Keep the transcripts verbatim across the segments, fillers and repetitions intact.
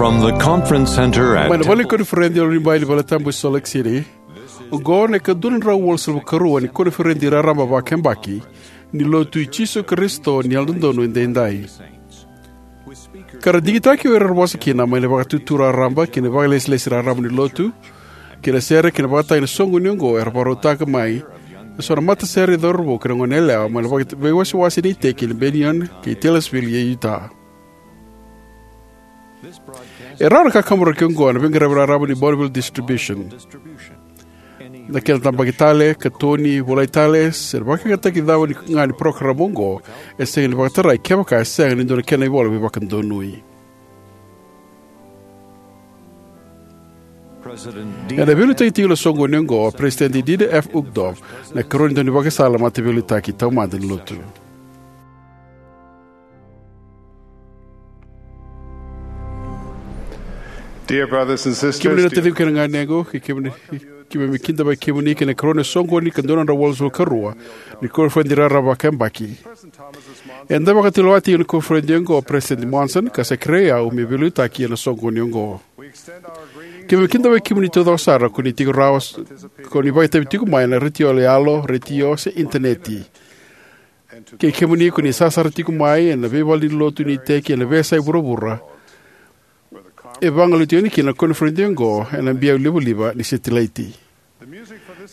From the conference center at Mai na Vale ni Koniferedi e Lunibai ni Valetabu e Salt Lake City, oqo na ikadua na drau walusagavulu ka rua ni koniferedi raraba vakayabaki ni Lotu i Jisu Karisito ni Yalododonu Edaidai. Ka ra digitaki o ira era vosa kina mai na vakatutu raraba kei na vakalesilesi raraba ni Lotu, kei na sere kei na vakatagi na soqoni oqo, era vakarautaka mai eso na matasere cauravou kei na goneyalewa mai na vaka-, veiwasewase ni iteki ni Bennion kei Taylorsville e Utah. E rawa na kakaburaki oqo ena veiqaravi raraba ni Bonneville Distribution. Na kena tabaki tale, katoni, volai tale, se na vakayagataki cava ga ni parokaramu oqo e sega ni vakatarai kevaka e sega ni dua na kena ivola veivakadonui. Ena veiliutaki tiko na soqoni oqo o Peresitedi Dieter F. Uchtdorf, na ikarua ni daunivakasala mataveiliutaki taumada ni Lotu. Dear brothers and sisters, Kemuni na taciqu kei na ganequ, kei kemuni, keimami kidavaki kemuni ki na ikarua ni soqoni ka dua na drau walusagavulu ka rua ni koniferedi raraba vakayabaki. Eda vakatulewa tiko ena koniferedi oqo o Peresitedi Monson, ka sa kerei au meu veiliutaki ena soqoni oqo. Keimami kidavaki kemuni taucoko sara ko ni tiko rawa, ko ni vakaitavi tiko mai ena retio yaloyalo, retio se initaneti. Kei kemuni ko ni sasara tiko mai ena veivale ni lotu ni iteki ena veiyasai vuravura, e vagolei tiko yani kina na koniferedi oqo ena biau livaliva ni setilaiti.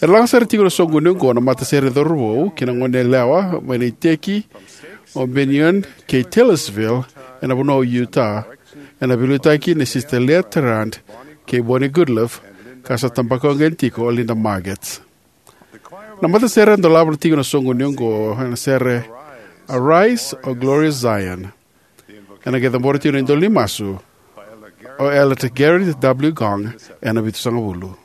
E laga sara tiko na soqoni oqo na matasere cauravou kei na goneyalewa mai na iteki o Bennion kei Taylorsville ena vanua o Utah, ena veiliutaki nei Sister Leah Tarrant kei Bonnie Goodliffe, ka sa tabaka oqo yani tiko o Linda Margetts. Na matasere e dolava tiko na soqoni oqo ena sere Arise, O Glorious Zion. Ena qai cabora tiko na idola ni masu o Elder Gerrit W. Gong ena vitusagavulu.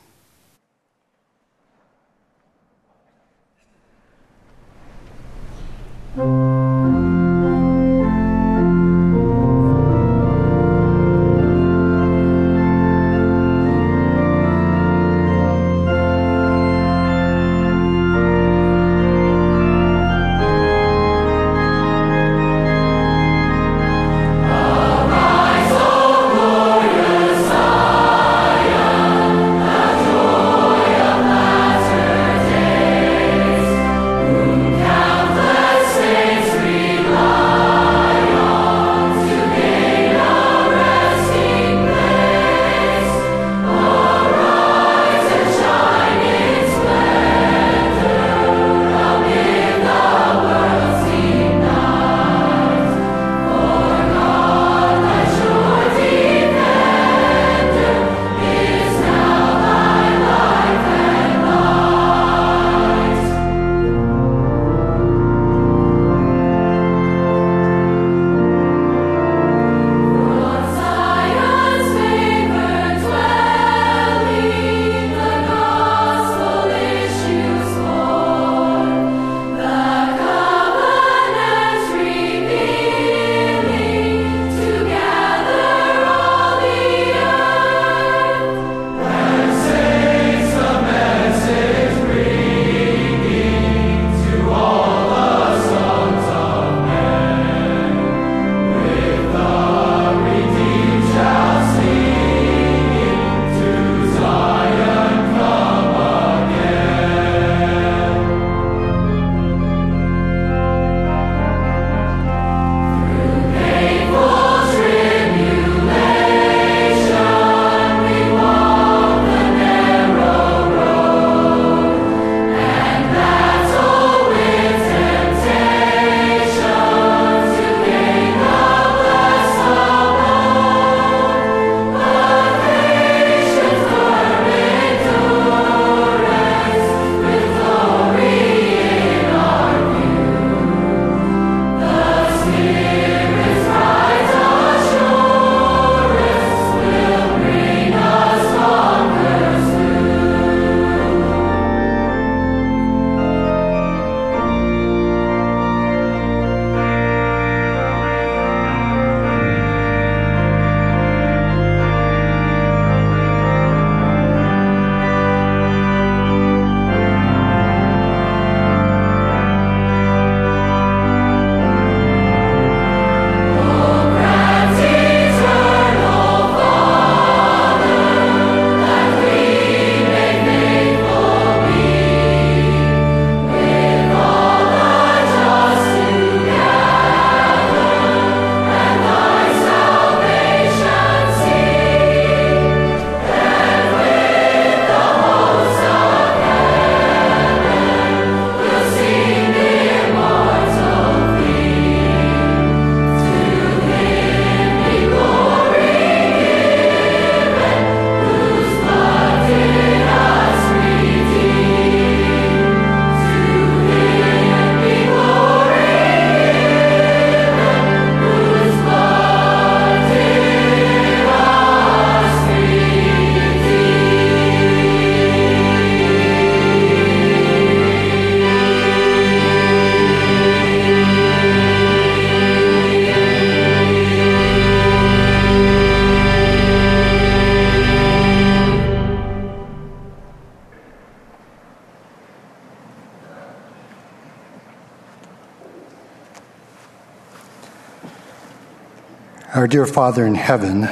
Our dear Father in heaven,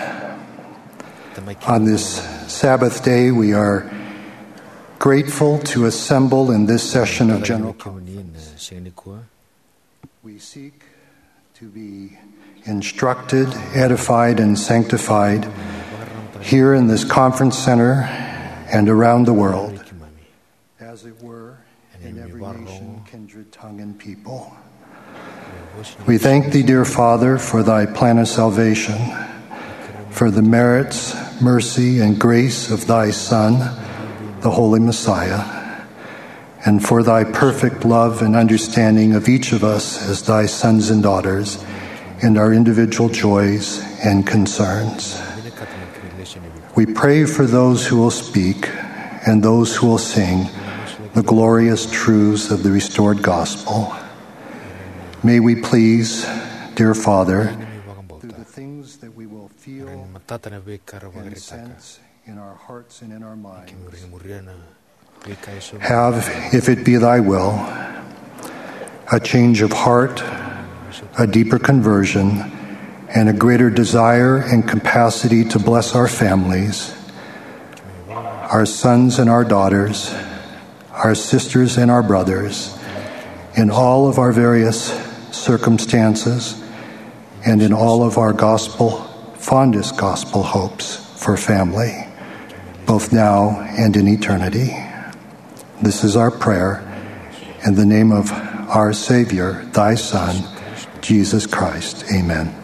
on this Sabbath day, we are grateful to assemble in this session of General Conference. We seek to be instructed, edified, and sanctified here in this conference center and around the world, as it were, in every nation, kindred, tongue, and people. We thank thee, dear Father, for thy plan of salvation, for the merits, mercy, and grace of thy Son, the Holy Messiah, and for thy perfect love and understanding of each of us as thy sons and daughters in our individual joys and concerns. We pray for those who will speak and those who will sing the glorious truths of the restored gospel. May we please, dear Father, through the things that we will feel and sense in our hearts and in our minds, have, if it be thy will, a change of heart, a deeper conversion, and a greater desire and capacity to bless our families, our sons and our daughters, our sisters and our brothers, in all of our various circumstances, and in all of our gospel, fondest gospel hopes for family, both now and in eternity. This is our prayer in the name of our Savior, thy Son, Jesus Christ. Amen.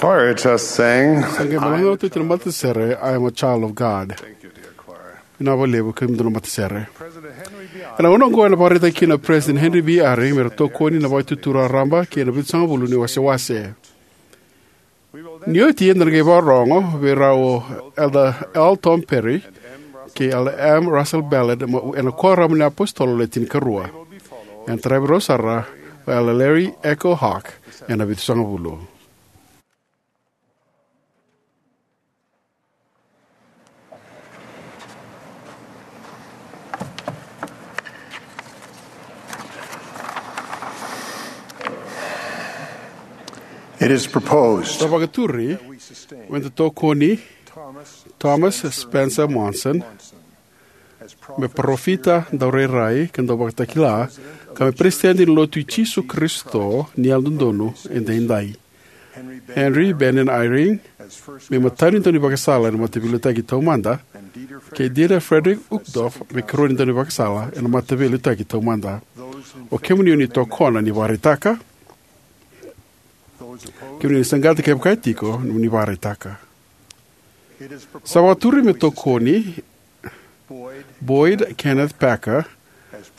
Choir just sang, Sa qai balaga oti na matasere, "I am a child of God." Vinaka vakalevu kemudou na matasere. Ena gauna oqo ena vakaraitaki kina o President Henry B. Eyring me ra tokoni na Vakaitutu Raraba kei na Vitusagavulu ni Wasewase. Ni oti eda na qai vakarorogo vei rau o Elder L. Tom Perry kei Elder M. Russell Ballard, ma ena Kuoramu ni iApositolo Le Tinikarua. Ena taravi rau sara o Elder Larry Echo Hawk ena Vitusagavulu. It is proposed Sa vakaturi me da tokoni Thomas Spencer Monson me parofita, daurairai ka dauvakatakila, ka me Peresitedi ni Lotu i Jisu Karisito ni Yalododonu Edaidai. Henry Bennion Eyring me imatau ni daunivakasala ena Mataveiliutaki Taumada, kei Dieter Friedrich Uchtdorf me ikarua ni daunivakasala ena Mataveiliutaki Taumada. O kemuni o ni tokona, ni vakaraitaka. Kemuni o ni saqata, kevaka e tiko, ni vakaraitaka. Sa vakaturi me tokoni Boyd Kenneth Packer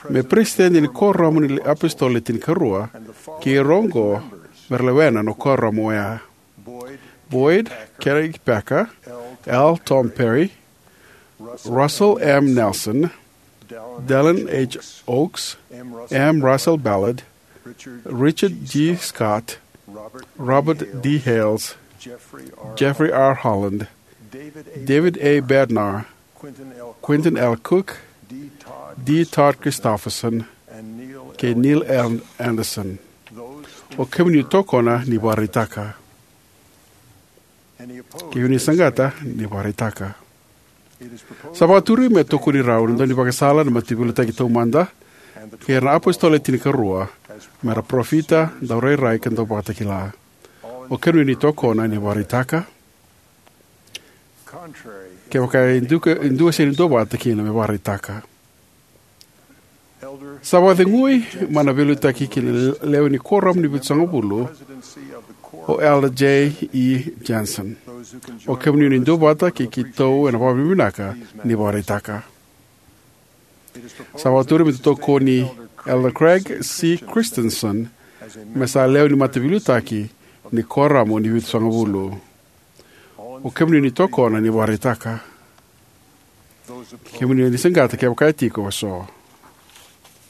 me Peresitedi ni Kuoramu ni iApositolo Le Tinikarua, kei ira oqo me ra lewena na kuoramu oya: Boyd Kenneth Packer, L. Tom Perry, Russell M. Nelson, Dallin H. Oaks, M. Russell Ballard, Richard G. Scott, Robert D. Hales, Jeffrey R. Holland, David A. Bednar, Quentin L. Cook, D. Todd Christofferson, kei Neil L. Andersen. O kemuni o ni tokona, ni vakaraitaka. Kemuni o ni saqata, ni vakaraitaka. Sa vakaturi me tokoni rau na daunivakasala ena Mataveiliutaki Taumada kei ira na iApositolo Le Tinikarua me ra parofita, daurairai ka dauvakatakila. O kemuni o ni tokona, ni vakaraitaka. Kevaka e dua, e dua sega ni duavata kina, me vakaraitaka. Sa vakacegui mai na veiliutaki ki na lewe ni Kuoramu ni Vitusagavulu o Elder J. E. Jensen. O kemuni o ni duavata kei keitou ena vakavinavinaka, ni vakaraitaka. Sa vakaturi me da tokoni Elder Craig C. Christensen me sa lewe ni Mataveiliutaki ni Kuoramu ni Vitusagavulu. O kemuni o ni tokona, ni vakaraitaka. Kemuni o ni saqata, kevaka e tiko eso.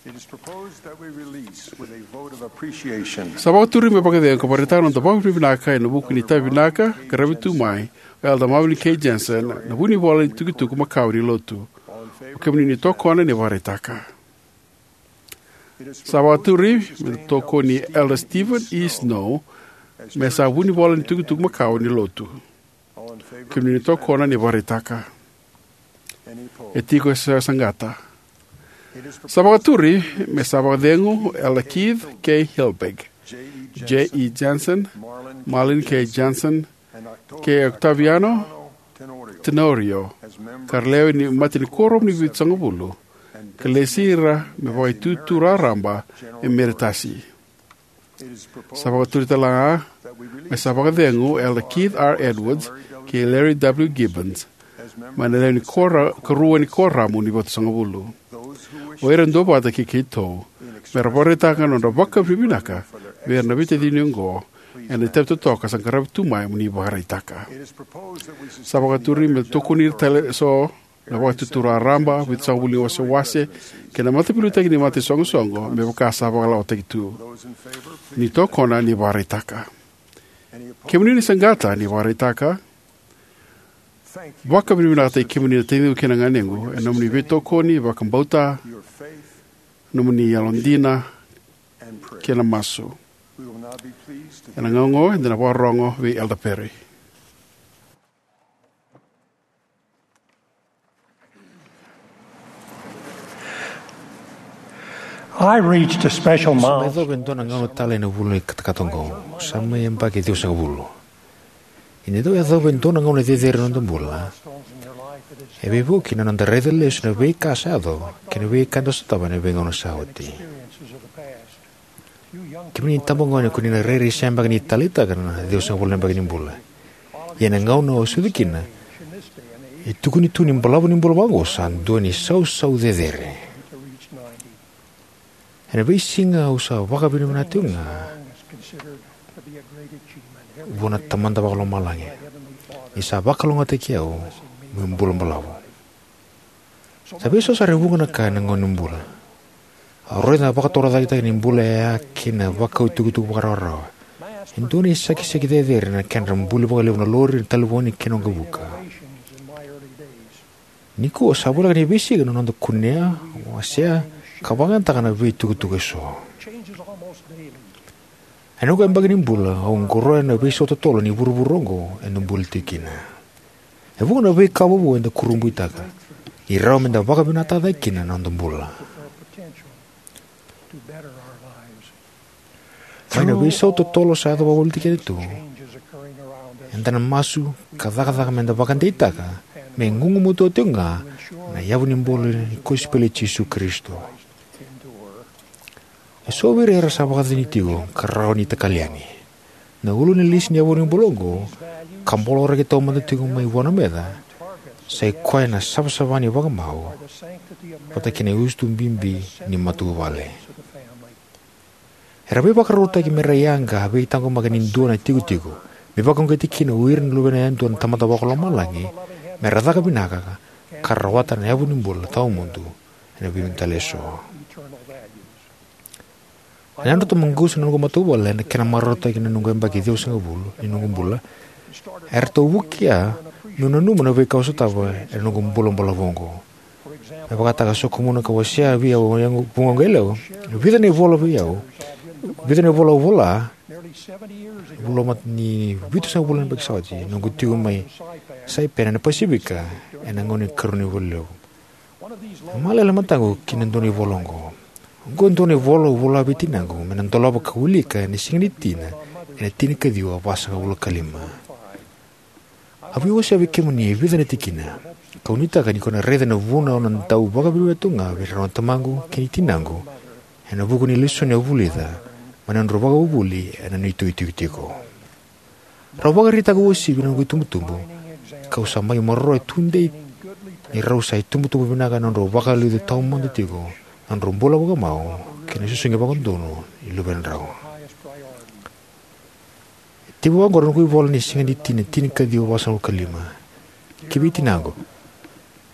It is proposed that we release with a vote of appreciation. Sa vakaturi me vakacegu ka vakaraitaka na noda vakavinavinaka ena vuku ni itavi vinaka ka qaravi tu mai o Elder Marvin K. Jensen, na vunivola ni tukutuku makawa ni Lotu. O kemuni o ni tokona, ni vakaraitaka. Sa vakaturi me da tokoni Elder Stephen E. Snow me sa vunivola ni tukutuku makawa ni Lotu. Kemuni o ni tokona, ni vakaraitaka. E tiko eso e saqata? Sa vakaturi me sa vakacegu Elder Keith K. Hilberg, J. E. Jensen, Marlin K. Jensen, kei Octaviano Tenorio, ka ra lewe ni mata ni Kuoramu ni Vitusagavulu, ka lesi ira me Vakaitutu Raraba Emeritasi. Sa vakaturi talega me sa vakacegu Elder Keith R. Edwards kei Larry W. Gibbons mai na lewe ni Kuora-, karua ni Kuoramu ni Vitusagavulu. O ira e duavata kei keitou me ra vakaraitaka na nodra vakavinavinaka vei ira na veitacini oqo ena itavi totoka sa qaravi tu mai mo ni vakaraitaka. Sa vakaturi me tokoni tale eso na Vakaitutu Raraba, Vitusagavulu ni Wasewase, kei na mataveiliutaki ni mata ni soqosoqo, me vaka sa vakalawataki tu. Ni tokona, ni vakaraitaka. Kemuni o ni saqata, ni vakaraitaka. Vakavinavinakataki kemuni na taciqu kei na ganequ ena nomuni veitokoni, vakabauta, nomuni yalodina kei na masu. Ena gauna oqo eda na vakarorogo vei Elder Perry. I reached a special milestone. Sa mai yacova e dua na gauna talei ena vula ni katakata oqo. Sa mai yabaki ciwasagavulu. Ni da dau yacova e dua na gauna cecere ena noda bula, e veivuke na noda raica lesu na veika sa yaco kei na veika eda sotava ena veigauna sa oti. Kemuni na itabagone, ko ni na rairai sega beka ni taleitaka na ciwasagavulu na yabaki ni bula. Ia ena gauna o sucu kina, e tukuni tu ni balavu ni bula vaqo sa dua na isausau cecere. Ena veisiga au sa vakavinavinaka tiko ga vua na Tamada Vakalomalagi ni sa vakalougatataki au meu bula balavu. Sa veiso sara e vuqa na ka ena gauna ni bula. Au raica na vakatorocaketaki ni bula yaya kei na vakau itukutuku vakarawarawa. E dua na isakisaki cecere na kedra buli vakalevu na lori, na talevoni kei na waqavuka. Nikua sa voleka ni veisiga na noda kunea, wasea, ka vakayagataka na veitukutuku eso. Ena noqu yabaki ni bula au qoroya na veisau totolo ni vuravura oqo eda bula tiko kina. E vuqa na veika vovou eda kurabuitaka ni rawa meda vakavinakataka cake kina na noda bula. Mai na veisau totolo sa yaco vakavoliti keda tu, eda na masu ka cakacaka meda vakadeitaka me gugumatua tiko ga na yavu ni bula ni kosipeli i Jisu Karisito. Eso vei ira era sa vakacacani tiko ka rawa ni takali yani. Na ulu ni lisi ni yavu ni bula oqo, ka boloraki taumada tiko mai vua na meca, sa i koya na savasava ni vakamau vata kei na usutu bibi ni matavuvale. Era veivakarautaki mera yaga veitaqomaki ni dua na itikotiko me vakauqeti kina o ira na luvena yadua na Tamada Vakalomalagi mera caka vinaka ka rawata na yavu ni bula tawamudu ena veivanua tale eso. Na yadratou maqusa na noqu matavuvale ena kena marautaki na noqu yabaki ciwasagavulu ni noqu bula eratou vukea meu nanuma na veika au sotava ena noqu bula balavu oqo. Me vakataka, sokumuna ka wasea vei au na vugoqu yalewa e vica na ivola vei au, vica na ivola au vola, e vuqa ni vitusagavulu na yabaki sa oti noqu tiko mai Saipan ena Pasifika ena gauna ni Karua ni Valelevu. E malele mataqu ki na dua na ivola oqo. Oqo e dua na ivola au vola vei tinaqu me na dolava ka wilika ena Siga ni Tina ena tinikaciwa vasagavulu ka lima. Au via wasea vei kemuni e vica na tikina, kau nuitaka ni ko na raica na vuna au na dau vakavinavinaka tu ga vei rau na tamaqu kei na tinaqu ena vuku ni lesoni au vulica mai na nodrau vakavuvuli ena neitou itikotiko. Rau vakaraitaka uasivi na noqu itubutubu, kau sa mai maroroya tudei ni rau sa itubutubu vinaka ena nodrau vakaliuca tawamudu tiko na nodrau bula vakamau kei na susugi vakadodonu ni luvedrau. E tekivu oqo na noqu ivola ni Siga ni Tina, tinikaciwa vasagavulu ka lima. Ki vei tinaqu.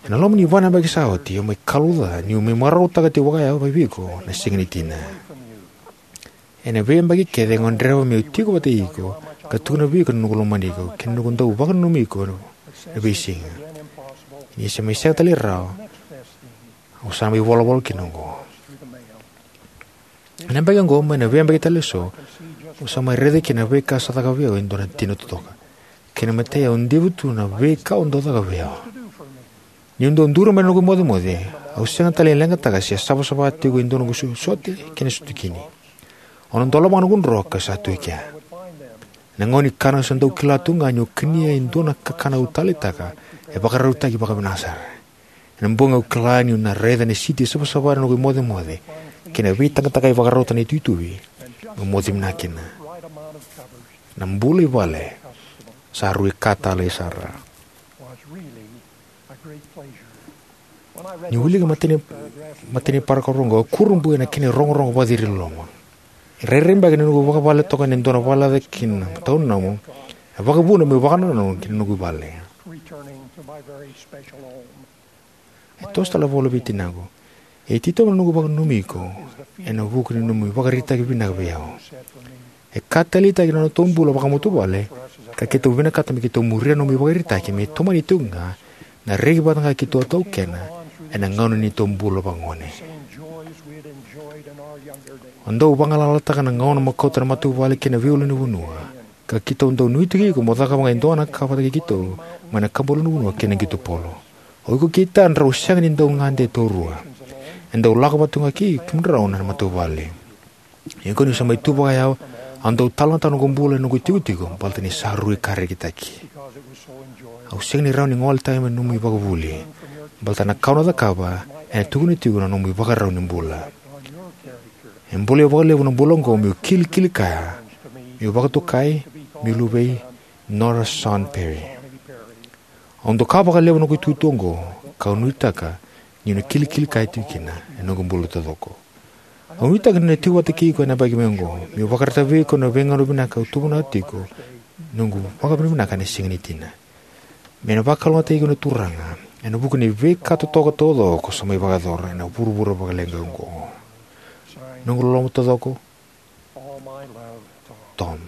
Ena loma ni va na yabaki sa oti au mai kalouca niu mai marautaka tiko vakayawa mai vei iko na Siga ni Tina. Ena veiyabaki kece e gadreva meu tiko vata kei iko ka tukuna vei iko na noqu lomani iko kei na noqu dau vakananumi iko ena veisiga. Ni se mai sega tale ni rawa, au sa mai volavola kina oqo. Ena yabaki oqo mai na veiyabaki tale eso, au sa mai raica kina na veika sa caka vei au e dua na tina totoka. Kei na imatai au diva tu na veika au dau caka vei au. Niu dau duri mai na noqu imocemoce, au sega tale ni leqataka se savasava tiko e dua na noqu sote kei na sutukini. Au na dolava ga noqu dro ka sa tu e kea. Ena gauna ni kana au sa dau kila tu ga niu kania e dua na kakana au taleitaka e vakarautaki vakavinaka sara. Ena bogi au kila niu na raica na siti e savasava ena noqu imocemoce kei na veitaqataqai vakarauta na ituituvi meu moce vinaka kina. Na bula i vale sa rui ka talei sara. Niu wilika na imatai ni parakaravu oqo au kurabui ena kena irogorogo vakaciri loloma. E rairai beka ni noqu vakavale toka ena dua na valelaca ki na tauni nomu, e vakavuna meu vakanananu ki na noqu vale. E toso tale a vola vei tinaqu, e titobu na noqu vakananumi iko ena vuku ni nomu ivakaraitaki vinaka vei au. E ka taleitaki na nodatou bula vakamatavuvale ka keitou vinakata me keitou muria na nomu ivakaraitaki me tomani tiko ga na reki vata ga keitou a taukena ena gauna ni neitou bula vakagone. O dau vagalalataka na gauna mo kauta na matavuvale kei na veiulunivanua, ka keitou dau nuitaki iko mo cakava ga e dua na ka vata kei keitou mai na kabalonuvanua kei na qito polo. O iko kei Tad rau sega ni dau gade taurua. E dau lako vata tu ga kei kemudrau na matavuvale. Ia qo niu sa mai tu vakayawa, au dau talanoataka na noqu bula ena noqu itikotiko baleta ni sa rui ka rekitaki. Au sega ni rawa ni gole tale mai na nomu ivakavuvuli baleta na ka au na cakava ena tukuna tiko na nomu ivakarau ni bula. E bolei au vakalevu na bula oqo meu kilikili kaya meu vakatokai meu luvei Nora Son Perry. Au doka vakalevu na noqu itutu oqo, kau nuitaka niu na kilikili kaya tiko kina ena noqu bula taucoko. Au nuitaka niu na tiko vata kei iko ena yabaki mai oqo, meu vakaraitaka vei iko na veigauna vinaka au tuvanaka tiko noqu vakavinavinaka ena siga ni tina. Me na vakalougatataki iko na Turaga ena vuku ni veika totoka taucoko ko sa mai vakayacora ena vuravura vakaleqa oqo. Noqu loloma taucoko, Tom.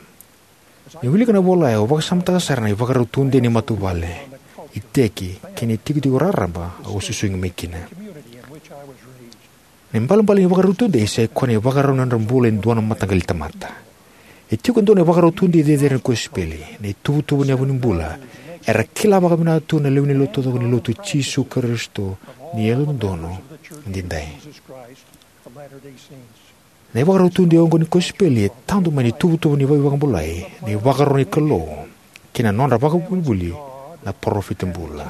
Niu wilika na ivola oya, au vakasamataka sara na ivakarau tudei ni matavuvale, iteki, kei na itikotiko raraba au a susugi mai kina. Na ibalebale ni ivakarau tudei sai koya na ivakarau ni nodra bula e dua na mataqali tamata. E tiko e dua na ivakarau tudei cecere ni kosipeli. Na ituvatuva ni yavu ni bula era kila vakavinaka tu na lewe ni Lotu taucoko ni Lotu i Jisu Karisito ni Yalododonu Edaidai. Na ivakarau tudei oqo ni kosipeli e tadu mai na ituvatuva ni veivakabulai, na ivakaro ni Kalou, kei na nodra vakavuvuli na parofita bula.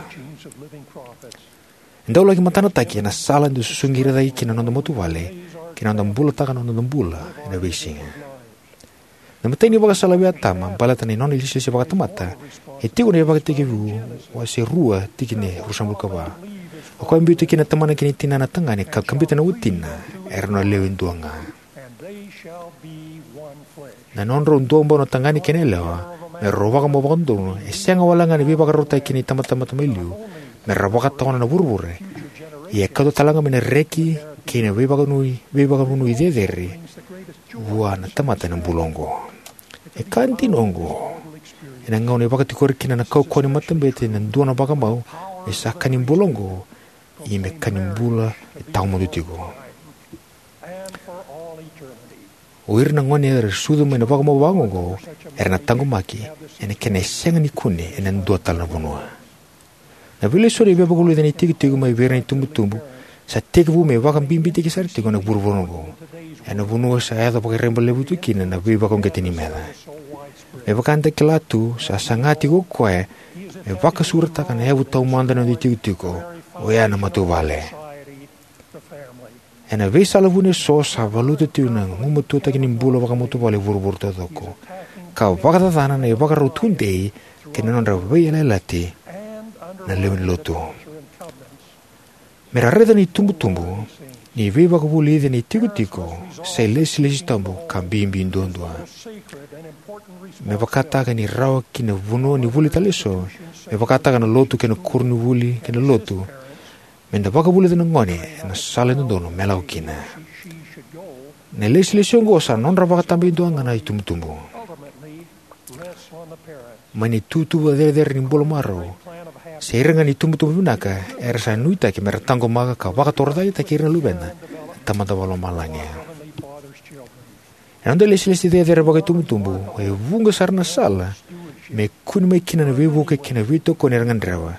E dau laki matanataki ena sala eda susugi ira cake kina na noda matavuvale kei na noda bulataka na noda bula ena veisiga. Na imatai ni ivakasala vei Atama baleta na nona ilesilesi vakatamata e tiko ena iVakatekivu wase rua, tikina e ruasagavulu ka va. O koya e biuta kina na tamana kei na tinana tagane ka kabita na watina, era na lewe dua ga. Na nodrau duabau na tagane kei na yalewa, me rau vakamau vakadodonu, e sega walega ni veivakarautaki kina itabatamata mai liu, me ra vakatawana na vuravura, ia e kauta talega mai na reki kei na veivakavanui, veivakavanui cecere vua na tamata ena bula oqo. E ka dina oqo. Ena gauna e vakatikori kina na kaukauwa ni matabete na dua na vakamau, me sa ka ni bula oqo, ia me ka ni bula e tawamudu tiko. O ira na gone era sucu mai na vakamau vakaoqo era na taqomaki ena kena e sega ni kune ena dua tale na vanua. Na veilesoni e veivakavulici ena itikotiko mai vei ira na itubutubu sa tekivu me vakabibitaki sara tiko ena vuravura oqo, ena vanua sa yaco vakareba levu tu kina na veivakauqeti ni meca. Me vaka eda kila tu, sa saga tiko o koya me vakasuretaka na yavu taumada ni noda itikotiko, oya na matavuvale. Ena veisala vuni eso sa valuta tiko na gumatuataki ni bula vakamatavuvale e vuravura taucoko, ka vakacacana na ivakarau tudei kei na nodra veiyalayalati na lewe ni Lotu. Me ra raica na itubutubu ni veivakavulici ena itikotiko sa ilesilesi tabu ka bibi duadua. Me vakataka ni rawa ki na vanua ni vuli tale eso, me vakataka na lotu kei na koronivuli kei na lotu, me da vakavulica na gone ena sala e dodonu me lako kina. Na ilesilesi oqo sa nodra vakatabakidua ga na itubutubu. Mai na ituvatuva cecere ni bula marau, se ira ga na itubutubu vinaka era sa nuitaki me ra taqomaka ka vakatorocaketaki ira na luveda na Tamada Vakalomalagi. Ena noda ilesilesi cecere vakaitubutubu, e vuqa sara na sala me kune mai kina na veivuke kei na veitokoni era gadreva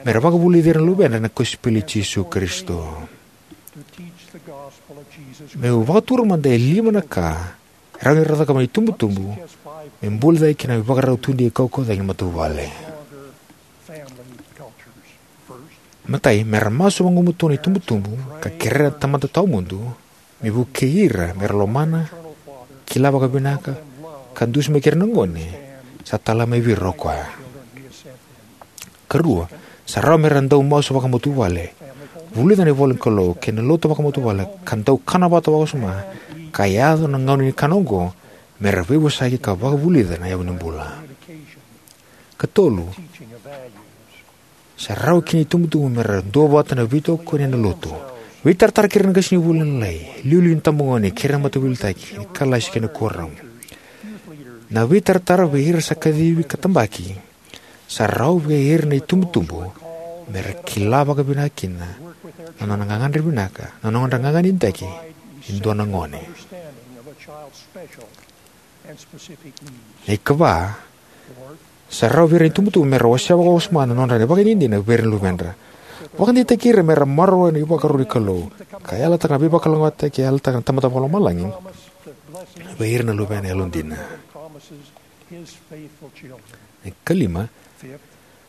me ra vakavulici ira na luvedra na kosipeli i Jisu Karisito. Meu vakatura mada e lima na ka e rawa ni ra cakava na itubutubu me buli cake kina na ivakarau tudei kaukauwa cake ni matavuvale. Matai, me ra masu vagumatua na itubutubu ka kerea na Tamada Tawamudu me vukei ira me ra lomana, kila vakavinaka, ka dusimaki ira na gone sa tala mai vei ira o koya. Karua, sa rawa me ra dau masu vakamatavuvale, vulica na ivola ni Kalou kei na lotu vakamatavuvale, ka dau kana vata vakawasoma, ka yaco na gauna ni kana oqo me ra veivosaki ka vakavulica na yavu ni bula. Katolu, sa rawa ki na itubutubu me ra duavata na veitokoni ena lotu. Veitaratara kei ira na qasenivuli na Lalai, iliuliu ni tabagone kei ira na mataveiliutaki, ni kalasi kei na kuoramu. Na veitaratara vei ira sa kacivi ka tabaki, sa rawa vei ira na itubutubu me ra kila vakavinaka kina na nona gagadre vinaka, na nodra gagadre vinaka e dua na gone. Na ikava, sa rawa vei ira na itubutubu me ra wasea vakawasoma na nodra na ivakadinadina vei ira na luvedra. Vakadeitaki ira me ra maroroya na ivakaro ni Kalou ka yalataka na veivakalougatataki e yalataka na Tamada Vakalomalagi vei ira na luvena yalodina. Na ikalima,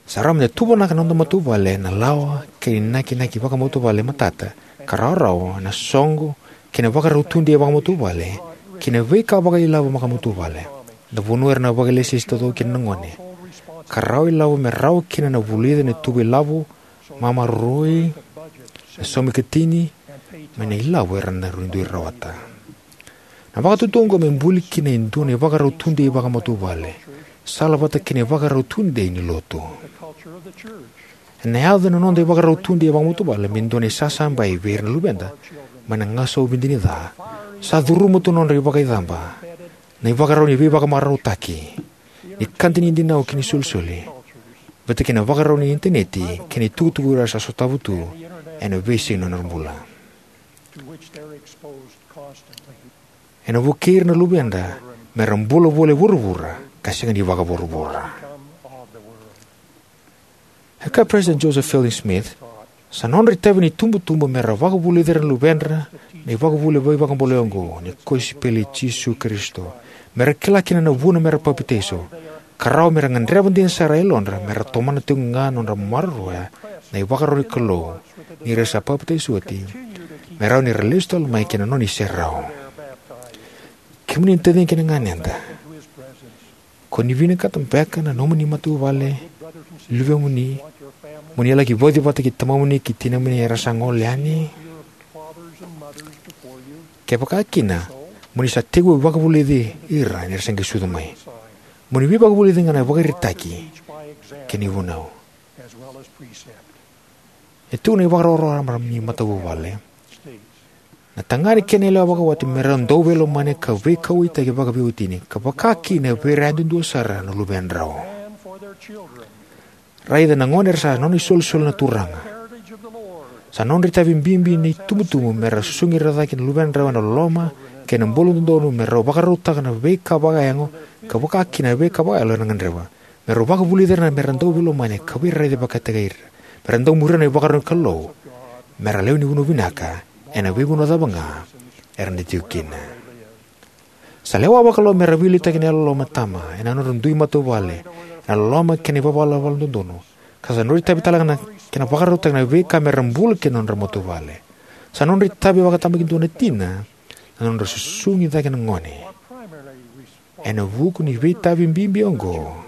sa rawa me da tuvanaka na noda matavuvale ena lawa kei na inakinaki vakamatavuvale matata ka rawarawa ena soqo kei na vakarau tudei vakamatavuvale, kei na veika vakailavo vakamatavuvale. Na vanua era na vakailesilesi taucoko kina na gone, ka rawa ilavo me rawa kina na vulica na ituva ilavo, mamaroroi, na saumi katini, mai na ilavo era na duidui rawata. Na vakatutu oqo me buli kina e dua na ivakarau tudei vakamatavuvale, sala vata kei na ivakarau tudei ni lotu. Ena yaco na noda ivakarau tudei vakamatavuvale me dua na isasabai vei ira na luveda mai na gasau vidini ca. Sa curuma tu na nodra ivakaicaba, na ivakarau ni veivakamarautaki, ni ka dinadinau kei na isolisoli, vata kei na vakarau ni initaneti kei na itukutuku era sa sotava tu ena veisiga ni nodra bula. Ena vukei ira na luveda me ra bula voli e vuravura ka sega ni vakavuravura. E kaya President Joseph Fielding Smith, sa nodra itavi ni tubutubu me ra vakavulici ira na luvedra na ivakavuvuli veivakabulai oqo ni kosipeli i Jisu Karisito, me ra kila kina na vuna me ra papitaiso, ka rawa me ra gadreva dina sara e yalodra me ra tomana tiko ga na nodra maroroya na ivakarau ni Kalou ni ra sa papitaiso oti, me rawa ni ra lesu tale mai ki na nona iserau. Kemuni na taciqu kei na ganeda, ko ni vinakata beka na nomuni matavuvale, luvemuni, mo ni laki vauci vata kei tamamuni kei tinamuni era sa gole yani? Kevaka kina, mo ni sa tekivu vakavulici ira ni ra se qai sucu mai. Mo ni veivakavulici ga na ivakaraitaki kei na ivunau. E tu na ivakarau raraba ni matavuvale. Na tagane kei na yalewa vakawati me ra dau veilomani ka veikauwaitaki vakaveiwatini, ka vaka kina vei ira yadudua sara na luvedrau. Raica na gone era sa nona isolisoli na Turaga. Sa nodra itavi bibi ni tubutubu me ra susugi ira cake na luvedrau ena loloma kei na bula dodonu, me rau vakarautaka na veika vakayago ka vaka kina na veika vakayalo era gadreva. Me rau vakavulici ira me ra dau veilomani ka veiraici vakataki ira. Me ra dau muria na ivakarau ni Kalou. Me ra lewe ni vanua vinaka ena veivanua cava ga era na tiko kina. Sa lewa vakalou me ra veiliutaki ena yalololoma na tama ena nodra dui matavuvale, ena loloma kei na ivalavala dodonu. Ka sa nodra itavi tale ga na kena vakarautaki na veika me ra bula kina na nodra matavuvale. Sa nodra itavi vakatabakidua na tina na nodra susugi cake na gone. Ena vuku ni veitavi bibi oqo,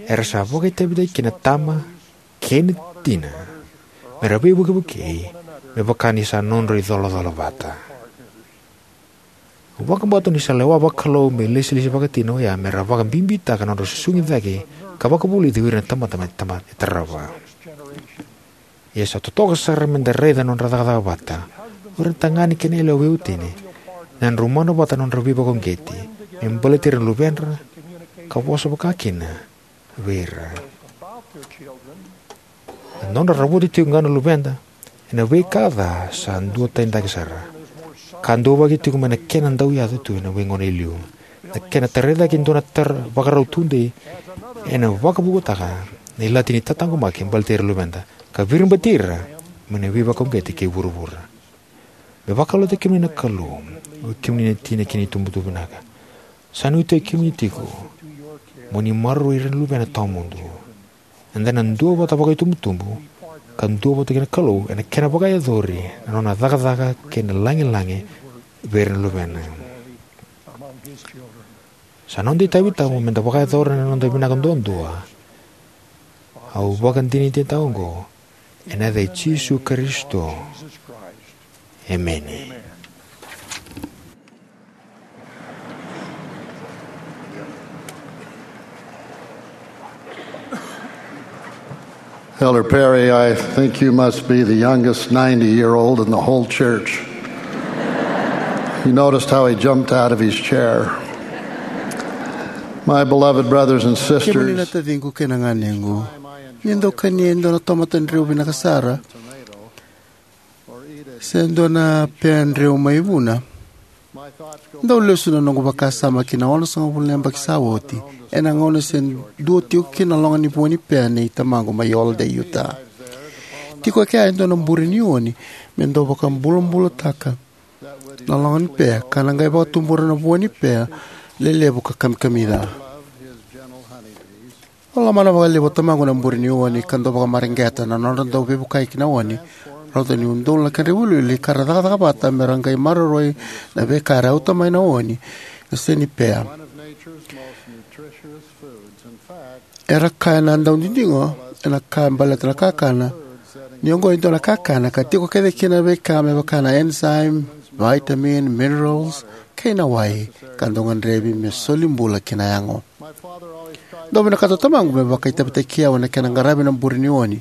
era sa vakaitavitaki kina na tama kei na tina me ra veivukevukei me vaka ni sa nodra icolacola vata. Au vakabauta ni sa lewa vakalou me ilesilesi vakatina oya me ra vakabibitaka na nodra susugi cake ka vakavulici o ira na tamata mai tama e tarava. Ia sa totoka sara me da raica na nodra cakacaka vata o ira na tagane kei na yalewa veiwatini, na nodra umana vata na nodra veivakauqeti me baleti ira na luvedra ka vosa vaka kina vei ira. Na nodra ravoti tiko ga na luveda ena veika ca sa duatani cake sara, ka duavaki tiko mai na kena dau yaco tu ena veigauna e liu. Na kena tarai cake e dua na tara vakarau tudei ena vakavukutaka na ilati ni tataqomaki baleti ira na luveda ka viribati ira mai na veivakauqeti kei vuravura. Me vakalougatataki kemuni na Kalou, o kemuni na tina kei na itubutubu vinaka. Sa nuitaki kemuni tiko mo ni maroroi ira na luvena tawamudu. Eda na duavata vakaitubutubu ka duavata kei na Kalou ena kena vakayacori na nona cakacaka kei na lagilagi vei ira na luvena. Sa noda itavi tabu me da vakayacora na noda vinaka duadua. Au vakadinadinataka oqo ena yaca i Jisu Karisito. Emeni. Elder Perry, I think you must be the youngest ninety-year-old in the whole church. You noticed how he jumped out of his chair. My beloved brothers and sisters, kemuni na taciqu kei na ganequ, ni dau kania e dua na tamata dreu vinaka sara se dua na pea dreu mai vuna, dau lesu na noqu vakasama ki na onosagavulu na yabaki sa oti, ena gauna se dua tiko kina na loga ni vua ni pea nei tamaqu mai Holladay, Utah. Tiko e kea e dua na bure ni oni me dau vakabulabulataka na loga ni pea ka na qai vakatubura na vua ni pea lelevu ka kamikamica. Au lomana vakalevu o tamaqu na bure ni oni ka dau vakamareqeta na nodra dau veivuke ki na oni rauta ni udolu na kedra iwiliwili ka ra cakacaka vata me ra qai maroroi na veika era auta mai na oni, e sega ni pea. Era kaya na daudidigo ena ka baleta na kakana ni oqo e dua na kakana ka tiko kece kina na veika me vaka na enzyme, vitamin, minerals, kei na wai ka dau gadrevi me soli bula ki na yago. Dau vinakata o tamaqu me vakaitavitaki au ena kena qaravi na bure ni oni,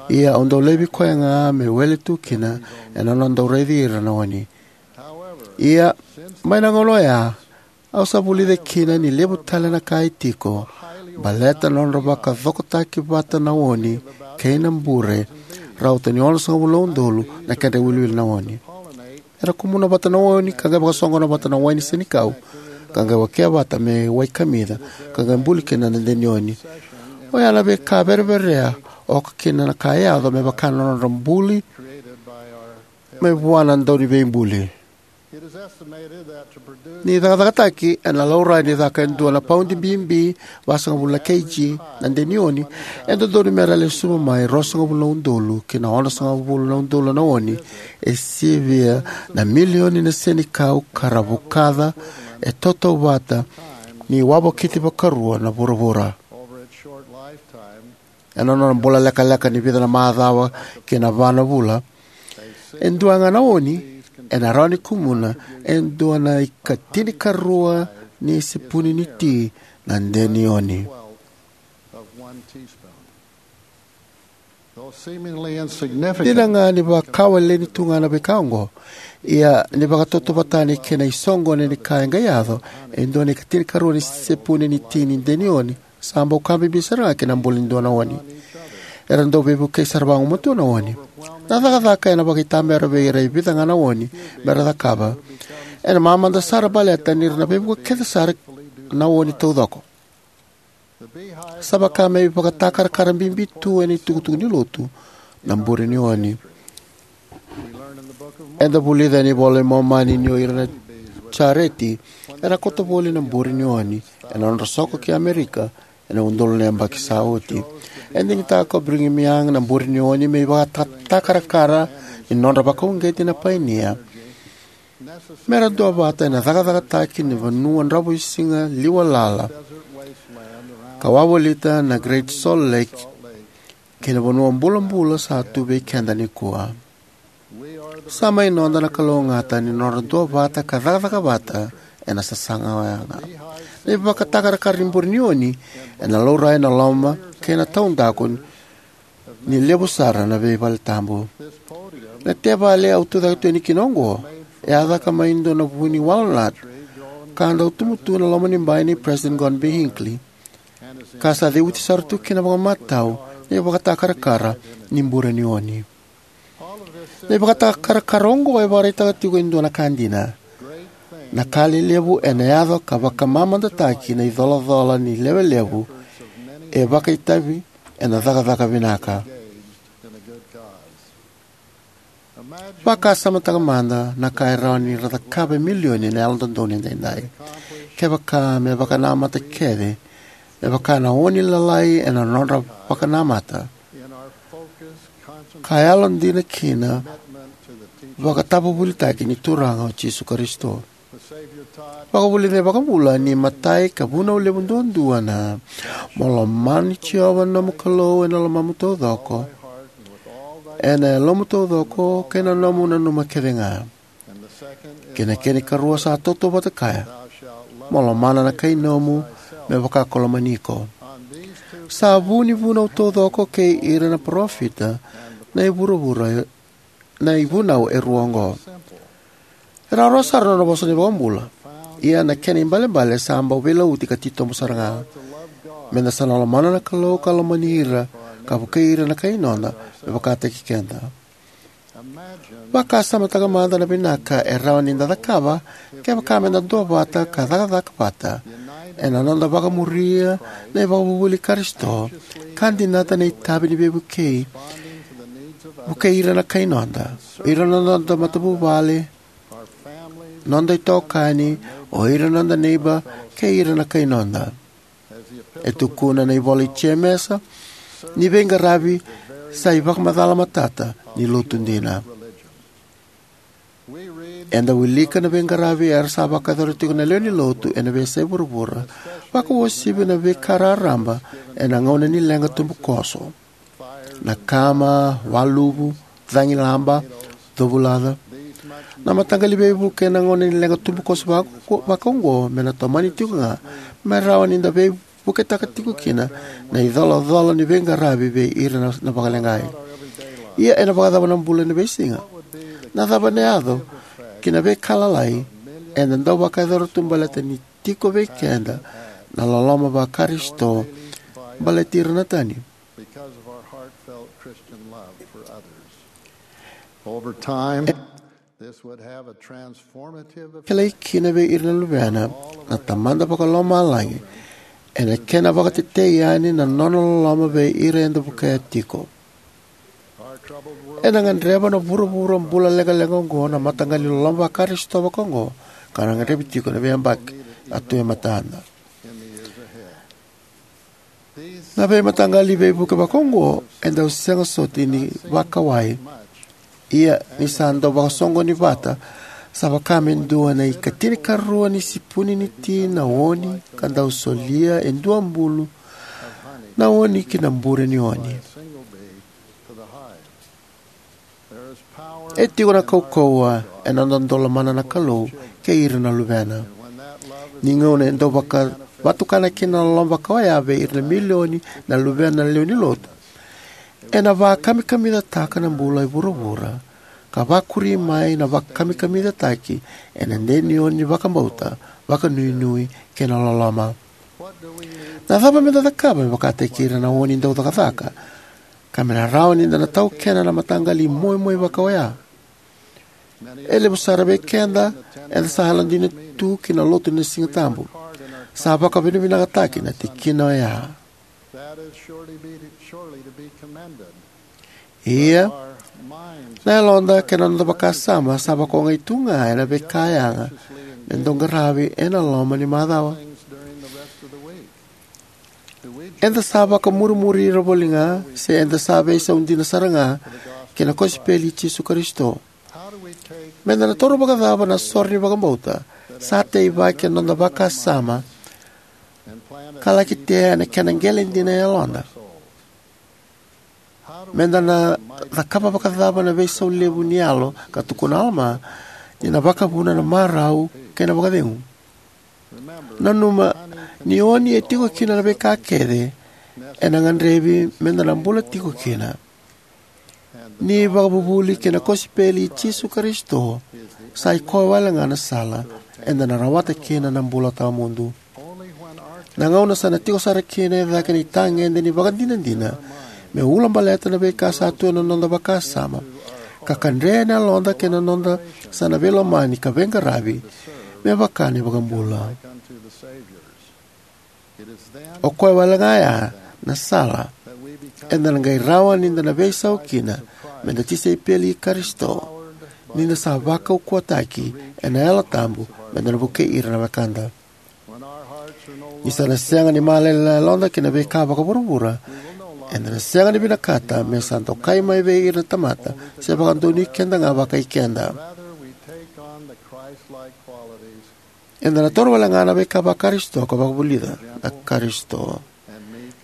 ia au dau laivi koya ga me wele tu kina ena nona dau raici ira na oni. Ia, mai na gauna oya, au sa vulica kina ni levu tale na ka e tiko baleta na nodra vakacokotaki vata na oni kei na bure, rauta ni onosagavulu na udolu na kedra iwiliwili na oni. Era kumuna vata na oni ka qai vakasoqona vata na wai ni senikau, ka qai wakea vata me wai kamica, ka qai buli kina na de ni oni. Oya na veika vereverea oka kina na ka e yaco me vaka na nodra buli mai vua na Dauniveibuli. Ni cakacakataki, ena laurai ni caka e dua na paudi bibi vasagavulu na kg na de ni oni, e dodonu me ra lesuva mai ruasagavulu na udolu ki na onosagavulu na udolu na oni e sivia na milioni na senikau ka ra vukaca e tautauvata ni wavokiti vakarua na vuravura. Ena nona bula lekaleka ni vica na macawa ki na va na vula, e dua ga na oni ena rawa ni kumuna e dua na ikatinikarua ni sepuni ni ti na de ni oni. Dina ga ni vakawaleni tu ga na veika oqo, ia ni vakatautauvatani kei na isoqoni ni ka e qai yaco, e dua na ikatinikarua ni sepuni ni ti ni de ni oni sa bau ka bibi sara ga ki na bula ni dua na oni. Era dau veivukei sara vagumatua na oni. Na cakacaka ena vakaitabera vei ira e vica ga na oni me ra cakava. Ena mamada sara baleta ni ra na veivuke kece sara na oni taucoko. Sa vaka me ivakatakarakara bibi tu ena itukutuku ni lotu na bure ni oni. Eda vulica ena iVola i Momani ni o ira na jareti era kauta voli na bure ni oni ena nodra soko ki Amerika ena udolu na yabaki sa oti. E digitaka o Brigham Young na bure ni oni me ivakatakarakara ni nodra vakauqeti na painia me ra duavata ena cakacakataki ni vanua dravuisiga liwa lala ka wavolita na Great Salt Lake kei na vanua bulabula sa tu vei keda nikua. Sa mai noda na kalougata ni nodra duavata ka cakacaka vata ena sasaga oya ga. Na ivakatakarakara ni bure ni oni ena laurai na loma kei na taudaku ni levu sara na veivaletabu. Na tevali au tucake tu yani kina oqo e a caka mai dua na vu ni walnut ka a dau tubu tu na loma ni bai nei President Gordon B. Hinckley, ka sa ceuti sara tu kina vakamatau na ivakatakarakara ni bure ni oni. Na ivakatakarakara oqo e vakaraitaka tiko e dua na ka dina. Na ka lelevu ena yaco ka vakamamadataki na icolacola ni lewe levu e vakaitavi ena cakacaka vinaka. Vakasamataka mada na ka e rawa ni ra cakava e milioni na Yalododonu Edaidai. Kevaka me vakanamata kece me vaka na oni lalai ena nodra vakanamata ka yalodina kina vakatavuvulitaki ni Turaga o Jisu Karisito. Vakavulica na iVakabula ni matai ka vunau levu duadua na: Mo lomani Jiova na nomu Kalou ena lomamu taucoko, ena yalomu taucoko, kei na nomu nanuma kecega. Kei na kena ikarua sa tautauvata kaya: Mo lomana na kainomu me vaka ko lomani iko. Sa vu ni vunau taucoko kei ira na parofita na ivuravura na ivunau e rua oqo. E rawarawa sara na nona vosa na iVakabula, ia na kena ibalebale sa bau veilauti ka titobu sara ga. Meda sa na lomana na Kalou ka lomani ira ka vukei ira na kainoda me vakataki keda. Vakasamataka mada na vinaka e rawa ni da cakava kevaka meda duavata ka cakacaka vata ena noda vakamuria na ivakavuvuli i Karisito ka dinata na itavi ni veivukei, vukei ira na kainoda, ira na noda matavuvale, noda itokani, o ira na noda neiba, kei ira na kainoda. E tukuna na ivola i Jemesa ni veiqaravi Sa ivakamacala matata ni lotu dina. Eda wilika na veiqaravi era sa vakayacora tiko na lewe ni lotu ena veiyasai vuravura, vakauasivi na veika raraba ena gauna ni leqa tubukoso. Na kama, waluvu, cagilaba, covulaca. Na mataqali veivuke ena gauna ni leqa tubukoso vaka-, vakaoqo me na tomani tiko ga, me rawa ni da veivuketaka tiko kina na icolacola ni veiqaravi vei ira na, na vakaleqai. Ia ena vakacava na bula ena veisiga? Na cava ena yaco ki na veika lalai eda dau vakayacora tu baleta ni tiko vei keda na loloma vaKarisito baleti ira na tani? Because of our heartfelt Christian love for others. Over time, this would have a transformative effect. Kilai kina vei ira na luvena na Tamada Vakalomalagi ena kena vakatetei yani na nona loloma vei ira eda vukea tiko. Ena gadreva na vuravura bula leqaleqa oqo na mataqali loloma vaKarisito vakaoqo, ka na gadrevi tiko na veiyabaki a tu e matada. Na veimataqali veivuke vakaoqo e dau sega soti ni vakawai. Ia ni sa dau vakasoqoni vata, sa vaka me dua na ikatinikarua ni sipuni ni ti na oni ka dau solia e dua bulu na oni ki na bure ni oni. E tiko na kaukauwa ena noda dau lomana na Kalou kei ira na luvena. Ni gauna e dau vakavatukana kina na loloma vaka oya vei ira na milioni na luvena na lewe ni lotu, ena vakamikamicataka na bula e vuravura, ka vakuri mai na vakamikamicataki ena deni oni ni vakabauta, vakanuinui kei na loloma. Na cava meda cakava me vakataki ira na oni dau cakacaka, ka me na rawa ni da na taukena na mataqali imoimoi vaka oya? E levu sara vei keda eda sa yalodina tu ki na lotu ni Siga Tabu. Sa vakavinavinakataki na tikina oya. That is surely be, surely to be commended. Ia, na yaloda kei na noda vakasama sa vakaogai tu ga ena veika yaga me dau qaravi ena loma ni macawa. Eda sa vakamurimuri ira voli ga, se eda sa veisau dina sara ga ki na kosipeli i Jisu Karisito? Meda na taura vakacava na sore ni vakabauta sa teivaki ena noda vakasama ka laki tea ena kena qele dina e yaloda? Meda na cakava vakacava na veisau levu ni yalo ka tukuna o Alama ni na vakavuna na marau kei na vakacegu? Nanuma ni oni e tiko kina na veika kece ena gadrevi meda na bula tiko kina. Ni ivakavuvuli kei na kosipeli i Jisu Karisito sa ikoya wale ga na sala eda na rawata kina na bula tawamudu. Na gauna sa na tiko sara kina e cake na itagede ni vakadinadina me ulabaleta na veika sa tu ena noda vakasama, ka kadre na yaloda kei na noda sa na veilomani ka veiqaravi me vaka na iVakabula. O koya wale ga ya na sala eda na qai rawa ni da na veisau kina meda tisaipeli i Karisito, ni da sa vakaukauwataki ena Yalo Tabu meda na vukei ira na wekada. Ni sa na sega ni malele na yaloda ki na veika vakavuravura, eda na sega ni vinakata me sa dokai mai vei ira na tamata se vakadonui keda ga vakai keda. Eda na taura wale ga na veika vaKarisito ka vakavulica na Karisito.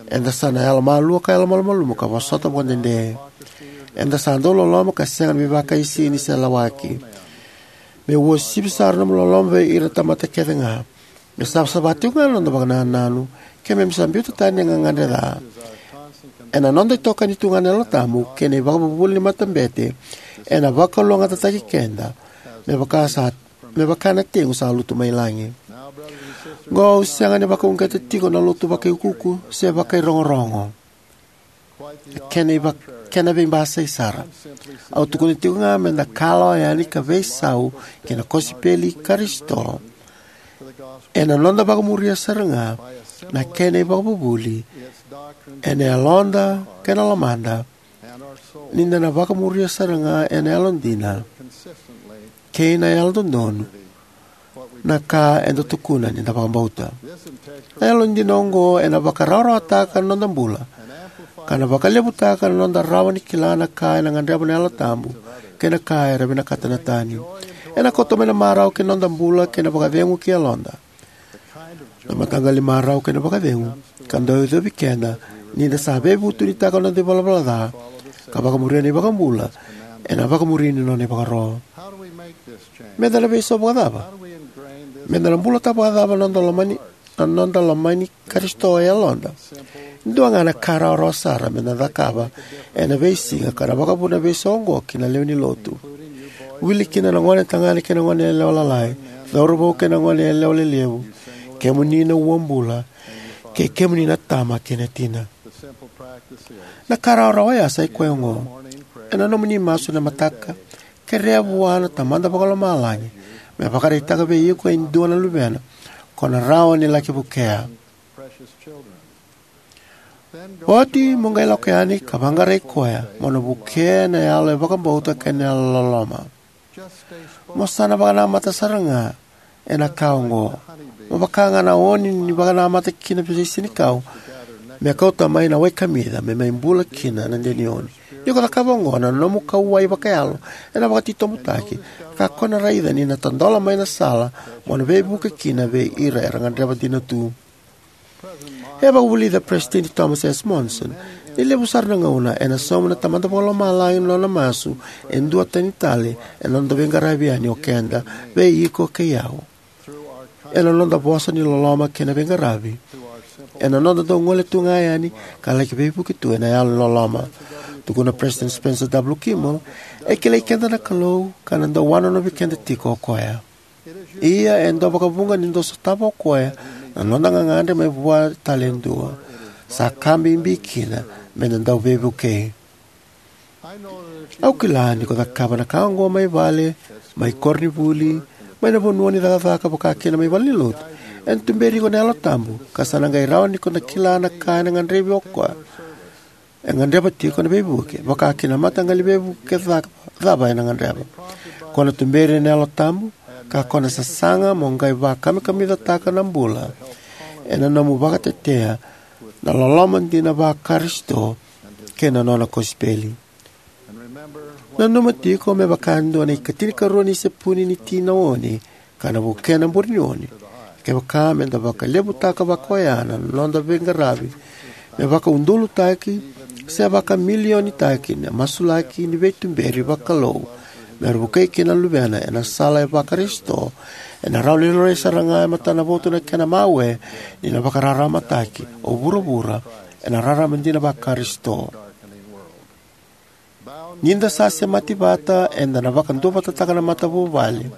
Eda sa na yalomalua ka yalomalumalumu ka vosota vakadede. Eda sa dau loloma ka sega ni veivakaisini se lawaki. Me uasivi sara na nomu loloma vei ira na tamata kece ga. Me savasava tiko ga na noda vakanananu, keimami sa biuta tani na gagadre ca. Ena noda itokani tu ga na Yalo Tabu kei na ivakavuvuli ni matabete ena vakalougatataki keda me vaka sa me vaka na tegu sa lutu mai lagi. Qo au sega ni vakauqeta tiko na lotu vakaiukuuku se vakairogorogo. Na kena, iva, kena veibasai sara. Au tukuna tiko ga meda kalawa yani ka veisau ki na kosipeli i Karisito ena noda vakamuria sara ga na kena ivakavuvuli ena yaloda kei na lomada, ni da na vakamuria sara ga ena yalodina kei na yalododonu na ka eda tukuna ni da vakabauta. Na yalodina oqo ena vakarawarawataka na noda bula ka na vakalevutaka na noda rawa ni kila na ka ena gadreva na Yalo Tabu kei na ka era vinakata na tani. Ena kauta mai na marau ki na noda bula kei na vakacegu ki yaloda. Na mataqali marau kei na vakacegu ka dau yacovi keda ni da sa veivutunitaka na noda ivalavala ca ka vakamuria na iVakabula ena vakamuri ni nona ivakaro. Meda na veisau vakacava? Meda na bulataka vakacava na noda lomani, na noda lomani Karisito e yaloda? Dua ga na ka rawarawa sara meda na cakava ena veisiga ka na vakavuna na veisau oqo ki na lewe ni lotu, wili kina na gone tagane kei na gone yalewa lalai, cauravou kei na gone yalewa lelevu, kemuni na uabula, kei kemuni na tama kei na tina. Na ka rawarawa oya sa i koya oqo: ena nomuni masu ena mataka, kerea vua na Tamada Vakalomalagi me vakaraitaka vei iko e dua na luvena ko na rawa ni laki vukea. Oti mo qai lako yani ka vaqarai koya mo na vukea ena yalo e vakabauta kei na yalo loloma. Mo sa na vakanamata sara ga ena ka oqo. Mo vaka ga na oni ni vakanamata kina vei senikau me kauta mai na wai kamica me mai bula kina na denioni. Ni ko cakava oqo, na nomu kauwai vakayalo ena vakatitobutaki, ka ko na raica ni na tadola mai na sala mo na veivuke kina vei ira era gadreva dina tu. E vakavulica Peresitedi Thomas S. Monson ni levu sara na gauna ena sauma na Tamada Vakalomalagi na nona masu e duatani tale ena noda veiqaravi yani o keda, vei iko kei au. Ena noda vosa ni loloma kei na veiqaravi, ena noda dau gole tu ga yani ka laki veivuke tu ena yalo ni loloma. Tukuna Peresitedi Spencer W. Kimball, e kilai keda na Kalou ka na dau wanonovi keda tiko o koya. Ia e dau vakavuqa ni dau sotava o koya na noda gagadre mai vua tale e dua. Sa ka bibi kina meda dau veivukei. Au kila ni ko cakava na ka oqo mai vale, mai koronivuli, mai na vanua ni cakacaka, vaka kina mai valenilotu, ena tuberi iko na Yalo Tabu ka sa na qai rawa ni ko na kila na ka ena gadrevi o koya e gadreva tiko na veivuke, vaka kina na mataqali veivuke ca-, cava ena gadreva. Ko na tuberi ena Yalo Tabu ka ko na sasaga mo qai vakamikamicataka na bula ena nomu vakatetea na loloma dina vaKarisito kei na nona kosipeli. Nanuma tiko, me vaka e dua na ikatinikarua ni sepuni ni ti na oni ka na vukea na burenioni, kevaka meda vakalevutaka vaka oya na noda veiqaravi me vakaudolutaki se vakamilionitaki na masulaki ni veituberi vakalou me ra vukei kina na luvena ena sala e vaKarisito, ena rawa ni laurai sara ga e matanavotu na kena mawe ni na vakararamataki o vuravura ena rarama dina vaKarisito. Ni da sa semati vata, eda na vakaduavatataka na matavuvale,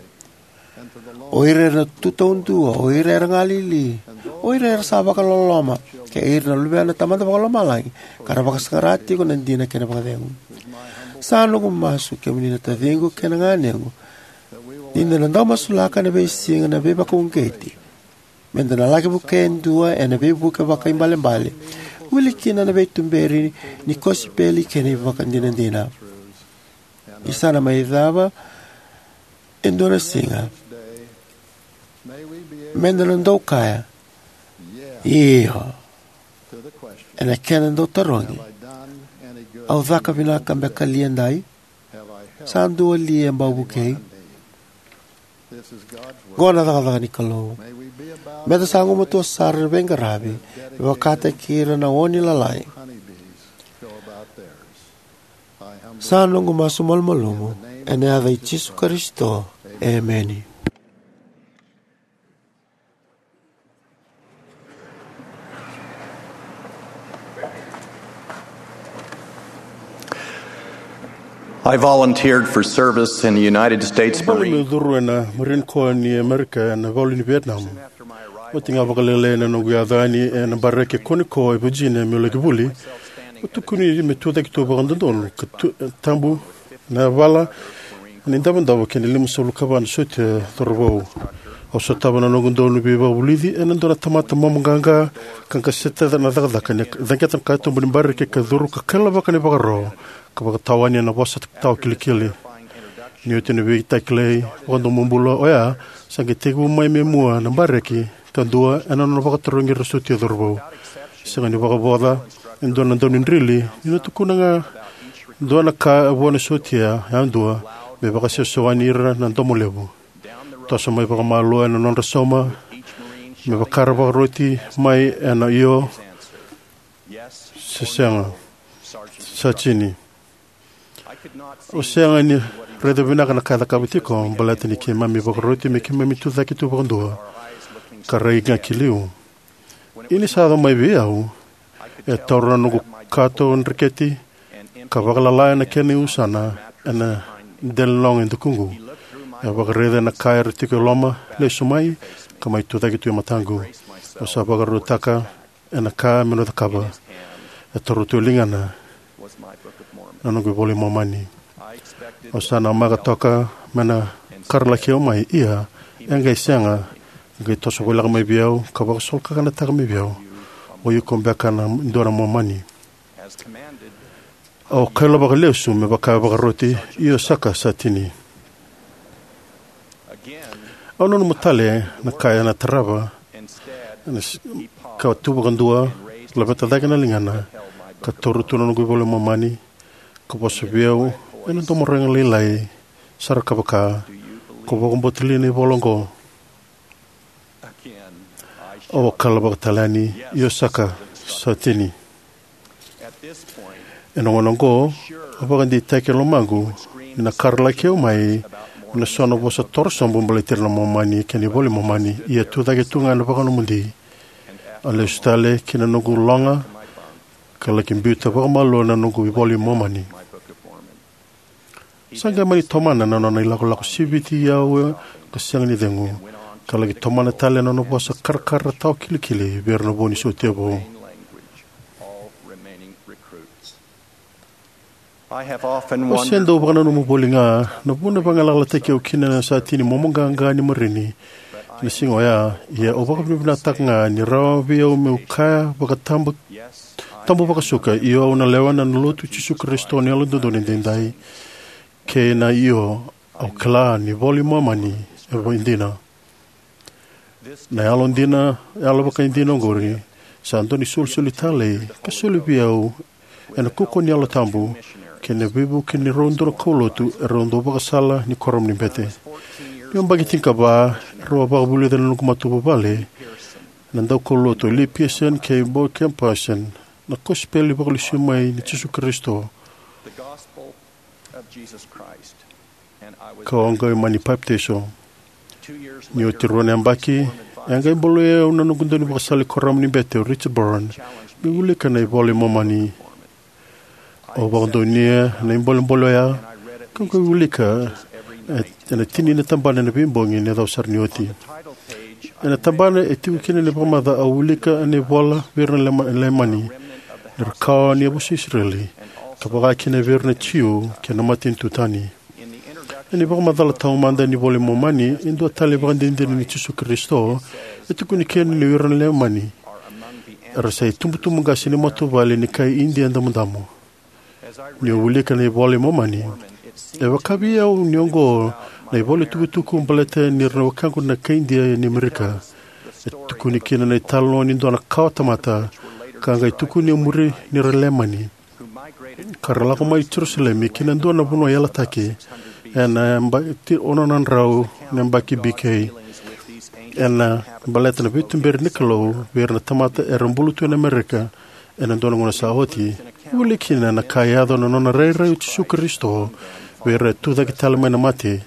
o ira era tu taudua, o ira era galili, o ira era sa vakaloloma, kei ira na luvena na Tamada Vakalomalagi ka ra vakasaqara tiko na dina kei na vakacegu. Sa noqu masu, kemuni na taciqu kei na ganequ, ni da na dau masulaka ena veisiga na veivakauqeti, meda na laki vukea e dua ena veivuke vakaibalebale, wili kina na veituberi ni kosipeli kei na ivakadinadina. Ni sa na mai cava e dua na siga, meda na dau kaya io ena kena dau tarogi: Au caka vinaka beka li edai? Sa dua li e bau vukei? Oqo na cakacaka ni Kalou. Meda sa gumatua sara ena veiqaravi me vakataki ira na oni lalai. Sa noqu masu malumalumu ena yaca i Jisu Karisito. Emeni. I volunteered for service in the United States Marine. Au bau mai curu ena Marine Corps ni Amerika ena ivalu ni Vietnam. Oti ga vakalailai na noqu yaco yani ena bareki e Quantico e Virginia meu laki vuli, au tukuni me tucake tu vakadodonu ka tu, tabu na vala ena idavodavo kei na limasagavulu ka va na sotia cauravou. Au sotava na noqu dau ni veivakavulici ena dua na tamata momoqaqa ka qaseta na cakacaka ni caqeta na katuba ni bareki ka curu ka kailavaka na ivakaro ka vakatawani ena vosa tawa kilikili. Ni oti na veitakilai vakadomobula oya, sa qai tekivu mai me mua na bareki kadua ena nona vakatarogi ira na sotia cauravou. Sega ni vakavoca e dua na daunidrili ni na tukuna ga dua na ka vua na sotia yadua me vakasewasewani ira na domo levu. Toso mai vakamalua ena nodra sauma me vaka ra vakaroti mai ena io se sega. Sa tini. Au sega ni raica vinaka na ka e cakava tiko, baleta ni keimami vakaroti me keimami tucake tu vakadua ka rai ga ki liu. Ia ni sa yaco mai vei au, e taura na noqu kato dreketi ka vakalala ena kena iusana ena delaniloga e dakuqu. E vakaraica na ka era tiko e loma, lesu mai ka mai tucake tu e mataqu. Au sa vakarautaka ena ka meu na cakava. E taura tu e ligana na noqu iVola i Momani. Au sa namaka toka me na karalaki au mai, ia e qai sega. E qai toso voleka mai vei au ka vakasolokakanataka mai vei au, "O iko beka na dua na Momani." Au kailavaka lesu me vaka e vakaroti, io saka, sa tini. Au nanuma tale na ka ena tarava, ena s- ka tu vakadua, laveta cake na ligana, ka taura tu na noqu iVola i Momani, ka vosa vei au ena domo raica lailai sara ka vaka, "Ko vakabauta li na ivola oqo?" Au a kailavaka tale yani, "Io saka, sa tini." Ena gauna oqo, au vakadeitaka e lomaqu ni na karalaki au mai ena so na vosa torosobu baleti ira na Momani kei na iVola i Momani, ia tucake tu ga ena vakanomodi. Au lesu tale ki na noqu loga ka laki biuta vakamalua na noqu iVola i Momani. Sa qai mani tomana na nona ilakolako siviti au ka sega ni cegu, ka laki tomana tale na nona vosa karakara tawa kilikili vei ira na vo ni sotia vou. Au se dau vakananuma voli ga na vuna e vagalalataki au kina na sa tini momoqaqa ni marini na siga oya, ia au vakavinavinakataka ga ni rawa vei au meu kaya vakatabu tabu vakasuka, "Io, au na lewena na Lotu i Jisu Karisito ni Yalododonu Edaidai," kei na "Io, au kila ni iVola i Momani e dina." Na yalo dina, yalo vakaidina oqori sa dua na isolisoli talei ka soli vei au ena kaukauwa ni Yalo Tabu kei na veivuke ni rau dua na kaulotu erau dau vakasala ni kuoramu ni bete. Niu yabaki tinikava, erau a vakavulica na noqu matavuvale na daukaulotu o Lee Pearson kei Boyd K. Parsons na kosipeli vakalesui mai ni Jisu Karisito ka au qai mani papitaiso. Ni oti rua na yabaki, e a qai bolei au na noqu daunivakasala ni kuoramu ni bete o Richard Burns meu wilika na iVola i Momani. Au vakadonuya na ibolebole oya ka qai wilika e, ena tini na tabana ena veibogi ena yaco sara ni oti. Ena tabana e tiko kina na ivakamacala, au wilika ena ivola vei ira na Lema-, Leimani, na ra kawa ni yavusa i Isireli, ka vaka kina vei ira na Jiu kei na matanitu tani. Ena ivakamacala taumada ni iVola i Momani, e dua tale na ivakadinadina ni Jisu Karisito, e tukuni kina ni o ira na Leimani era sa itubutubu qase ni matavuvale ni kai Idia Damudamu. Niu wilika na iVola i Momani, e vaka vei au ni oqo na ivola tukutuku baleta ni ra na wekaqu na kai Idia ni Amerika. E tukuni kina na italanoa ni dua na kawa tamata ka qai tukuni e muri ni ra Leimani, ka ra lako mai Jerusalemi ki na dua na vanua yalataki ena yabaki ono na drau na yabaki B K, ena baleta na veituberi ni Kalou vei ira na tamata era bula tu ena Amerika ena dua na gauna sa oti. Wilika kina na ka e yaco na nona rairai o Jisu Karisito vei ira e tucake tale mai na mate.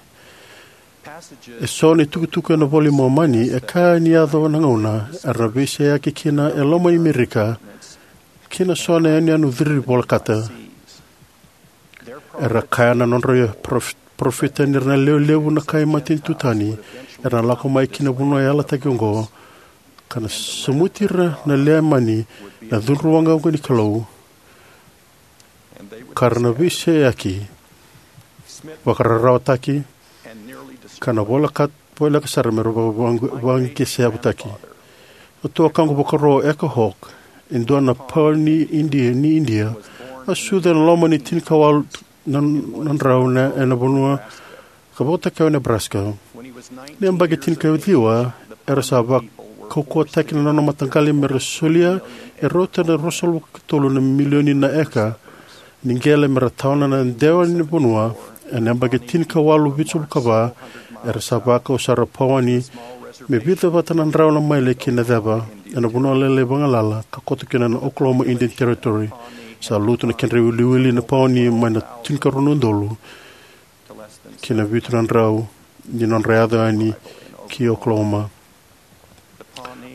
Eso na itukutuku ena iVola i Momani e kaya ni yaco na gauna era na veiseyaki kina e loma i Amerika ki na so na yanuyanu ciri volekata. Era kaya na nodra prof-, parofita ni ra na lewe levu na kai matanitu tani era na lako mai ki na vanua yalataki oqo, ka na samuti ira na Leimani na cudru waqawaqa ni Kalou, ka ra na veiseyaki, vakararawataki, ka na voleka, voleka sara me ra va-, va-, vaqesevutaki. Na tuakaqu vakarau o Eka Hawk, e dua na pauni Idia, ni Idia, a sucu ena loma ni tinikawalu na, na drau na, ena vanua ka vakatokai o Nebraska. Ni yabaki tinikaciwa, era sa va-, kaukauwataki na nona mataqali me ra solia e rauta na ruasagavulu ka tolu na milioni na eka ni qele me ra tawana na dewa ni vanua ena yabaki tinikawalu vitusagavulu ka va, era sa vakau sara Pauni me vica vata na drau na maile ki na ceva ena vanua lailai vagalala ka koto kina na Oklahoma Indian Territory. Sa lutu na kedra iwiliwili na Pauni mai na tinikarua na udolu ki na vitu na drau ni nodra yaco yani ki Oklahoma.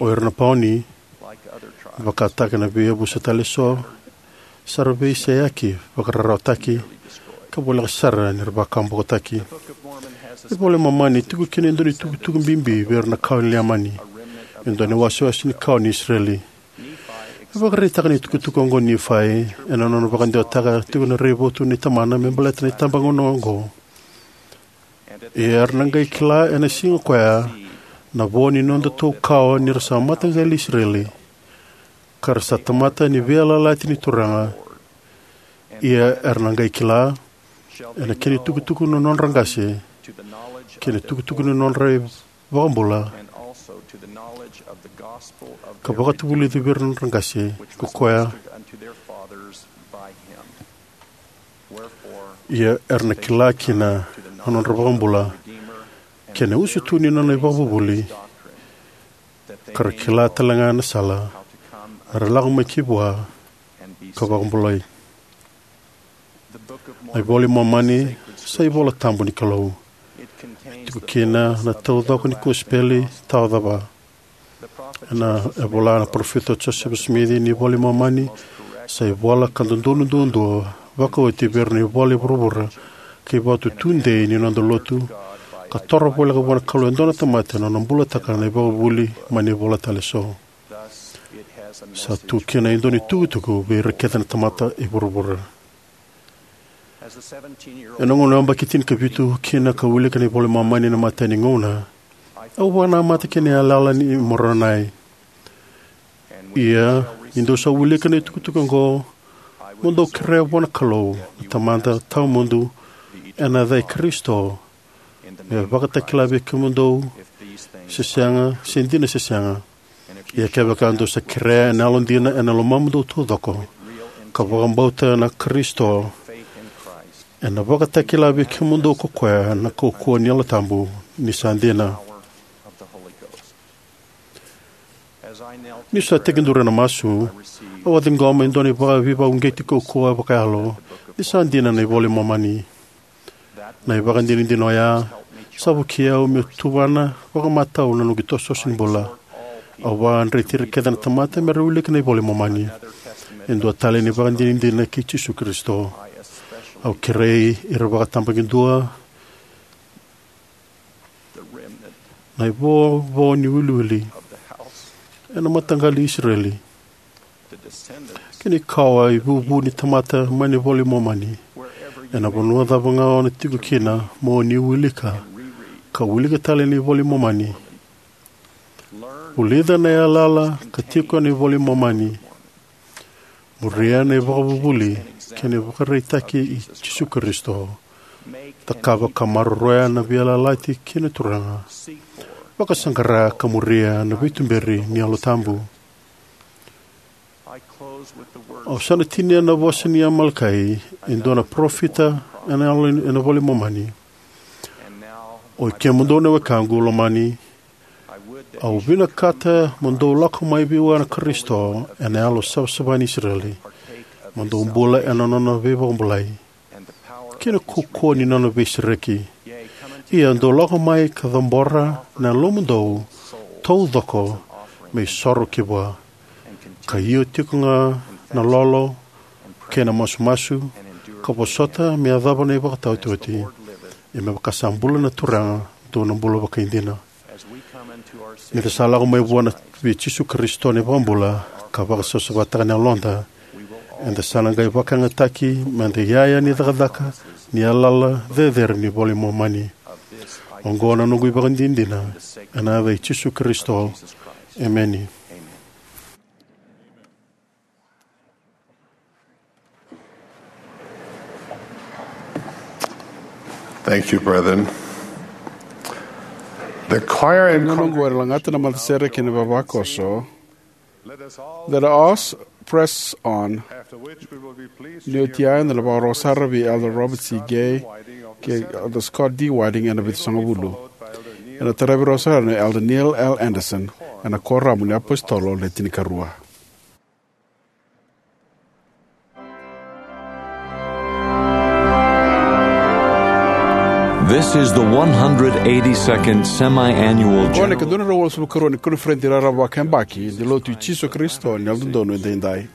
O ira na Pauni, vakataka na veiyavusa tale eso, sa ra veiseyaki, vakararawataki, ka voleka sara ni ra vakabokotaki. Na iVola i Momani e tiko kina e dua na itukutuku bibi vei ira na kawa ni Leimani, e dua na iwasewase ni kawa ni Isireli. E vakaraitaka na itukutuku oqo o Nifai ena nona vakadewataka tiko na raivotu nei tamana me baleta na itabagauna oqo. Ia era na qai kila ena siga koya na vo ni nodatou kawa ni ra sa mataqali Isireli, ka ra sa tamata ni veiyalayalati ni Turaga. Ia era na qai kila ena kena itukutuku na nodra qase, kei na itukutuku ni nodra iVakabula, ka vakatavulici vei ira na nodra qase ko koya. Ia era na kila kina na nodra iVakabula, kei na usutu ni nona ivakavuvuli, ka ra kila talega na sala me ra lako mai ki vua ka vakabulai. Na iVola i Momani sa iVola Tabu ni Kalou. E tiko kina na taucoko ni kosipeli tawa cava. Ena, e vola na parofita o Josefa Simici, ni iVola i Momani sa ivola ka dodonu duadua, vakaoti vei ira na ivola i vuravura, ka ivakatau tudei ni noda lotu, ka toro voleka vua na Kalou e dua na tamata ena nona bulataka na ivakavuvuli mai na ivola tale eso. Sa tu kina e dua na itukutuku vei ira kece na tamata e vuravura. Ena gauna au yabaki tinikavitu kina ka wilika na iVola i Momani ena imatai ni gauna, au vakanamata ki na yalayala nei Moronai. Ia ni dou sa wilika na itukutuku oqo, mo dou kerea vua na Kalou na Tamada tawamudu ena yaca i Karisito, me vakatakila vei kemudou se sega, se dina se sega. Ia kevaka dou sa kerea ena yalodina ena lomamudou taucoko, ka vakabauta na Karisito, ena vakatakila vei kemudou ko koya na kaukauwa ni Yalo Tabu ni sa dina. Niu sa tekiduru ena masu, au a ciqoma e dua na veivakauqeti kaukauwa vakayalo ni sa dina na iVola i Momani. Na ivakadinadina oya sa vukei au meu tuvana vakamatau na noqu itosotoso ni bula. Au vakadreti ira kece na tamata me ra wilika na iVola i Momani. E dua tale na ivakadinadina kei Jisu Karisito. Au kerei ira vakatabakidua na ivovo ni wiliwili ena mataqali i Isireli, kei na ikawa ivuvu ni tamata mai na iVola i Momani. Ena vanua cava ga o na tiko kina, mo ni wilika ka wilika tale na iVola i Momani. Vulica na yalayala ka tiko ena iVola i Momani. Muria na ivakavuvuli kei na ivakaraitaki i Jisu Karisito. Cakava ka maroroya na veiyalayalati kei na Turaga. Vakasaqara ka muria na veituberi ni Yalo Tabu. Au sa na tinia na vosa nei Amalekai, e dua na parofita ena Yalo, ena iVola i Momani. Oi kemudou na wekaqu lomani, au vinakata mo dou lako mai vua na Karisito ena Yalo savasava ni Isireli, mo dou bula ena nona veivakabulai kei na kaukauwa ni nona veisereki. Ia dou lako mai ka cabora na yalomudou taucoko me isoro ki vua, ka io tiko ga na lolo kei na masumasu, ka vosota me yacova na ivakataotioti. Ia me vaka sa bula na Turaga, dou na bula vakaidina. Ni da sa lako mai vua na, vei Jisu Karisito na iVakabula, ka vakasavasavataka na yaloda, eda sa na qai vakayagataki me da iyaya ni cakacaka ni yalayala cecere ni iVola i Momani. Oqo na noqu ivakadinadina ena yaca i Jisu Karisito. Emeni. Thank you, brethren. The choir and Gauna oqo era lagata na matasere kei na vavakoso. Let us press on. Ni oti ya eda na vakarorogo sara vei Elder Robert C. Gay kei Elder Scott D. Whiting ena Vitusagavulu. Ena taravi rau sara na Elder Neil L. Andersen ena Koramu ni iApositolo Le Tinikarua. This is the one hundred eighty-second semi-annual Oqo na general. Ika dua na drau walusagavulu ka rua ni koniferedi raraba vakayabaki ni Lotu i Jisu Karisito ni Yalododonu Edaidai.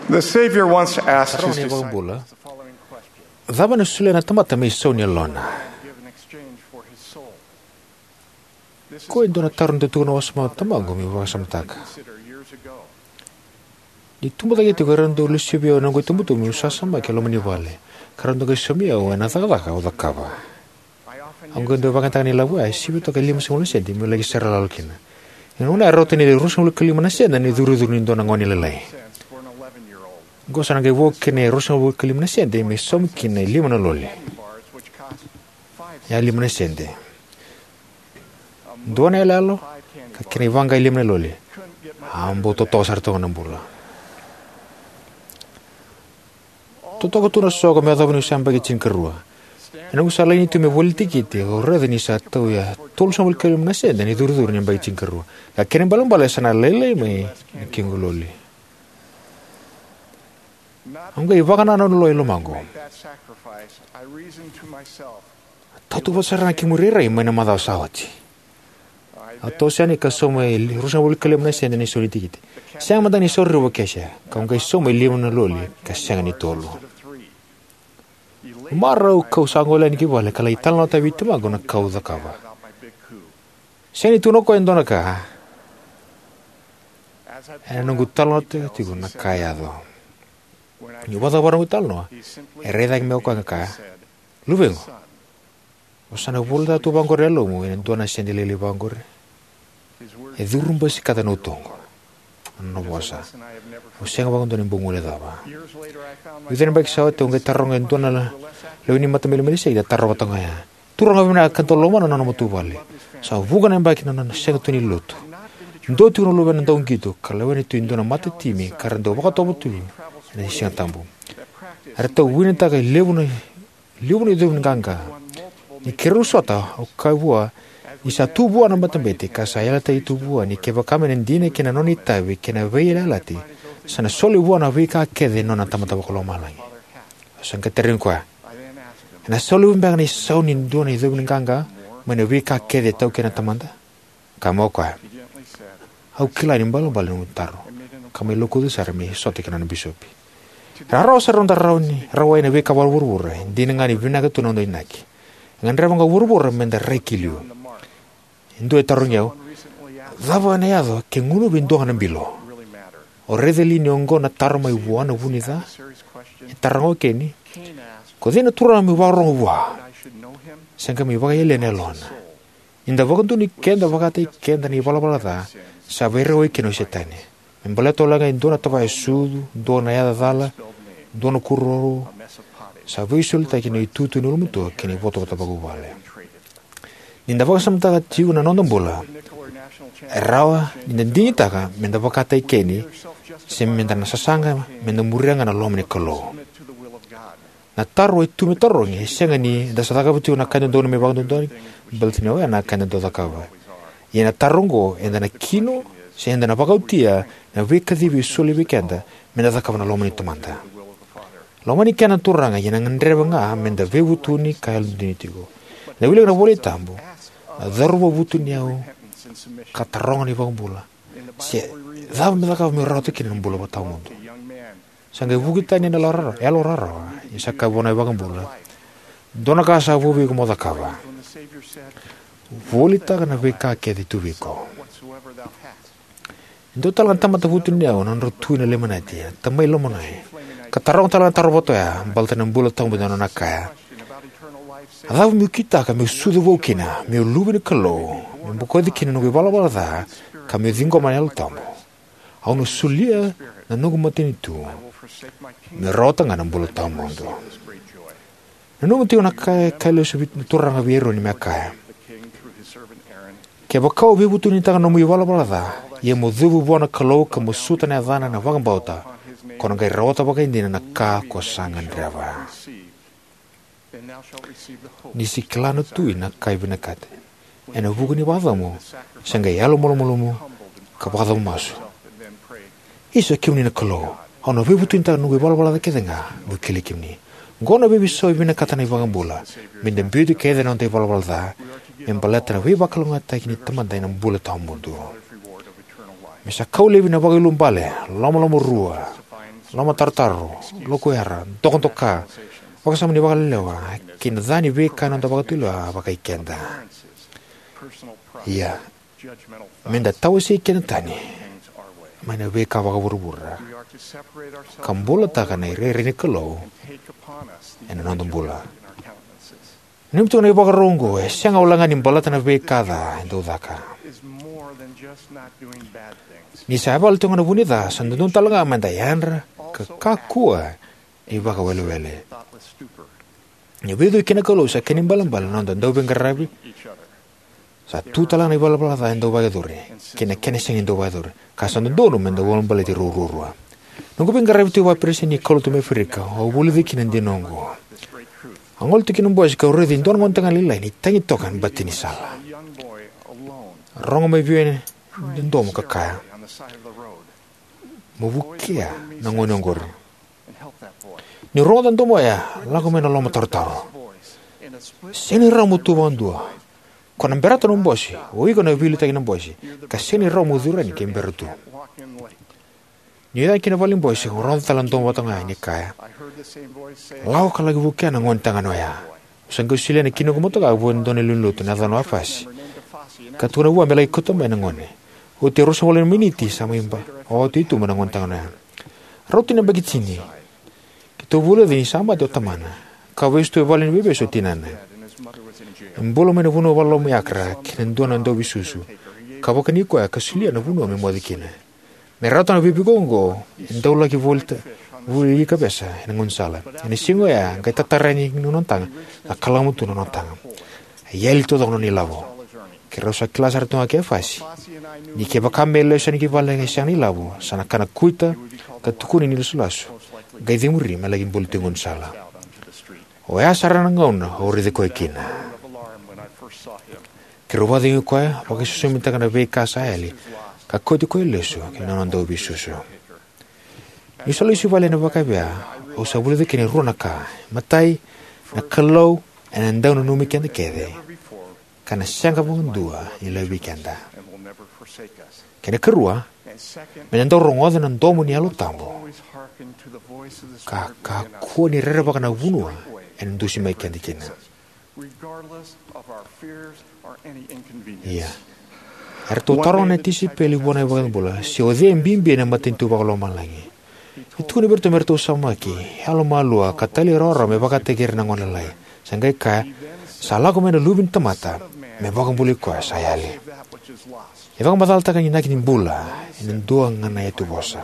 The Savior wants to ask Taro his ni disciples vakabula. The following question. Cava na solia na tamata me isau ni yalona? Give in exchange for his soul. Ko e dua na taro ni tukutuku na wasama tamaqu meu vakasamataka. Consider years ago. Ni tubu cake tiko, e rau dau lesu vei au na noqu itubutubu meu sasamaki e loma ni vale, ka rau dau qai saumi au ena cakacaka au cakava. Au qai dau vakayagataka na ilavo ya, e sivia toka e lima sagavulu na sede, meu laki sere lalo kina. Ena gauna ya e rauta ni ruasagavulu ka lima na sede na icurucuru ni dua na gone lailai. Oqo sa na qai vo kina e ruasagavulu ka lima na sede me saumi kina e lima na loli. Ya lima na sede. Dua na iyaloyalo, ka kena ivaqa e lima na loli. A bau totoka sara toka na bula. Totoka tu na soqo me yacova niu sa yabaki tinikarua. Ena noqu sa laini tu me voli tikiti, au raica ni sa tauya tolusagavulu ka lima na sede na icurucuru ni yabaki tinikarua. Ka kena ibalebale sa na lailai mai na kequ loli. Au qai vakanananu lo i lomaqu. Tautuva sara na kemu irairai mai na macawa sa oti. Au toso yani ka sauma e ruasagavulu ka lima na sede na isau ni tikiti. Sega mada ni sauri revu o Kesia, kau qai sauma e lima na loli ka sega ni tolu. Marau kau sa gole yani ki vale ka lai talanoataka vei tamaqu na ka au cakava. Sega ni tukuna o koya e dua na ka. Ena noqu talanoataka tiko na ka e yaco. Niu vakacavara noqu talanoa, e rai cake mai o koya ka kaya, "Luvequ, o sa na vulica tu vaqori e yalomu ena dua na sede lailai vaqori?" E curu basikata na utoqu. Na nona vosa. Au sega vakadua ni bau guilecava. Vica na yabaki sa oti au qai taroga e dua na lewe ni matabete i Melisei na taro vata ga oya. Turaga vinaka ka dau lomana na nona matavuvale. Sa vuqa na yabaki na nona sega tu ni lotu. Dua tiko na luvena dauqito ka lewena tu e dua na matatimi ka ra dau vakatovo tu ena Siga Tabu. Era tau winitaka e levu na levu na icovi ni qaqa. Ni keirau sota, au kaya vua ni sa tu vua na matabete ka sa yalataki tu vua ni kevaka me na dina kina na nona itavi kei na veiyalayalati, sa na soli vua na veika kece na nona Tamada Vakalomalagi. Au sa qai tarogi koya, "E na soli beka na isau ni dua na icovi ni qaqa mai na veika kece e taukena na Tamada?" Kaya mai o koya, "Au kila ni balebale na nomu taro," ka mai lokuca sara me sota kei na nona bisopi. Era rawa sara noda rawa ni rawai na veika vakavuravura, e dina ga ni vinaka tu na noda inaki. E gadreva ga o vuravura me da rai ki liu. E dua e tarogi au, "Cava na yaco ke gunuvi e dua ga na bilo?" O raica li ni oqo na taro mai vua na vu ni ca? E taroga o Keni, "Ko cei na turaga meu vakarorogo vua?" Sa qai mai vakayalia na yalona. Ni da vakadonui keda vakataki keda na ivalavala ca, sa veirawai kina o Setani. Me baleta wale ga e dua na tavaya sucu, dua na yaca cala, dua na kururuku, sa veisolitaki na itutu ni ulumatua kei na ivotavota vakavuvale. Ni da vakasamataka tiko na noda bula, e rawa ni da digitaka me da vakataki Keni, se me da na sasaga me da muria ga na loma ni Kalou. Na taro e tu me tarogi e sega ni da sa cakava tiko na ka e dodonu me vakadodonutaki, baleta ni oya na ka eda dau cakava. Ia na taro oqo, eda na kino se eda na vakaotia na veikacivi e soli vei keda me da cakava na loma ni Tamada? Lomani keda na Turaga, ia na gadreva ga me da veivutuni ka yalodina tiko. Na wilika na iVola Tabu, na cauravou vutuniyau ka taroga na iVakabula se cava me cakava meu rawata kina na bula vakatawamudu. Sa qai vuki tani ena yalo rawarawa, ia sa kaya vua na iVakabula, "Dua na ka sa vo vei iko mo cakava. Volitaka na veika kece e tu vei iko." E dua tale ga na tamata vutuniyau na nodra tui na Lemanite, na tamai Lemanite, ka taroga tale ga na taro vata oya baleta na bula tawamudu, ena nona kaya, "A cava meu kitaka meu sucu vou kina, meu luve ni Kalou, meu bokoci kina na noqu ivalavala ca, ka meu ciqoma na Yalo Tabu? Au na solia na noqu matanitu, meu rawata ga na bula tawamudu." Nanuma tiko na ka e kaya lesu na Turaga vei Eroni me kaya, "Kevaka o veivutunitaka na nomu ivalavala ca, ia mo cuva vua na Kalou ka masuta na yacana ena vakabauta, ko na qai rawata vakaidina na ka ko sa gadreva." Ni se kila na tui na ka e vinakati ena vuku ni vakacabo, se qai yalomalumalumu ka vakacabo masu. "Isa kemuni na Kalou, au na veivutunitaka na noqu ivalavala ca kece ga meu kilai kemuni." Oqo na veiveisau e vinakata na iVakabula, me da biuti kece na noda ivalavala ca me baleta na veivakalougatataki ni Tamada ena bula tawamudu. Me sa kau laivi na vakaiulubale, lomalomarua, lomatarotaro, lokuyara, dokadoka, vakasama ni vakalelewa, kei na ca ni veika ena noda vakatulewa vakai keda. Ia, me da tawasei keda tani mai na veika vakavuravura ka bulataka na irairai ni Kalou ena noda bula. Nanumi tiko na ivakarau oqo e sega walega ni baleta na veika ca e dau caka. Ni sa yavala tiko ga na vu ni ca, sa dodonu tale ga me da yadra ka kakua ni vakawelewele. Ni veicuki kei na Kalou sa kena ibalebale na noda dauveiqaravi. Sa tu tale ga na ivalavala ca e dau vakayacori kei na kena sega ni dau vakayacori, ka sa dodonu me da ulabaleti rau ruarua. Noqu veiqaravi tiko vakaperesitedi ni kaulotu mai Aferika, au vulica kina na dina oqo. Au gole tu ki na bose kau raica e dua na gonetagane lailai ni tagi toka ena bati ni sala. Rogo mai vei au e dodomo ka kaya, "Mo vukea na gone oqori." Niu rogoca na domo oya, lako mai na lomatarotaro. "Sega ni rawa mo tu vakadua. Ko na berata na bose, o iko na veiliutaki na bose, ka sega ni rawa mo curu yani ke bera tu." Niu yaco ki na valenibose, au rogoca tale na domo vata ga oya ni kaya, "Lako ka laki vukea na gonetagane oya." Au sa qai solia na kina noqu motoka vua e dua na lewe ni lotu, na yacana o Afasi, ka tukuna vua me laki kauta mai na gone. Oti e ruasagavulu na miniti sa mai ba, oti tu mai na gonetagane oya. Rauta ni yabaki tini, keitou vulica ni sa mate o tamana, ka vesu tu e vale ni veivesu o tinana. E bula mai na vanua vakaloloma i Akra kei na dua na dauveisusu. ka vakani koya ka solia na vanua me moce kina. Me rawata na veivukei oqo, e dau laki voli ta-, voli ika vesu ena gaunisala. Ena siga oya, qai tatara yani na nona taga ka kalamu tu na nona taga. A yali taucoko na nona ilavo. Keirau sa kila sara tu ga o Fasi ni kevaka me lesu yani ki vale e sega na ilavo, sa na kana kuita ka tukuni ni lasulasu, qai cemuri me laki buli tu e gaunisala. Oya sara na gauna au raici koya kina. Keirau vakacegui koya, vakasosomitaka na veika sa yali, ka kauti koya lesu ki na nona dauveisusu. Niu sa lesu i vale ena vakavea, au sa vulica kina e rua na ka. Matai, na Kalou ena dau nanumi keda kece, ka na sega vakadua ni laivi keda. Kei na karua, me na dau rogoca na domo ni Yalo Tabu, ka kakua ni rerevaka na vanua ena dusi mai keda kina. Ia, eratou taroga na tisaipeli vua na iVakabula se o cei e bibi ena matanitu vakalomalagi. E tukuna vei iratou me ratou saumaki, yalomalua, ka talairawarawa me vakataki ira na gone lalai. Sa qai kaya, sa lako mai na Luve ni tamata me vakabulai koya sa yali. E vakamacalataka na inaki ni bula ena dua ga na iyatuvosa.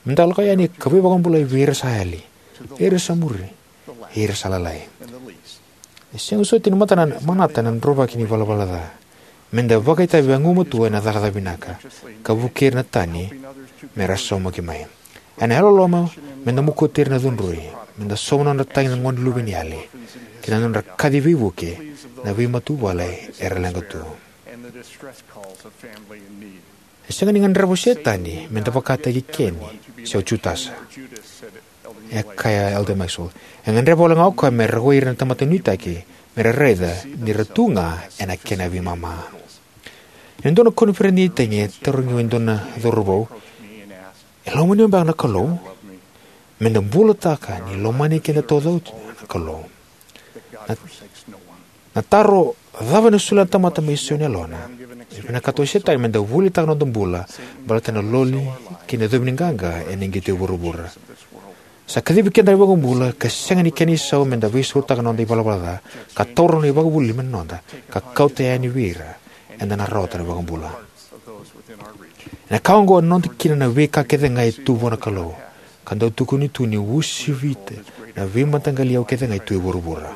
Me da lako yani ka veivakabulai vei ira sa yali, ira sa muri, ira sa lalai. E sega soti ni mata na manata na drovaki ni valavala ca. Me da vakaitavi vagumatua ena cakacaka vinaka, ka vukei ira na tani me ra saumaki mai. Ena yalololoma, me da mokoti ira na cudrui, me da sauma na nodra tagi na gone luve ni yali, kei na nodra kaci veivuke na veimatavuvale era leqa tu. E sega ni gadreva o Setani me da vakataki Keni se o Jutasa, e kaya Elder Maxwell. E gadreva wale ga o koya me rawai ira na tamata nuitaki me ra raica ni ra tu ga ena kena veimama. Ena dua na koniferedi ni tagi, e tarogi au e dua na cauravou, "E lomani au beka na Kalou?" Me da bulataka ni lomani keda taucoko na Kalou. Na, na taro, "Cava ena solia na tamata me isau ni yalona?" E vinakata o Setani me da volitaka na noda bula baleta na loli kei na icovi ni qaqa ena qito e vuravura. Sa kacivi keda na iVakabula ka sega ni kena isau me da veisautaka na noda ivalavala ca, ka taura na ivakavuvuli me noda, ka kauta yani vei ira eda na rawata na iVakabula. Ena ka oqo ena noda kina na veika kece ga e tu vua na Kalou, ka dau tukuni tu ni uasivita na veimataqali iyau kece ga e tu e vuravura.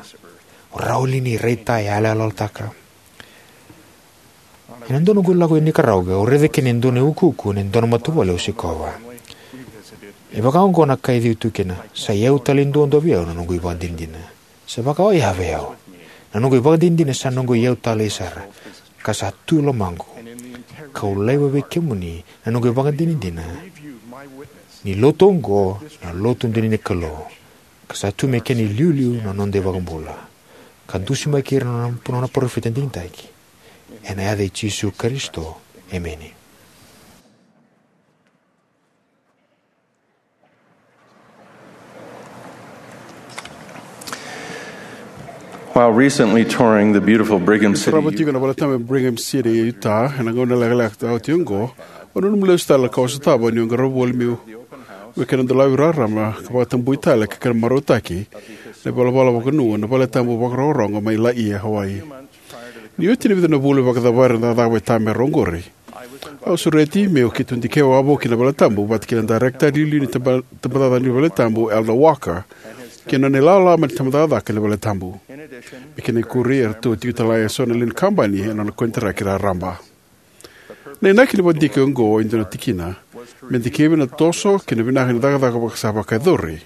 O rawa li ni raitayaloyalotaka? Ena dua noqu lako i Nicaragua, au raica kina e dua na iukuuku ena dua na matavuvale au sikova. E vaka oqo na ka e civi tu kina: "Sa iyau talei duadua vei au na noqu ivakadinadina. Sa vakaoya vei au. Na noqu ivakadinadina sa noqu iyau talei sara, ka sa tu e lomaqu. Kau laiva vei kemuni na noqu ivakadinadina ni lotu oqo na lotu dina ni Kalou, ka sa tu me kena iliuliu na noda iVakabula, ka dusimaki ira na nona parofita digitaki. Ena yaca i Jisu Karisito, emeni." While recently touring the beautiful Brigham City, sarava tiko na valetabu e Brigham City, Utah, ena gauna lekaleka oti oqo, au nanuma lesu tale na ka au sotava niu qarava voli meu, meu kena dolavi rarama ka vakatabui tale ka kena marautaki na ivalavala vakanuinui na valetabu vakairogorogo mai Laie, Hawaii. Ni oti na vica na vula me vakacavari na cakacaka vakaitamera oqori, au sureti meu keitou dikevi wavoki na valetabu vata kei na dairekita iliuliu ni taba-, tabacakacaka ni valetabu, Elder Walker, kei na nona ilawalawa mai na tabacakacaka ni valetabu. Me kena ikuri, eratou tiko tale eso na lewe ni kabani ena nona konitaraki raraba. Na inaki ni vakadike oqo e dua na tikina me dikevi na toso kei na vinaka ni cakacaka vaka sa vakayacori.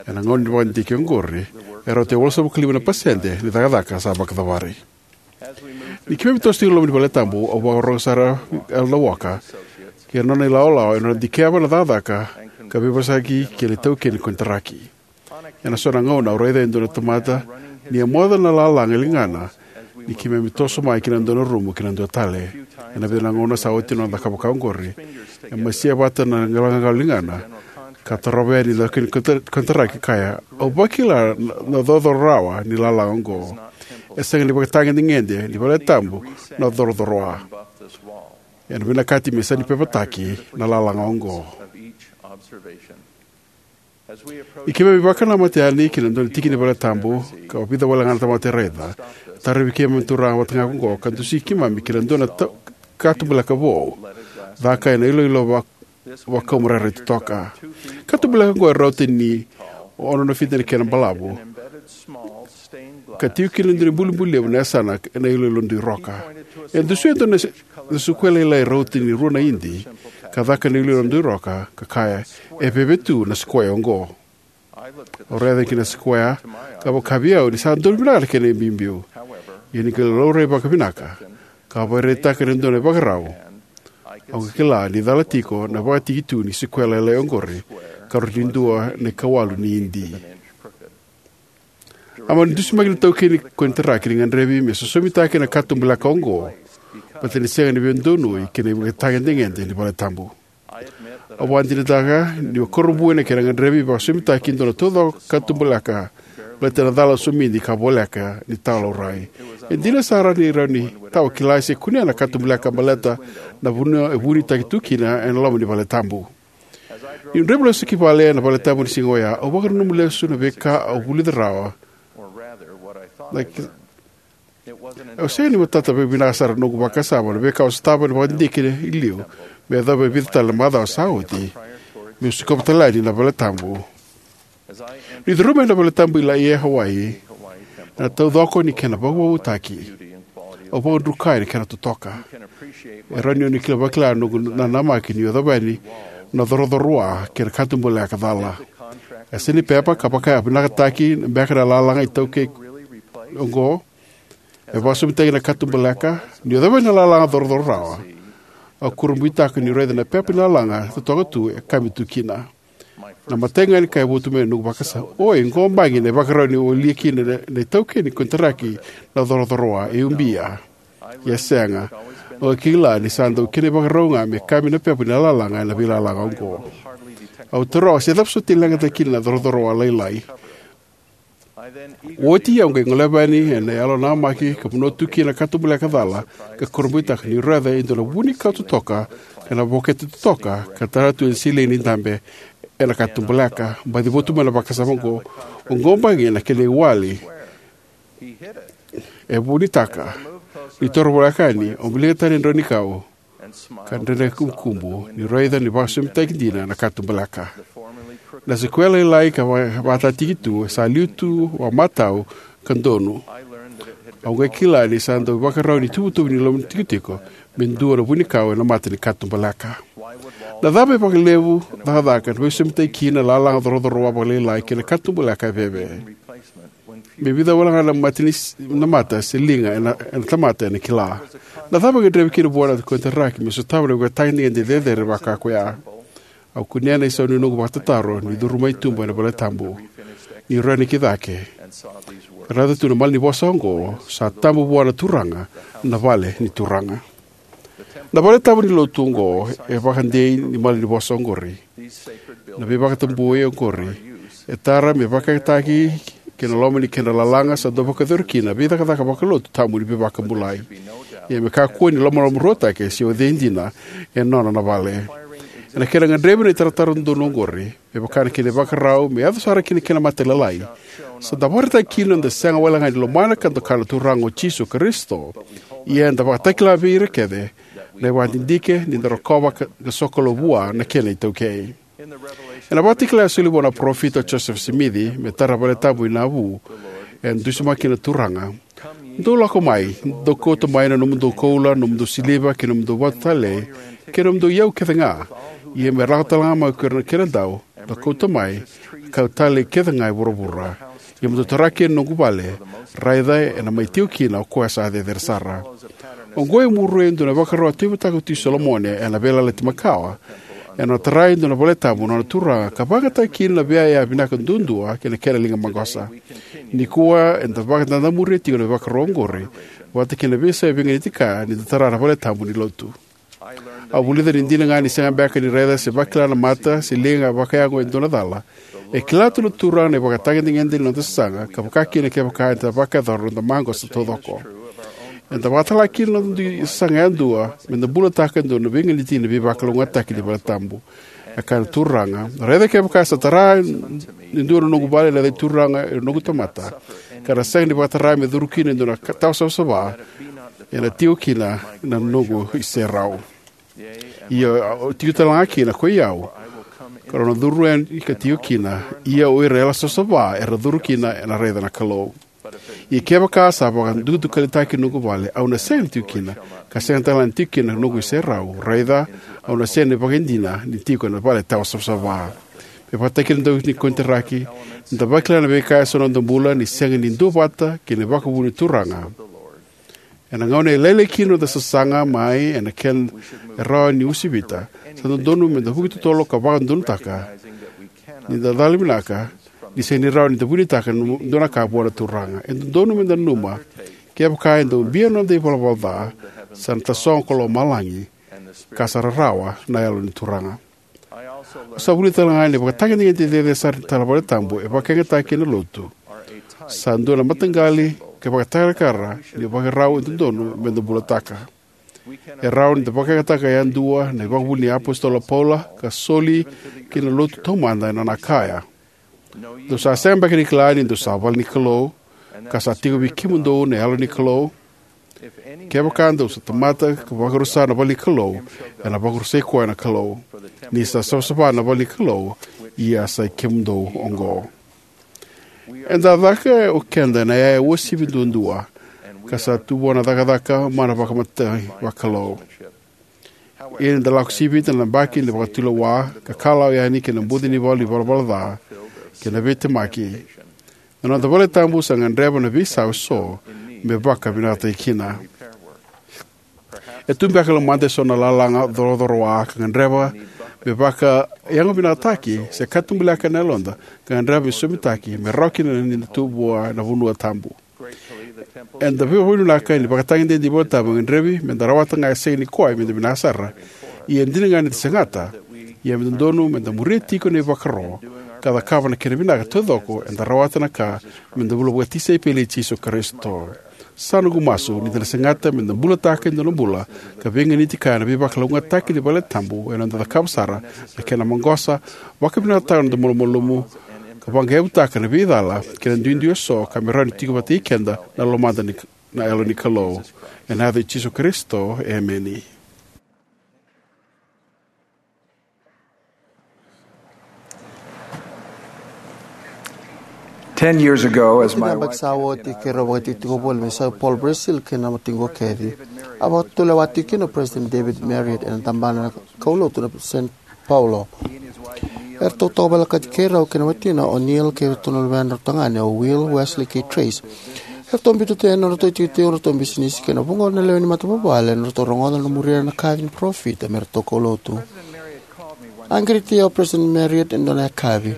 Ena gauna ni vakadike oqori, e rauta e walusagavulu ka lima na pasede ni cakacaka sa vakacavari. Ni keimami toso tiko e loma ni valetabu, au vakarorogo sara vei Elder Walker kei na nona ilawalawa ena nona dikeva na cakacaka ka veivosaki kei na itaukei ni konitaraki. Ena so na gauna au raica e dua na tamata ni a moca na lalaga e ligana ni keimami toso mai ki na dua na rumu ki na dua tale. Ena vica na gauna sa oti na noda cakava vaka oqori, e masia vata na galagagalua e ligana ka tarova yani na itaukei ni konta-, konitaraki, kaya, "Au vakila na, na corocoro rawa ni lalaga oqo. E sega ni vakatagedegede ni valetabu na corocoro a. Ena vinakati me sega ni pepataki na lalaga oqo." Ni keimami vakanamata yani ki na dua na tiki ni valetabu, ka vica wale ga na tamata e raica, tarovi keimami na turaga vata ga oqo ka dusi keimami ki na dua na ta-, Katubaleka vou, caka ena iloilo va-, vakau marairai totoka. Katubaleka oqo e rauta ni ono na fiti na kena balavu, ka tiko kina e dua na ibulibuli levu na yasana ena iloilo dui roka. E dusia e dua na s-, na sikuea lailai rauta ni rua na idi, ka caka ena iloilo dui roka, ka kaya, "E veve tu na sikuea oqo." Au raica ki na sikuea, ka vaka vei au ni sa donu vinaka na kena ibiubiu. Ia ni qai laurai vakavinaka, ka vakaraitaka e dua na ivakarau, au qai kila ni cala tiko na vakatiki tu ni sikuea lailai oqori, ka rauti dua na ikawalu ni idi. A mani dusimaki na itaukei ni konitaraki ni gadrevi me sosomitaki na katubaleka oqo, baleta ni sega ni veidonui kei na ivakatagedegede ni valetabu. Au vakadinadinataka niu kurabui ena kena gadrevi me vakasosomitaki e dua na taucoko katubaleka, baleta na cala somidi ka voleka ni tawa laurai. E dina sara ni rawa ni tawa kila se kunea na katubaleka baleta na vanua e vunitaki tu kina ena loma ni valetabu. Niu draiva lesu ki vale ena valetabu ni siga oya, au vakananuma lesu na veika au vulica rawa. Like, au sega ni matata vakavinaka sara na noqu vakasama na veika au sotava ena vakadidike i liu, me yacova e vica tale na macawa sa oti, meu sikova tale yani na valetabu. Niu curuma ena valetabu i Laie, Hawaii, na taucoko ni kena vakavoutaki, au vakadrukai na kena totoka. E rawa ni o ni kila vakila na noqu nanamaki niu yacova yani na corocorowa kei na katubaleka cala. E sega ni pepa ka vakavinakataki beka na lalaga itaukei oqo. E vakasosomitaki na katubaleka, niu yacova yani na lalaga corocorowa, au kurabuitaka niu raica na pepa ni lalaga totoka tu e kami tu kina. Na imatai ga ni ka e votu mai na noqu vakasama, "Oi, qo bagi na ivakarau ni walia kina na, na itaukei ni konitaraki na corocorowa, e ubia." Ia sega. Au kila ni sa dau kena ivakarau ga me kami na pepa ni lalaga ena veilalaga oqo. Au taroga se cava soti e leqataki kina na corocorowa lailai. Oti au qai goleva yani ena yalo namaki ka vanua tu kina na katubaleka cala, ka kurabuitaka niu raica e dua na vunikau totoka, ka na vokete totoka, ka tara tu ena silei ni dabe ena katubaleka. Baci votu mai na vakasama oqo, "Oqo bagi na kena iwali." E vunitaka. Ni toro voleka yani, au wilika tani na draunikau, ka dredre kubukubu, niu raica ni vakasosomitaki dina na katubaleka. Na sikuea lailai ka va-, vakataki tu, sa liu tu vakamatau ka donu. Au qai kila ni sa dau ivakarau ni tuvatuva ni loma ni tikotiko me dua na vunikau ena mata ni katubaleka. Na cava e vakalevu cakacaka na veisosomitaki kina na lalaga corocorowa vakalailai kei na katubaleka e veve? Me vica wale ga na mata ni s-, na mata se liga ena, ena tamata ena kila. Na cava e gadrevi kina vua na konitaraki me sotava na ivakatagedegede cecere vaka koya? Au kunea na isau ni noqu vakatataro ni curu mai tuba ena valetabu, ni raica ki cake, ka raica tu na malanivosa oqo, "Sa tabu vua na Turaga na vale ni turaga." Na valetabu ni lotu oqo e vakadei ni malanivosa oqori. Na veivakatabui oqori e tara me vakayagataki ki na loma ni kedra lalaga sa dau vakayacori kina na veicakacaka vakalotu tabu ni veivakabulai. Ia me kakua ni lomalomaruataki se o cei dina e nona na vale. Ena kena gadrevi na itaratara dodonu oqori, me vaka na kena ivakarau me yaco sara kina na kena mate lailai, sa dau vakaraitaki kina na noda sega wale ga ni lomana ka doka na Turaga o Jisu Karisito. Ia eda vakatakila vei ira kece na ivakadidike ni da rokova ka, ka sokalou vua na kena itaukei. Ena Vakatakila e soli vua na parofita o Josefa Simici me tara na valetabu i Navu, e dusimaki kina na Turaga, "Dou lako mai, dou kauta mai na nomudou koula, nomudou siliva, kei na nomudou vatu talei, kei na nomudou iyau kece ga. Ia me lako tale ga mai ko ira na kenadau, da kauta mai, ka talei kece ga e vuravura. Ia mo dou tara kina na noqu vale, raica ena mai tiko kina o koya sa cecere sara." Oqo e muria e dua na ivakarau a tauyavutaka o Tui Solomoni ena Veiyalayalati Makawa. Ena nona tara e dua na valetabu na nona turaga ka vakayagataka kina na veiyaya vinaka duadua kei na kena liga maqosa. Nikua eda vakadadamuria tiko na ivakarau oqori vata kei na veiyasai veiganiti kaya ni da tara na valetabu ni lotu. Au vulica ni dina ga ni sega beka ni raica se vakila na mata se liga vakayago e dua na cala, e kila tu na Turaga na ivakatagedegede ni noda sasaga, ka vaka kina kevaka eda vakayacora na noda maqosa taucoko. Eda vakatala kina na noda dui sasaga yadua me da bulataka e dua na veiganiti ni veivakalougatataki ni valetabu. E kaya na Turaga, "Raica kevaka sa tara e dua na noqu vale na yaca ni Turaga e noqu tamata, ka ra sega ni vakatara me curu kina e dua na ka-, tawa savasava, ena tiko kina na noqu iserau. Ia, au tiko talega kina ko i au, ka rau na curu yani ka tiko kina, ia o ira era savasava era curu kina ena raica na Kalou. Ia kevaka sa vakadukadukalitaki na noqu vale, au na sega ni tiko kina, ka sega talega ni tiko kina na noqu iserau, raica, au na sega ni vakaidina ni tiko ena vale tawa savasava. Me vakataki ira na dau ni konitaraki, ni da vakila na veika eso na noda bula ni sega ni duavata kei na vakavuvuli ni Turaga. Ena gauna e lailai kina noda sasaga mai ena kena e rawa ni usivita, sa dodonu me da vuki totolo ka vakadodonutaka ni da cala vinaka, ni sega ni rawa ni da vunitaka na dua na ka vua na Turaga. E dodonu me da nanuma, kevaka e dau bia na noda ivalavala ca, sa na tasogo ko lomalagi, ka sa rarawa na Yalo ni Turaga. Au sa vulica talega ni ivakatagedegede cecere sara ni tala valetabu e vakayagataki ena Lotu sa dua na mataqali ka ivakatakarakara ni vakarau e dodonu me da bulataka. E rawa ni da vakayagataka yadua na ivakavuvuli ni iApositolo o Paula ka soli ki na Lotu taumada ena nona kaya: Dou sa sega beka ni kila ni dou sa vale ni Kalou, ka sa tiko vei kemudou na Yalo ni Kalou? Kevaka dou sa tamata ka vakarusa na vale ni Kalou, ena vakarusai koya na Kalou. Ni sa savasava na vale ni Kalou, ia sa i kemudou oqo. Eda caka o keda ena yaya uasivi duadua, ka sa tu vua na cakacaka mana vakamatai vakalou. Ia ni da lako sivita na yabaki ni vakatulewa, ka kalawa yani ki na buca ni valu ni ivalavala ca kei na veitemaki, na noda valetabu sa gadreva na veisau eso me vakavinakataki kina. E tu beka e lomada eso na lalaga corocorowa ka gadreva me vakayagovinakataki, se katubaleka na yaloda ka gadreva me sosomitaki me rawa kina ni da tu vua na vanua tabu. Eda vakavinavinaka ni ivakatagedegede ni valetabu e gadrevi me da rawata ga e sega ni koya me da vinaka sara, ia e dina ga ni da segata, ia me dodonu me da muria tiko na ivakaro ka cakava na kena vinaka taucoko eda rawata na ka me da bula vakatisaipeli i Jisu Karisito. Sa noqu masu ni da na segata me da bulataka e dua na bula ka veiganiti kaya na veivakalougatataki ni valetabu ena noda cakava sara na kena maqosa, vakavinakataka na noda malumalumu, ka vaqaevutaka na veicala kei na duidui eso ka me rawa ni tiko vata kei keda na lomada ni, na Yalo ni Kalou. Ena yaca i Jisu Karisito, emeni. Ten years ago, as my wife Katini yabaki sa oti, keirau vakatikotiko voli mai Sao Paulo, Brazil, kei na watiqu o Kathy, a vakatulewa tiko kina o President David Marriott ena tabana na kaulotu na Saint Paulo. Eratou toka volekati keirau kei na watina o Neil kei iratou na luvedrau tagane o Will, Wesley kei Trace. Eratou biuta tu yani na nodratou itikotiko, nodratou bisinisi kei na vuqa na lewe ni matavuvale, nodratou rogoca na muria na kaci ni parofita me ratou kaulotu. A qiriti au o President Marriott ena dua na yakavi.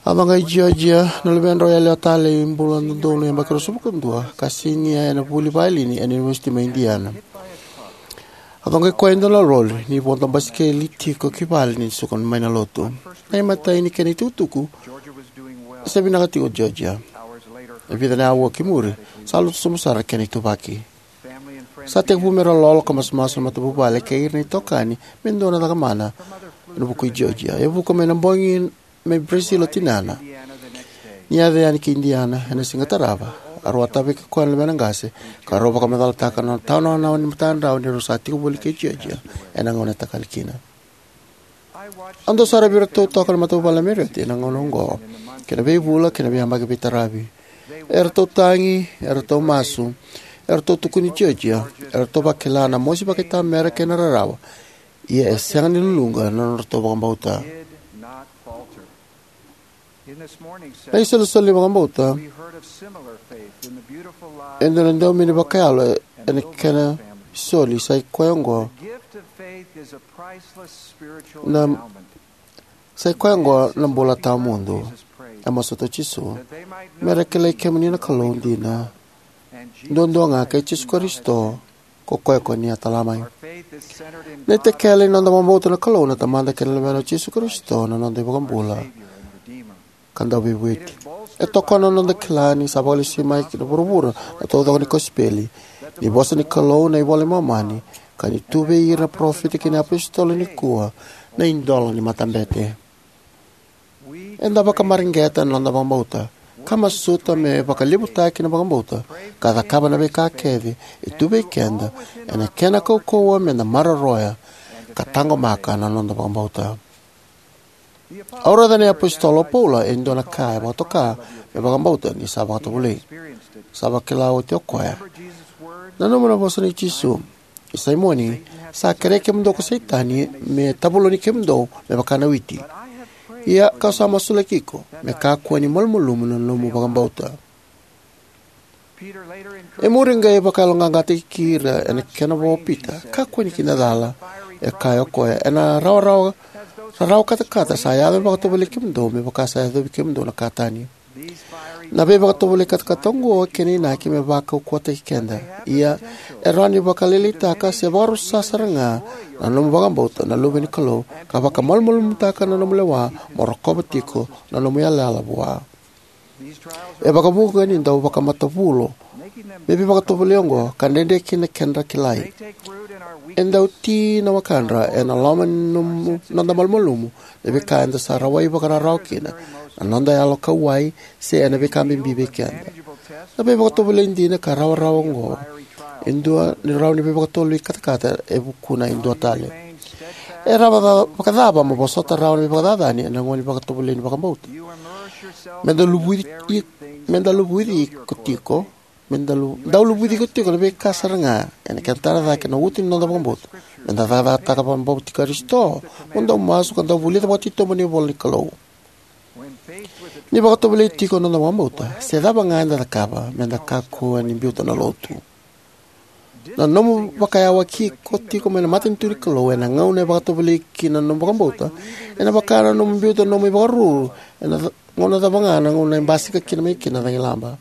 A coqai Georgia, na luvedrau yalewa talei, bula dodonu, yabaki ruasagavulu ka dua, ka sinia ena vuli vaiolini ena University mai Indiana. A coqai koya e dua na lori ni vodo basikeli tiko ki vale ni suka mai na lotu. Na imatai ni kena itukutuku, sa vinaka tiko o Georgia. E vica na aua ki muri, sa lotu sobu sara na kena ituvaki. Sa tekivu me ra lolo ka masumasu na matavuvale kei ira na itokani me dua na cakamana ena vuku i Georgia. E vuka mai na bogi mai Brazil o tinana. Ni yaco yani ki Indiana ena siga tarava, a rau a tavaki koya na luvena qase, ka rau vakamacalataka na nona tawa na wanawa ni matadrau ni rau sa tiko voli kei Georgia ena gauna e takali kina. Au dau saravi iratou toka na matavuvale na Marriott ena gauna oqo, kei na veivula kei na veiyabaki veitaravi. Eratou tagi, eratou masu, eratou tukuni Georgia, eratou vakila na mosi vakaitamera kei na rarawa. Ia e sega ni luluqa na nodratou vakabauta. Na isolisoli ni vakabauta, e dua na daumeni vakayalo ena kena soli, sa i koya oqo na, sa i koya oqo na bula tawamudu. E masuta o Jisu, me ra kilai kemuni na Kalou dina duadua ga, kei Jisu Karisito, ko koya ko ni a tala mai. Na itakele ni noda vakabauta na Kalou na Tamada kei na Luvena o Jisu Karisito, na noda iVakabula ka Dauveivueti. E tokona na noda kila ni sa vakalesui mai ki na vuravura na taucoko ni kosipeli, ni vosa ni Kalou na iVola i Momani, ka ni tu vei ira na parofita kei na iapositolo nikua na idola ni matabete. Eda vakamareqeta na noda vakabauta ka masuta me vakalevutaki na vakabauta, ka cakava na veika kece e tu vei keda ena kena kaukauwa me da maroroya ka taqomaka na noda vakabauta. Au raica na iApositolo o Paula e dua na ka e vakatoka me vakabauta ni sa vakatovolei. Sa vakila oti o koya. Nanuma na vosa nei Jisu: "I Saimoni, sa kerei kemudou ko Setani me tavuloni kemudou me vaka na witi. Ia kau sa masulaki iko me kakua ni malumalumu na nomu vakabauta." E muri qai vakayaloqaqataki ira ena kena vo o Pita: "Kakua ni kidacala," e kaya o koya, "ena rawarawa, rarawa katakata sa yaco me vakatovolei kemudou, me vaka sa yacovi kemudou na ka tani." Na veivakatovolei katakata oqo e kena inaki me vakaukauwataki keda. Ia, e rawa ni vakalailaitaka se vakarusa sara ga na nomu vakabauta na Luve ni Kalou, ka vakamalumalumutaka na nomu lewa mo rokova tiko na nomu yalayala vua. E vakavuqa ni dau vakamatavulo me veivakatovolei oqo, ka dredre kina na kedra kilai. E dau ti na wakadra ena loma ni nomu, noda malumalumu, na veika eda sa rawai vakararawa kina, na noda yalo kauwai, se ena veika bibi vei keda. Na veivakatovolei dina ka rawarawa oqo e dua ni rawa ni veivakatovolei katakata e vukuna e dua tale. E rawa ca-, vakacava mo vosota rawa na veivakacacani ena gauna ni vakatovolei ni vakabauta? Me dau luvuci, me dau luvuci iko tiko, me dau lu-, dau luvuci iko tiko na veika sara ga ena kena tara cake na uto ni noda vakabauta. Me da cakacakataka vakabauti Karisito, mo dau masu ka dau vulica vakatitobu na ivola ni Kalou. Ni vakatovolei tiko na noda vakabauta, se cava ga eda cakava, me da kakua ni biuta na lotu. Na nomu vakayawaki iko tiko mai na matanitu ni Kalou ena gauna e vakatovolei kina na nomu vakabauta, ena vaka na nomu biuta na nomu ivakaruru ena ca-, gauna cava ga na gauna e basika kina mai kina na cagilaba.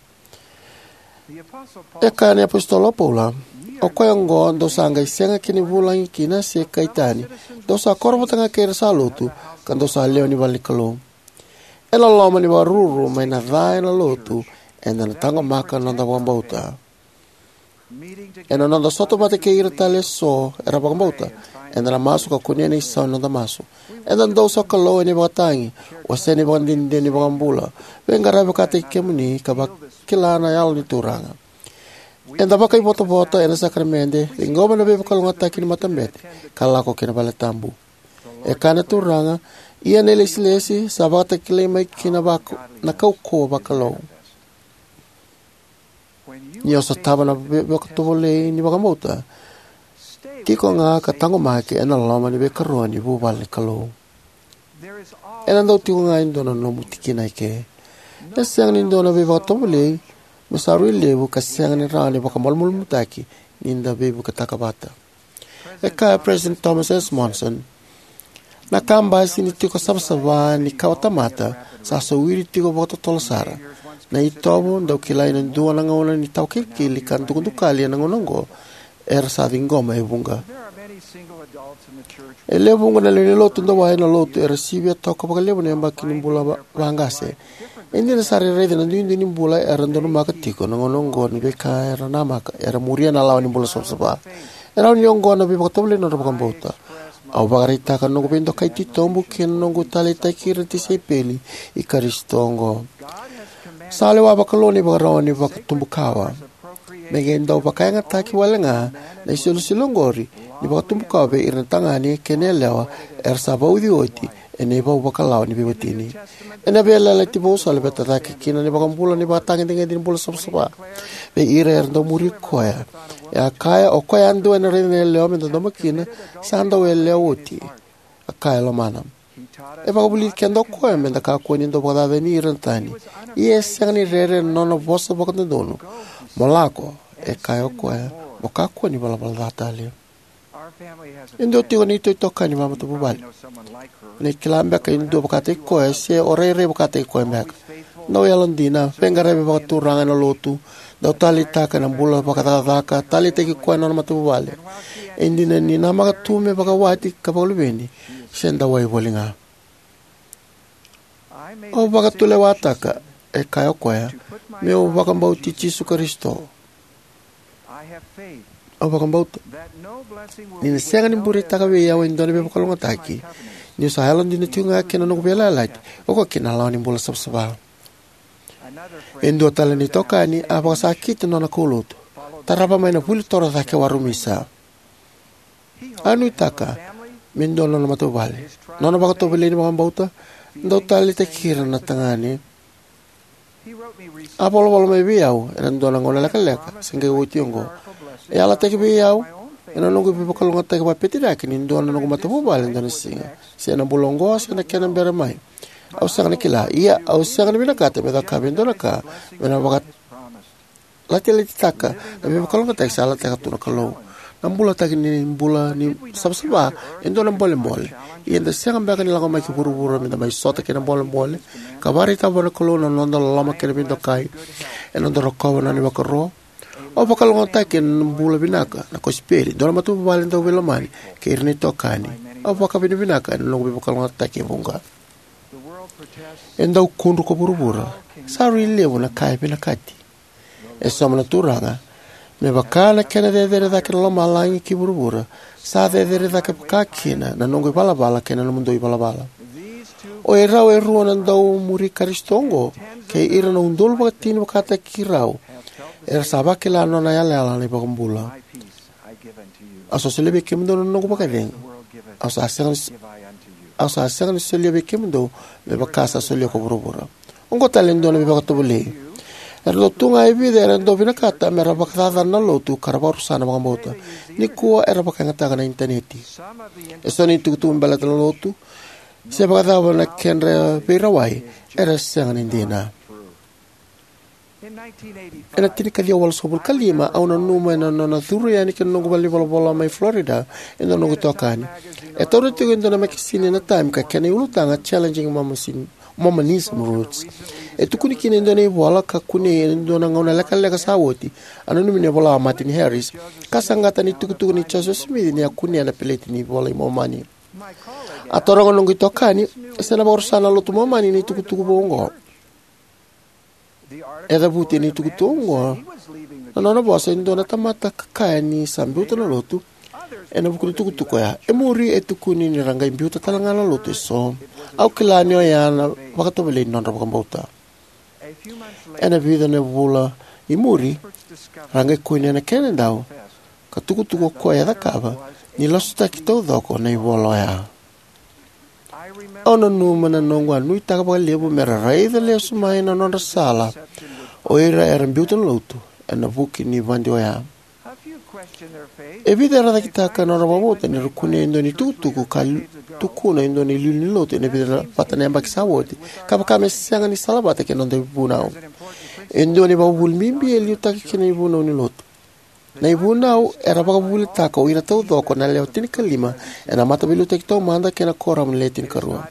E kaya na iApositolo o Paula: "O koya oqo dou sa qai sega kina ni vulagi kina se kai tani, dou sa koro vata ga kei ira sa lotu, ka dou sa lewe ni vale ni Kalou." Ena loma ni vakaruru mai na ca ena lotu, eda na taqomaka na noda vakabauta. Ena noda sota vata kei ira tale eso era vakabauta, eda na masu ka kunea na isau ni noda masu. Eda dau sokalou ena ivakatagi, wasea na ivakadinadina ni iVakabula, veiqaravi vakataki kemuni ka vakila na Yalo ni Turaga. Eda vakaivotavota ena sakaramede, ciqoma na veivakalougatataki ni matabete, ka lako ki na valetabu. E kaya na Turaga: "Ia na ilesilesi sa vakatakilai mai kina vaka na kaukauwa vakalou." Ni o sotava na ve-, vakatovolei ni vakabauta, tiko ga ka taqomaki ena loma ni veikarua ni vuvale ni Kalou. Ena dau tiko ga e dua na nomu tikina eke. E sega ni dua na veivakatovolei me sa rui levu ka sega ni rawa ni vakamalumalumutaki ni da veivuketaka vata. E kaya o President Thomas S. Monson: "Na kabasi ni tiko savasava ni kawatamata sa sowiri tiko vakatotolo sara. Na itovo dau kilai ena dua na gauna ni tawa kilikili ka dukadukali ena gauna oqo era sa ciqoma e vuqa." E lewe vuqa na lewe ni lotu dau wai ena lotu era sivia toka vakalevu na yabaki ni bula va-, vaqase. E dina sara e raica na duidui ni bula era donumaka tiko na gauna oqo ni veika era namaka era muria na lawa ni bula savasava. E rawa ni oqo na veivakatovolei ni nodra vakabauta. Au vakaraitaka na noqu veidokai titobu kei na noqu taleitaki ira na tisaipeli i Karisito oqo. Sa lewa vakalou na ivakarau ni vakatubukawa. Me qai dau vakayagataki wale ga na isolisoli oqori ni vakatubukawa vei ira na tagane kei na yalewa era sa vauci oti ena ivau vakalawa ni veiwatini. Ena Veiyalayalati Vou sa laveta cake kina na iVakabula na ivakatagedegede ni bula savasava vei ira era dau muri koya. E a kaya: "O koya yadua ena raica na yalewa me dodomo kina, sa dau yalewa oti," a kaya e lomana. E vakavulici keda o koya me da kakua ni dau vakacacani ira na tani. Ia e sega ni rere ena nona vosa vakadodonu. "Mo lako," e kaya o koya, "mo kakua ni valavala ca tale." E dua tiko na itoitokani vakamatavuvale. O ni kila beka e dua vakataki koya, se o rairai vakataki koya beka. Dau yalodina, veiqaravi vakaturaga ena lotu, dau taleitaka na bula vakacakacaka, taleitaki koya na nona matavuvale. E dina ni namaka tu me vakawati ka vakaluveni, se dau wai voli ga. "Au vakatulewataka," e kaya o koya, "meu vakabauti Jisu Karisito. Au vakabauta ni na sega ni bureitaka vei au e dua na veivakalougatataki, niu sa yalodina tiko ga kina noqu veiyalayalati, oka kina na lawa ni bula savasava." E dua tale na itokani a vakasakita na nona kaulotu, tarava mai na vuli toro cake warumisa. A nuitaka me dua na nona matavuvale. Nona vakatovolei ni vakabauta dau taleitaki ira na tagane. A volavola mai vei au ena dua na gauna lekaleka se qai oti oqo. E yalataki vei au ena noqu veivakalougatataki vakapeteriaki ni dua na noqu matavuvale ena dua na siga, se ena bula oqo se na kena bera mai, au sega ni kila. Ia au sega ni vinakata me cakava e dua na ka me na vakalatilati taka na veivakalougatataki sa yalataka tu na Kalou. Na bulataki ni bula ni savasava e dua na bolebole. Ia eda sega beka ni lako mai ki vuravura me da mai sota kei na bolebole ka vakaraitaka vua na Kalou na noda loloma kei na veidokai ena noda rokova na nona ivakaro? Au vakalougatataki ena bula vinaka na kosipeli, dua na matavuvale dauveilomani, kei ira na itokani. Au vakavinavinaka ena noqu veivakalougatataki e vuqa. E dau kudru ko vuravura. Sa rui levu na ka e vinakati. E sauma na Turaga, me vaka na kena cecere cake na lomalagi ki vuravura, sa cecere cake vakakina na noqu ivalavala kei na nomudou ivalavala. O irau e rua na dau muri Karisito oqo, kei ira na udolu vakatini vakataki rau, era sa vakila na nona yalayala na iVakabula. Au sa solia vei kemudou na noqu vakacegu. Au sa sega ni, au sa sega ni solia vei kemudou me vaka sa solia ko vuravura. Oqo tale e dua na veivakatovolei. Era dau tu ga e vica era dau vinakata me ra vakacacana na lotu ka ra vakarusa na vakabauta. Nikua era vakayagataka na initaneti. E so na itukutuku me baleta na lotu se vakacava na kedra veirawai era sega ni dina. Ena tinikaciwa walusagavulu ka lima, au nanuma ena nona curu yani ki na noqu valenivolavola mai Florida e dua na noqu itokani. E taura tiko e dua na mekasini ena Time ka kena iulutaga Challenging Mormonism, Mormonism Roots. E tukuni kina e dua na ivola ka kunei e dua na gauna lekaleka sa oti, a nanumi ni vola o Martin Harris, ka saqata na itukutuku nei Joseph Smith ni a kunea na peleti ni iVola i Momani. A taroga na noqu itokani se na vakarusa na lotu Momani na itukutuku vou oqo. E cavuti ena itukutuku oqo na nona vosa e dua na tamata ka kaya ni sa biuta na lotu ena vuku ni tukutuku oya. E muri e tukuni ni ra qai biuta tale ga na lotu eso. Au kila ni oya na vakatovolei ni nodra vakabauta. Ena vica na vula i muri, ra qai kunea na kena dau ka tukutuku o koya e cakava ni lasutaki taucoko na ivola oya. Au nanuma na noqu a nuitaka vakalevu me ra raica lesu mai na nodra sala o ira era biuta na lotu ena vuku ni vadi oya. E vica era cakitaka na nodra vakabauta ni ra kunea e dua na itukutuku ka li-, tukuna e dua na iliuliu ni lotu ena vica vata na yabaki sa oti, ka vaka me sega ni salavata kei na noda ivunau. E dua na ivakavuvuli bibi e liutaki kina na ivunau ni lotu. Na ivunau era vakavuvulitaka o ira taucoko na lewe tinikalima ena Mataveiliutaki Taumada kei na Kuoramu ni Le Tinikarua.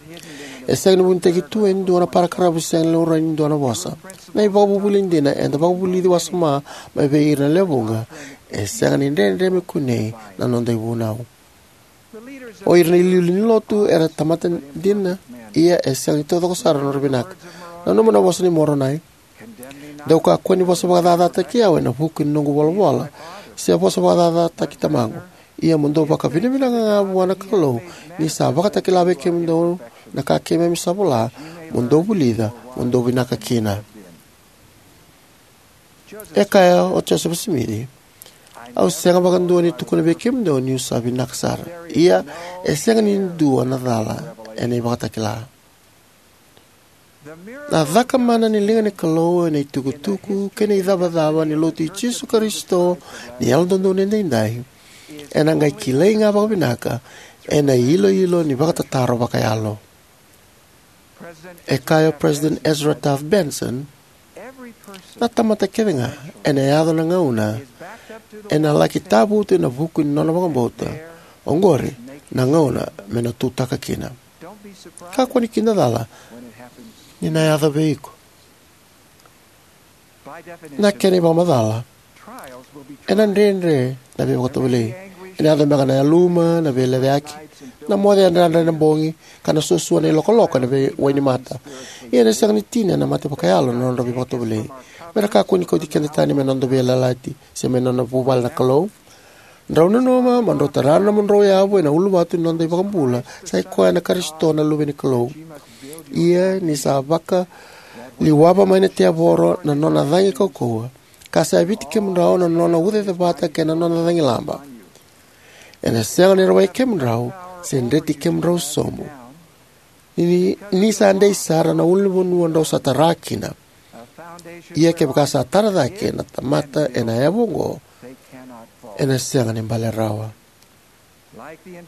E sega ni vunitaki tu e dua na parakaravu, sega ni laurai ni dua na vosa. Na ivakavuvuli dina eda vakavulici wasoma mai vei ira na lewe vuqa e sega ni dredre me kunei na noda ivunau. O ira na iliuliu ni lotu era tamata dina, ia e sega ni taucoko sara na nodra vinaka. Nanuma na vosa nei Moronai: Dou kakua ni vosa vakacacataki au ena vuku ni noqu volavola, se vosa vakacacataki tamaqu. Ia mo dou vakavinavinaka ga vua na Kalou ni sa vakatakila vei kemudou na ka keimami sa vola mo dou vulica mo dou vinaka kina. E kaya o Josefa Simici: Au sega vakadua ni tukuna vei kemudou niu sa vinaka sara. Ia, e sega ni dua na cala ena ivakatakila. Na cakamana ni liga ni Kalou ena itukutuku kei na icavacava ni Lotu i Jisu Karisito ni Yalododonu Edaidai ena qai kilai ga vakavinaka ena iloilo ni vakatataro vakayalo. E kaya o President Ezra Taft Benson: Na tamata kece ga, ena yaco na gauna, ena laki tavutu ena vuku ni nona vakabauta. Oqori na gauna me na tutaka kina. Kakua ni kidacala ni na yaco vei iko. Na kena ivakamacala, ena dredre na veivakatovolei. Ena yaco beka na yaluma, na veilecayaki, na moce yadrayadra ena bogi, ka na suasua na ilokoloko ena vei wainimata. Ia ena sega ni tini ena mate vakayalo na nodra veivakatovolei. Me ra kakua ni kauti keda tani mai na noda veiyalayalati se mai na nona vuvale na Kalou. Drau nanuma mo drau tara na nomudrau yavu ena uluvatu ni noda iVakabula, sa i koya na Karisito, na Luve ni Kalou. Ia ni sa vaka Liwava mai na tevoro na nona cagi kaukauwa, ka sa yaviti kemudrau na nona ucacevata kei na nona cagilaba. Ena sega ni rawai kemudrau se dreti kemudrau sobu, ni, ni sa dei sara na ulunivanua drau sa tara kina. Ia kevaka sa tara cake na tamata ena yavu oqo, ena sega ni bale rawa.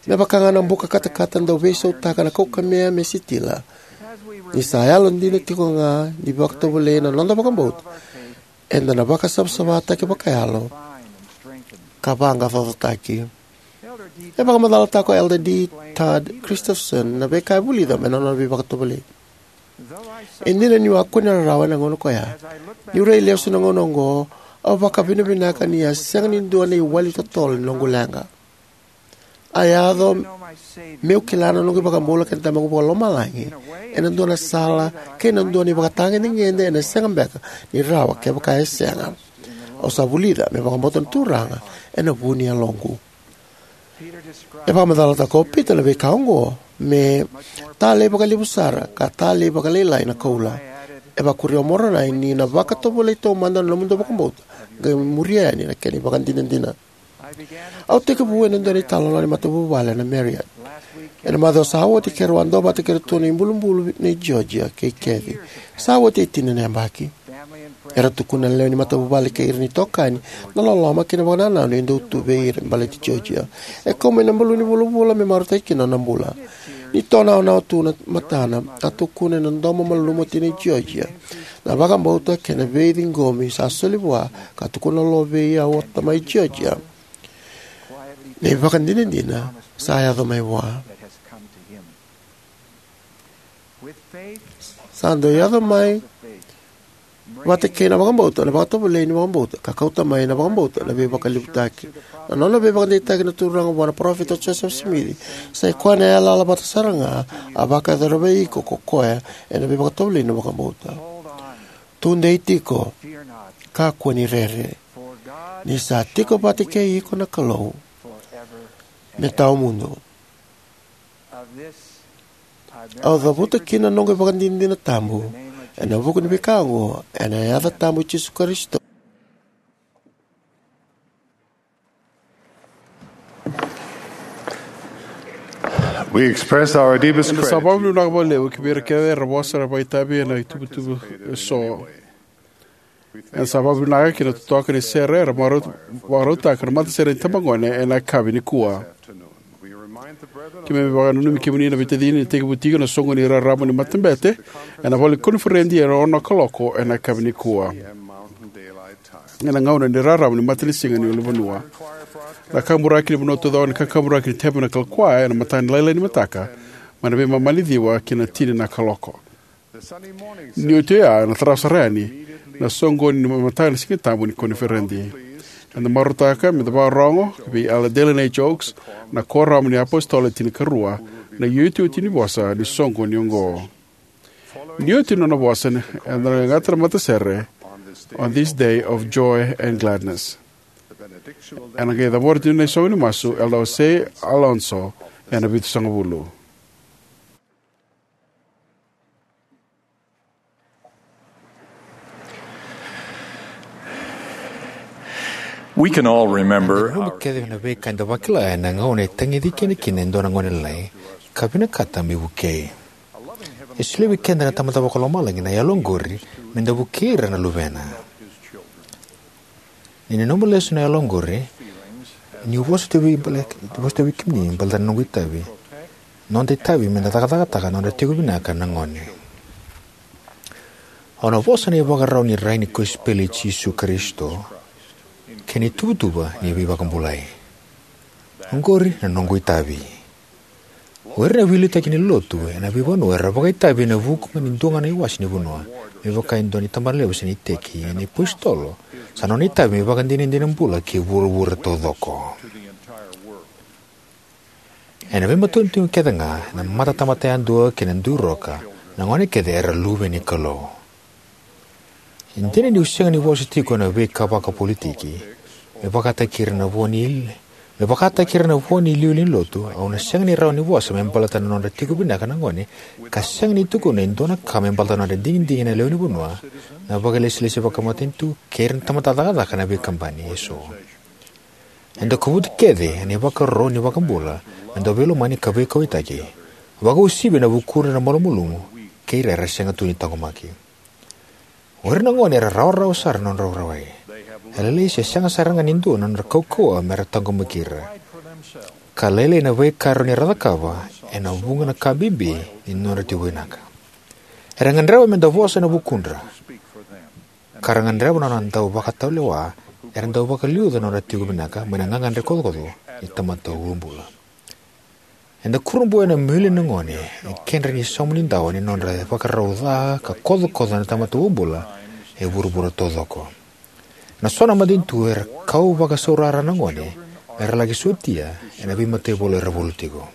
Me vaka ga na buka katakata dau veisautaka na kaukamea me sitila, ni sa yalodina tiko ga ni vakatovolei na noda vakabauta, eda na vakasavasavataki vakayalo ka vaqaqacotaki. E vakamacalataka o Elder D. Todd Christofferson na veika e vulica mai na nona veivakatovolei. E dina niu a kune rarawa ena gauna ko ya, niu rai lesu na gauna oqo, au vakavinavinaka ni a sega ni dua na iwali totolo ni noqu leqa. A yaco meu kila na noqu iVakabula kei na Tamaqu Vakalomalagi ena dua na sala kei na dua na ivakatagedegede ena sega beka ni rawa kevaka e sega. Au sa vulica me vakabauta na Turaga ena vu ni yaloqu. E vakamacalataka o Pita na veika oqo me talei vakalevu sara ka talei vakalailai na koula. E vakuria o Moronai ni na vakatovolei taumada na nomudou vakabauta, qai muria yani na kena ivakadinadina. Au tekivu ena dua na italanoa ni matavuvale ena Marriott. Ena macawa sa oti keirau a duavata kei iratou na ibulubulu nei Georgia kei Kathy. Sa oti e tini na yabaki. Era tukuna na lewe ni matavuvale kei ira na itokani na loloma kei na vakanananu e dau tu vei ira me baleti Georgia. E kau mai na baluni vulavula me marautaki kina na nona bula. Ni tonaonawa tu na matana, a tukuna ena domo malumu o tinai Georgia na vakabauta kei na veiciqomi sa soli vua, ka tukuna lo vei au o tamai Georgia na ivakadinadina sa yaco mai vua. Sa dau yaco mai vata kei na vakabauta na vakatovolei ni vakabauta, ka kauta mai na vakabauta na veivakalevutaki. Na nona veivakadeitaki na Turaga vua na Parofita o Josefa Simici, sa i koya na yalayala vata sara ga a vakayacora vei iko ko koya ena veivakatovolei ni vakabauta. Tudei tiko, kakua ni rere, ni sa tiko vata kei iko na Kalou me tawamudu. Au cavuta kina na noqu ivakadinadina tabu ena vuku ni veika oqo, ena yaca tabu i Jisu Karisito. We express our deepest Eda sa gratitude. Vakavinavinaka vakalevu ki vei ira kece era vosa, era vakaitavi ena ituvatuva eso. Eda sa vakavinavinaka ki na totoka ni sere era vakarau-, vakarautaka na matasere ni tabagone ena yakavi nikua. Keimami vakananumi kemuni na veitacini ni tekivu tiko na soqoni raraba ni matabete ena vale ni koniferedi ena ono na kaloko ena yakavi nikua, ena gauna ni raraba ni matanisiga ni ulunivanua. Na kakaburaki ni vanua taucoko ena kakaburaki ni Tabernacle Choir ena mataka ni lailai ni mataka, mai na veimama ni ciwa ki na tini na kaloko. Ni oti oya, ena tarava sara yani na soqoni ni mataka ni Sigatabu ni koniferedi. Eda marautaka meda vakarorogo vei Elder Dallin H. Oaks, na Kuoramu ni iApositolo Le Tinikarua, na iotioti ni vosa ni soqoni oqo. Ni oti na nona vosa, eda na qaqata na matasere, On This Day of Joy and Gladness. Ena qai cabora tiko na isogo ni masu Elder Jose Alonso ena vitusagavulu. We can all remember. Eda na kece na veika eda vakila ena gauna e tagici keda kina e dua na gone lailai ka vinakata me vukei. E solia vei keda na Tamada Vakalomalagi na yalo oqori meda vukei ira na luvena. Ni nanuma lesu na yalo oqori, niu vosa tiko vei bale-, vosa tiko vei kemuni baleta na noqu itavi. Noda itavi meda cakacakataka na nodra tiko vinaka na gone. Au na vosa na ivakarau ni rai ni kosipeli i Jisu Karisito kei na ituvatuva ni veivakabulai. Oqori na noqu itavi. O ira na veiliutaki ni lotu ena veivanua era vakaitavi ena vuku ga ni dua ga na iwase ni vanua, me vaka e dua na itabanalevu se na iteki, ena iApositolo, sa nona itavi me vakadinadina bula ki vuravura taucoko. Ena veimatanitu kece ga, na matatamata yadua kei na duiroka, na gone kece era luve ni Kalou. E dina niu sega ni vosa tiko ena veika vakapolitiki, me vakataki ira na vo ni Me vakataki ira na vo ni iliuliu ni lotu, au na sega ni rawa ni vosa me baleta na nodra tiko vinaka na gone, ka sega ni tukuna e dua na ka me baleta na nodra digidigi na lewenivanua, na vakailesilesi vakamatanitu, kei ira na tamata cakacaka ena veikabani eso. Eda kovuti kece ena ivakaro ni iVakabula me da veilomani ka veikauwaitaki, vakauasivi ena vukudra na malumalumu kei ira era sega tu ni taqomaki. O ira na gone era rawarawa sara na nodra rawai. E lailai se sega sara ga ni dua na nodra kaukauwa me ra taqomaki ira. Ka lailai na veika e rawa ni ra cakava ena vuqa na ka bibi ni nodra tiko vinaka. Era gadreva me da vosa ena vukudra. Ka ra gadreva na nona dau vakatulewa era dau vakaliuca na nodra tiko vinaka mai na gagadre kocokoco ni tamata uabula. Eda kurabuitaka na milioni na gone e kedra ni sauma ni dawa ni nodra ivakarau ca ka kocokoco na tamata uabula e vuravura taucoko. Ena so na matanitu era kau vakasaurarataka na gone me ra laki sotia ena veimataivalu era valu tiko.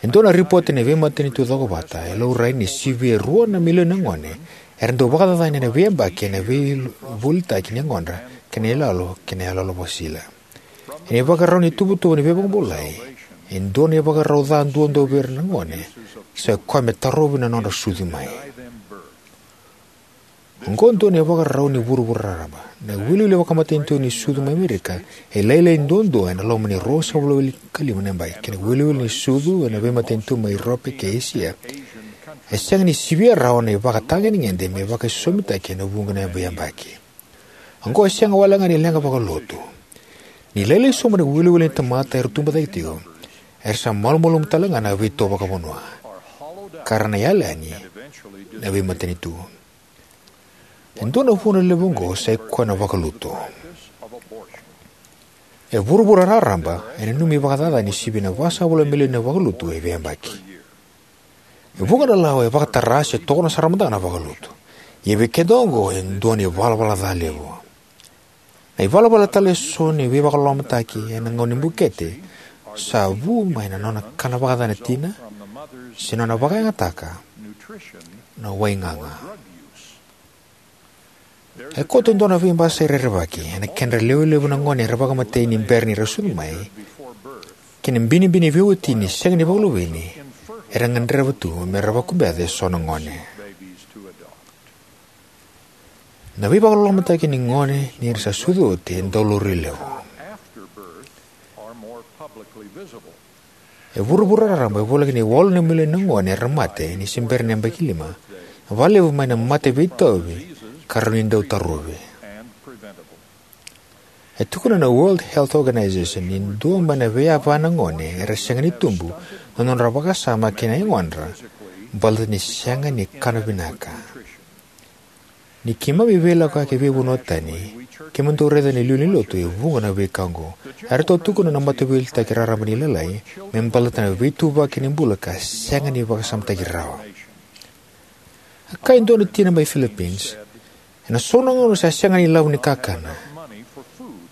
E dua na ripote ni veimatanitu cokovata e laurai ni sivia e rua na milioni na gone era dau vakacacani ena veiyabaki ena veivolitaki ni yagodra kei na iyaloyalo kei na iyaloyalo vakasisila. Ena ivakarau ni ituvatuva ni veivakabulai, e dua na ivakarau ca duadua vei ira na gone sa ikoya me tarovi na nodra sucu mai. Oqo e dua na ivakarau ni vuravura raraba. Na iwiliwili vakamatanitu ni sucu mai Amerika e lailai duadua ena loma ni ruasagavulu ka lima na yabaki, kei na iwiliwili ni sucu ena veimatanitu mai Iurope kei Esia e sega ni sivia rawa na ivakatagedegede me vakaisosomitaki ena vuqa na veiyabaki. Oqo e sega walega ni leqa vakalotu. Ni lailai sobu na iwiliwili ni tamata era tubu cake tiko, era sa malumalumu talega na veito vakavanua, ka ra na yali yani na veimatanitu. E dua na vuna levu oqo sa ikoya na vakalutu. E vuravura raraba e nanumi vakacacani sivia na vasagavulu na milioni na vakalutu e veiyabaki. E vuqa na lawa e vakatara se tokona sara mada ga na vakalutu. Ia vei keda oqo e dua na ivalavala ca levu. Na ivalavala tale eso ni veivakalolomataki ena gauna ni bukete sa vu mai na nona kana vakaca na tina se nona vakayagataka na wai gaga. E koto e dua na veibasai rerevaki ena kedra lewe levu na gone era vakamatei ni bera ni ra sucu mai, kei na binibini veiwatini sega ni vakaluveni era gadreva tu me ra vakabeca eso na gone. Na veivakalolomataki ni gone ni ra sa sucu oti e dau laurai levu. E vuravura raraba e voleka ni walu na milioni na gone era mate ni se bera na yabaki lima, vakalevu mai na mate veitauvi ka rawa ni dau tarovi. E tukuna na World Health Organization ni dua mai na veiyava na gone era sega ni tubu na nodra vakasama kei na yagodra baleta ni sega ni kana vinaka. Ni keimami veilakoyaki e veivanua tani, keimami dau raica na iliuliu ni lotu e vuqa na veika oqo. Eratou tukuna na mataveiliutaki raraba ni Lalai me baleta na veituvaki ni bula ka sega ni vakasamataki rawa. A kaya e dua na tina mai Philippines, ena so na gauna sa sega na ilavo ni kakana,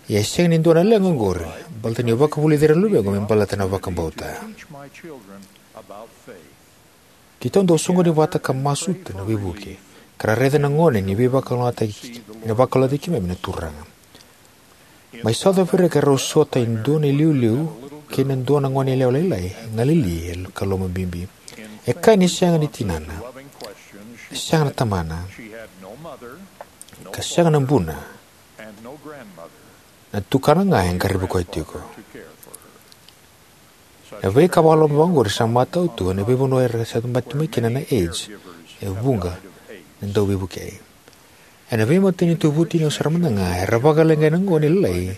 ia e sega ni dua na leqa oqori baleta niu vakavulici ira na luvequ me baleta na vakabauta. Keitou dau soqoni vata ka masuta na veivuke, ka ra raica na gone ni veivakalougatataki, ni vakalougatataki keimami na Turaga. Mai South Africa erau sota e dua na iliuliu kei na dua na goneyalewa lailai, galili ka lomabibi. E kaya ni sega ni tinana, sega na tamana, ka sega na buna. Na tukana ga e qaravi koya tiko. Na veika vakaloloma vakaoqori sa matau tu ena veivanua era sa tabaki mai kina na AIDS e vuqa na dauveivukei. Ena veimatanitu vutuniyau sara mada ga era vakaleqai na gone lailai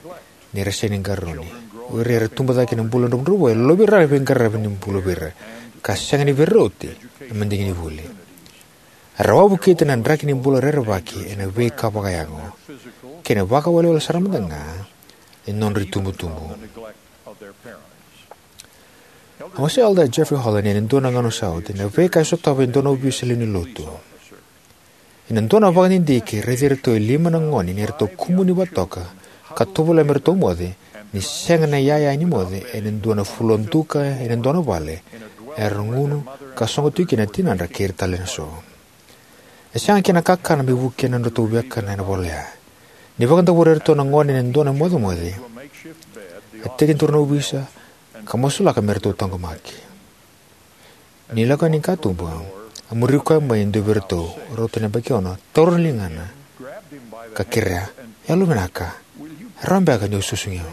ni ra sega ni qarauni. O ira era tubu cake ena bula dravudravua e lovi ira na veiqaravi ni bula vei ira, ka sega ni veirauti na madigi ni vuli. Era wavokita na draki ni bula rerevaki ena veika vakayago kei na vakawelewele sara mada ga ni nodra itubutubu. A wasea Elder Jeffrey Holland ena dua na gauna sa oti na veika e sotava e dua na ovisa lewe ni lotu. Ena dua na vakadidike, raici iratou e lima na gone ni ratou kumuni vakatoka ka tovolea me ratou moce, ni sega na iyaya ni moce ena dua na floor duka ena dua na vale era gunu ka sogo tiko kina na tinadra kei ira tale eso. E sega kina na kakana me vukea na nodratou viakana ena vale ya. Ni vakadavori iratou na gone ena dua na mocemoce, A tekiduru na ovisa ka masulaka me ratou taqomaki. Ni lako yani ki katuba, a muri koya mai e dua vei iratou, rauta ni yabaki ono, taura na ligana ka kerea, "Yalovinaka, e rawa beka niu susugi au?"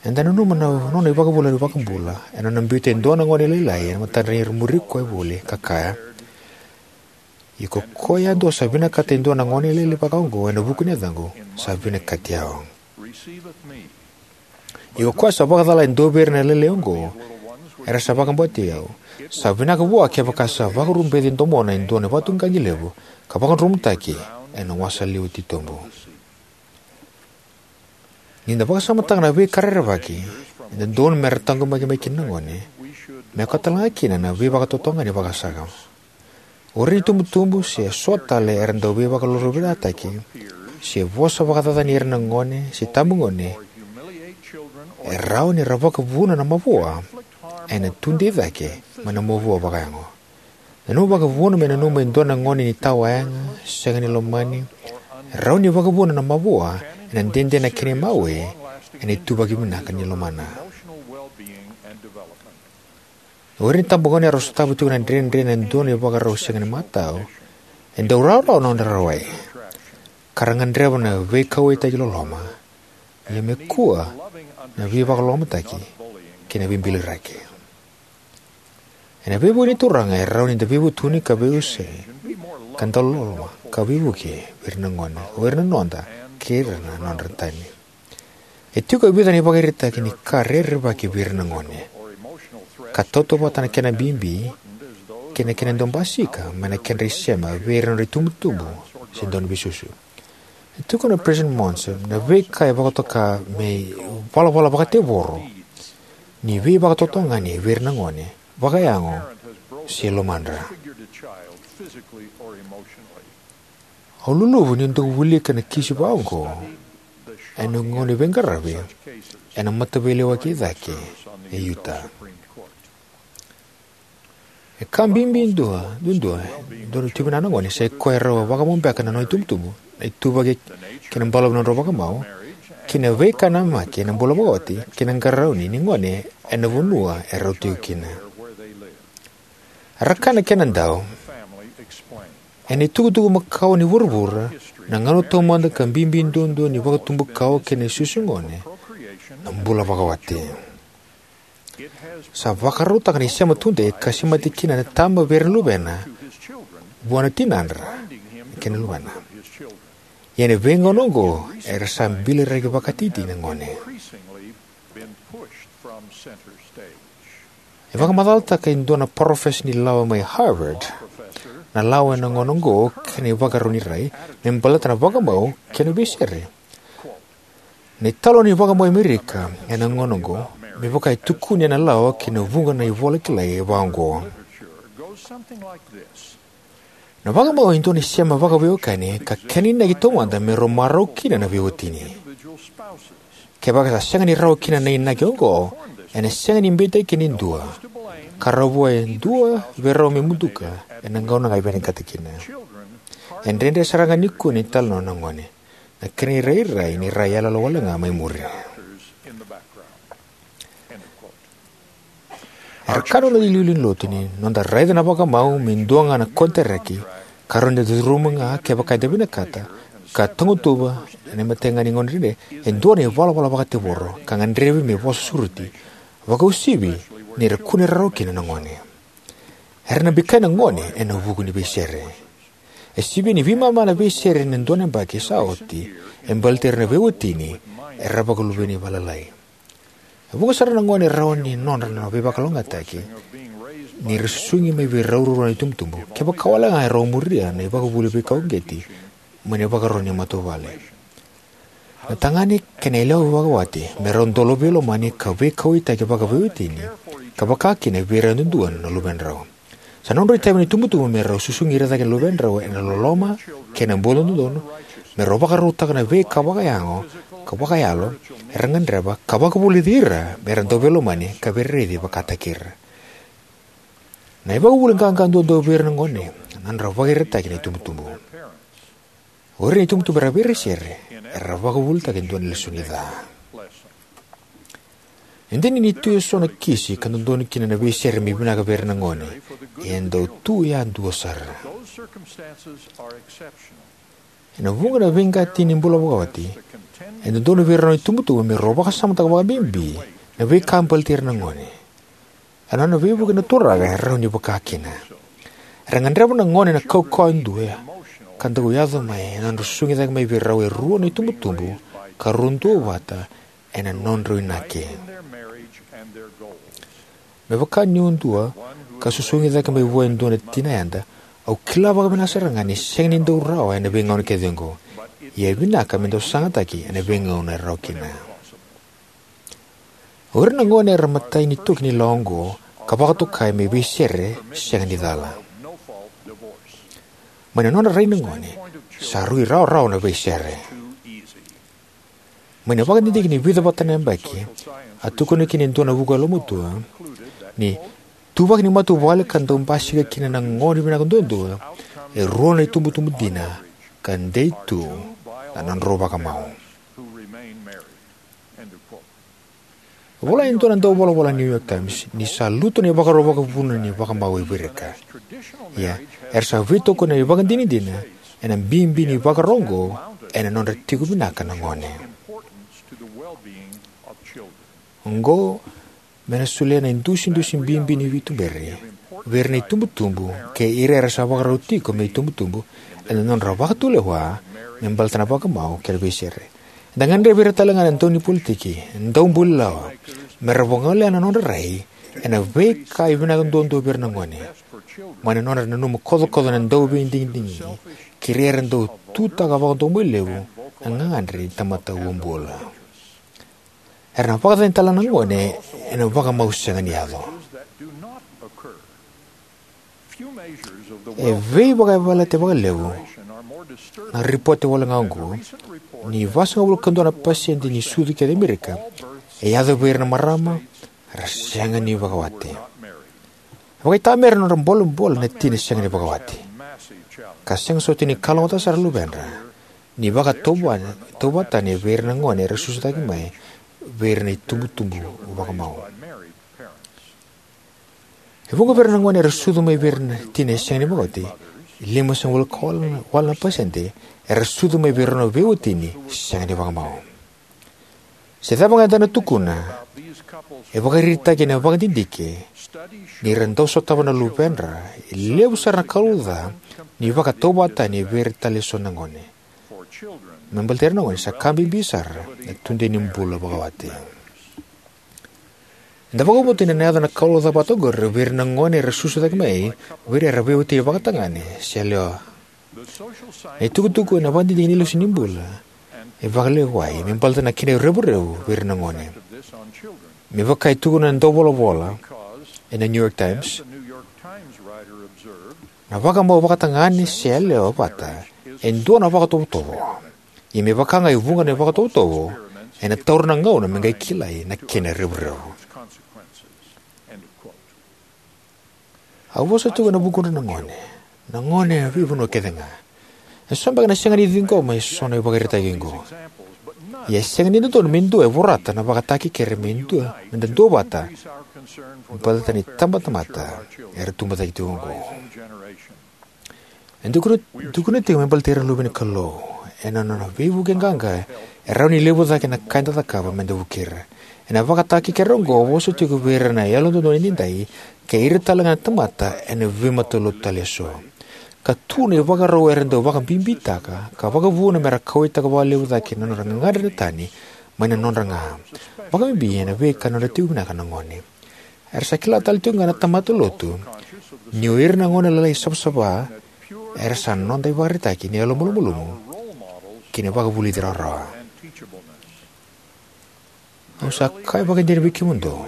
Eda nanuma na nona ivakavuvuli na iVakabula ena nona biuta e dua na gone lailai ena matadra ni ra muri koya voli ka kaya, "Ia ko koya yadua sa vinakata e dua na gone lailai vakaoqo ena vuku ni yacaqu, sa vinakati au. Ia ko koya sa vakacala e dua vei ira na lailai oqo era sa vakabauti au, sa vinaka vua kevaka sa vakarubeci e domona e dua na ivakatuqaqi levu ka vakadrumutaki ena wasaliwa titobu." Ni da vakasamataka na veika rerevaki e dodonu me ra taqomaki mai kina na gone, me yaco tale ga kina na veivakatotogani vakasama. O ira na itubutubu se so tale era dau veivakalolovirataki se vosa vakacacani ira na gone se itabagone, e rawa ni ra vakavuna na mavoa ena tudei cake mai na mavoa vakayago. Na nomu vakavuna me nanuma e dua na gone ni tawayaga, sega ni lomani, e rawa ni vakavuna na mavoa ena dede na kena imawe ena ituvaki vinaka ni lomana. O ira na itabagone era sotava tiko na dredre ena dua na ivakarau sega ni matau, e dau rawarawa na nodra rawai, ka ra gadreva na veikauwaitaki loloma, ia me kua na veivakalolomataki kei na veibiliraki. Ena veivuke ni Turaga, e rawa ni da veivutuni ka veiwasei, ka da loloma ka veivuke vei ira na gone, o ira na noda kei ira na nodra tani. E tiko e vica na ivakaraitaki ni ka rerevaki vei ira na gone, ka tautauvata na kena bibi kei na kena dau basika mai na kedra isema vei ira na nodra itubutubu se dau ni veisusu. E tukuna o President Monson na veika e vakatoka me ivalavala vakatevoro ni veivakatotogani vei ira na gone, vakayago se lomadra. Au luluvu niu dau wilika na kisi vakaoqo ena gauna ni veiqaravi ena Mataveilewaki e Cake e Utah. E ka bibi dua, duadua, e dua na tui vinaka na gone, sa i koya e rau vakamau beka na nona itubutubu, na ituvaki kei na balavu ni nodrau vakamau, kei na veika namaki ena bula vakawati, kei na qarauni ni gone ena vanua e rau tiko kina. Era kaya na kena dau, ena itukutuku makawa ni vuravura, na gauna taumada ka bibi duadua ni vakatubu kawa kei na isusugone, na bula vakawati. Sa vakarautaka na isema tudei ka semati kina na tama vei ira na luvena vua na tinadra kei na luvena. Ia ena veigauna oqo era sa biliraki vakatikitiki na gone. E vakamacalataka e dua na parofesa ni lawa mai Harvard na lawa ena gauna oqo kei na ivakarau ni rai me baleta na vakamau kei na veisere. Na italanoa ni vakamau e Amerika ena gauna oqo me vaka e tukuni ena lawa kei na vuqa na ivola kilai vaqo. Na vakamau e dua na isema vakaveiwekani ka kena inaki taumada me rau marau kina na veiwatini. Kevaka sa sega ni rawa kina na inaki oqo, ena sega ni beitaki kina e dua, ka rawa vua e dua vei rau me muduka ena gauna ga e vinakata kina. E dredre sara ga nikua ni talanoa na gone, na kena irairai ni ra yaloyalo wale ga mai muri. Era kaya na iliuliu ni lotu ni noda raica na vakamau me dua ga na konitaraki ka rawa ni da curuma ga kevaka eda vinakata, ka tagutuva ena imatai ga ni gauna dredre e dua na ivalavala vakatevoro ka gadrevi me vosa sureti, vakauasivi ni ra kune rarawa kina na gone. Era na bikai na gone ena vuku ni veisere. E sivia ni veimama na veisere ena dua na yabaki sa oti e baleti ira na veiwatini era vakaluveni vakalailai. E vuqa sara na gone e rawa ni nodra na veivakalougatataki ni ra susugi mai vei rau ruarua na itubutubu kevaka wale ga e rau muria na ivakavuvuli veikauqeti mai na ivakarau ni matavuvale. Na tagane kei na yalewa vakawati me rau dau veilomani ka veikauwaitaki vakaveiwatini, ka vaka kina vei ira yadudua na luvedrau. Sa nodrau itavi na itubutubu me rau susugi ira cake na luvedrau ena loloma kei na bula dodonu, me rau vakarautaka na veika vakayago ka vakayalo era gadreva, ka vakavulici ira me ra dau veilomani ka veiraici vakataki ira. Na ivakavuvuli qaqa duadua vei ira na gone na nodra vakairitaki na itubutubu. O ira na itubutubu era veiraisere era vakavuvulitaka e dua na lesoni ca. E dina ni tu eso na kisi ka dodonu kina na veisere me vinaka vei ira na gone, ia e dau tu yadua sara. Ena vuqa na veiqati ni bula vakawati, e dodonu vei rau na itubutubu me rau vakasamataka vakabibi na veika baleti ira na gone. Ena nona veivuke na Turaga e rawa ni vaka kina. Era gadreva na gone na kaukauwa e dua ka dau yaco mai ena nodra susugi cake mai vei rau e rua na itubutubu ka rau duavata ena nodrau inaki. Me vaka niu dua ka susugi cake mai vua e dua na tina yada, au kila vakavinaka sara ga ni sega ni dau rawa ena veigauna kece oqo, ia e vinaka me dau sagataki ena veigauna e rawa kina. O ira na gone era matai ni toki ni lawa oqo ka vakatokai me veisere sega ni cala. Mai na nodra rai na gone, sa rui rawarawa na veisere. Mai na vakadidike ni vica vata na yabaki, a tukuna kina e dua na vuku yalomatua ni tuvaki ni matavuvale ka dau basika kina na gone vinaka duadua e rua na itubutubu dina ka dei tu na nodrau vakamau. E vola e dua na dauvolavola ni New York Times ni sa lutu na ivakaro vakavuna ni vakamau e virika. Ia, era sa veitokoni ena ivakadinadina ena bibi ni ivakaro oqo ena nodra tiko vinaka na gone. Oqo me na solia na idusidusi bibi ni veituberi vei ira na itubutubu kei ira era sa vakarau tiko me itubutubu ena nodra vakatulewa me baleta na vakamau kei na veisere. Eda gadrevi ira tale ga na daunipolitiki, daubuli lawa, me ra vagolea na nodra rai ena veika e vinaka duadua vei ira na gone, mai na nodra nanuma kocokoco na dauveidigidigi kei ira era dau tutaka vakadomoi levu na gagadre ni tamata uabula. Era na vakacacani tale na gone ena vakamau sega ni yaco. E veivakayavalati vakalevu na ripote wale ga oqo ni vasagavulu ka dua na pasede ni sucu kece e Amerika e yaco vei ira na marama era sega ni vakawati. E vakaitamera na nodra bolebole na tina e sega ni vakawati, ka sega soti ni kalougata sara na luvedra ni vakatauvatani vei ira na gone era susu cake mai vei ira na itubutubu vakamau. E vuqa vei ira na gone era sucu mai vei ira na tina e sega ni vakawati, limasagavulu ka walu na pasede era sucu mai vei rau na veiwatini sega ni vakamau. Se cava ga eda na tukuna, e vakaraitaki ena vakadidike ni ra dau sotava na luvedra e levu sara na kalou ca ni vakatauvatani vei ira tale eso na gone. Me baleti ira na gone sa ka bibi sara na tudei ni bula vakawati. Eda vakabauta ni na yaco na kalou ca vata oqori vei ira na gone era susu cake mai vei ira era veiwatini vakatagane se yalewa. Na itukutuku ena vakadidike ni lesu ni bula e vakalewai me baleta na kena revurevu vei ira na gone. Me vaka e tukuna na dauvolavola ena New York Times, na vakamau vakatagane se yalewa vata e dua na vakatovotovo. Ia me vaka ga e vuqa na vakatovotovo, ena taura na gauna me qai kilai na kena revurevu. Au vosa tiko ena vukudra na gone, na gone e veivanua kece ga. E so beka na sega ni ciqoma e so na ivakaraitaki oqo. Ia e sega ni dodonu me dua e vorata na vakatakekere me dua me da duavata baleta na itabatamata era tubu cake tiko oqo. E tukuna, tukuna tiko me baleti ira na luve ni Kalou ena nona veivuke qaqa e rawa ni levu cake na ka eda cakava me da vukei ira. Ena vakatakekere oqo vosa tiko vei ira na yalododonu edaidai kei ira tale ga na tamata ena veimatalotu tale eso. Ka tu na ivakarau era dau vakabibitaka ka vakavuna me ra kauwaitaka vakalevu cake na nodra gagadre na tani mai na nodra ga, vakabibi ena veika nodra tiko vinaka na gone. Era sa kila tale tiko ga na tamata lotu ni o ira na gone lalai savasava era sa noda ivakaraitaki ni yalomalumalumu kei na vakavulici rawarawa. Au sa kaya vakaidina vei kemudou,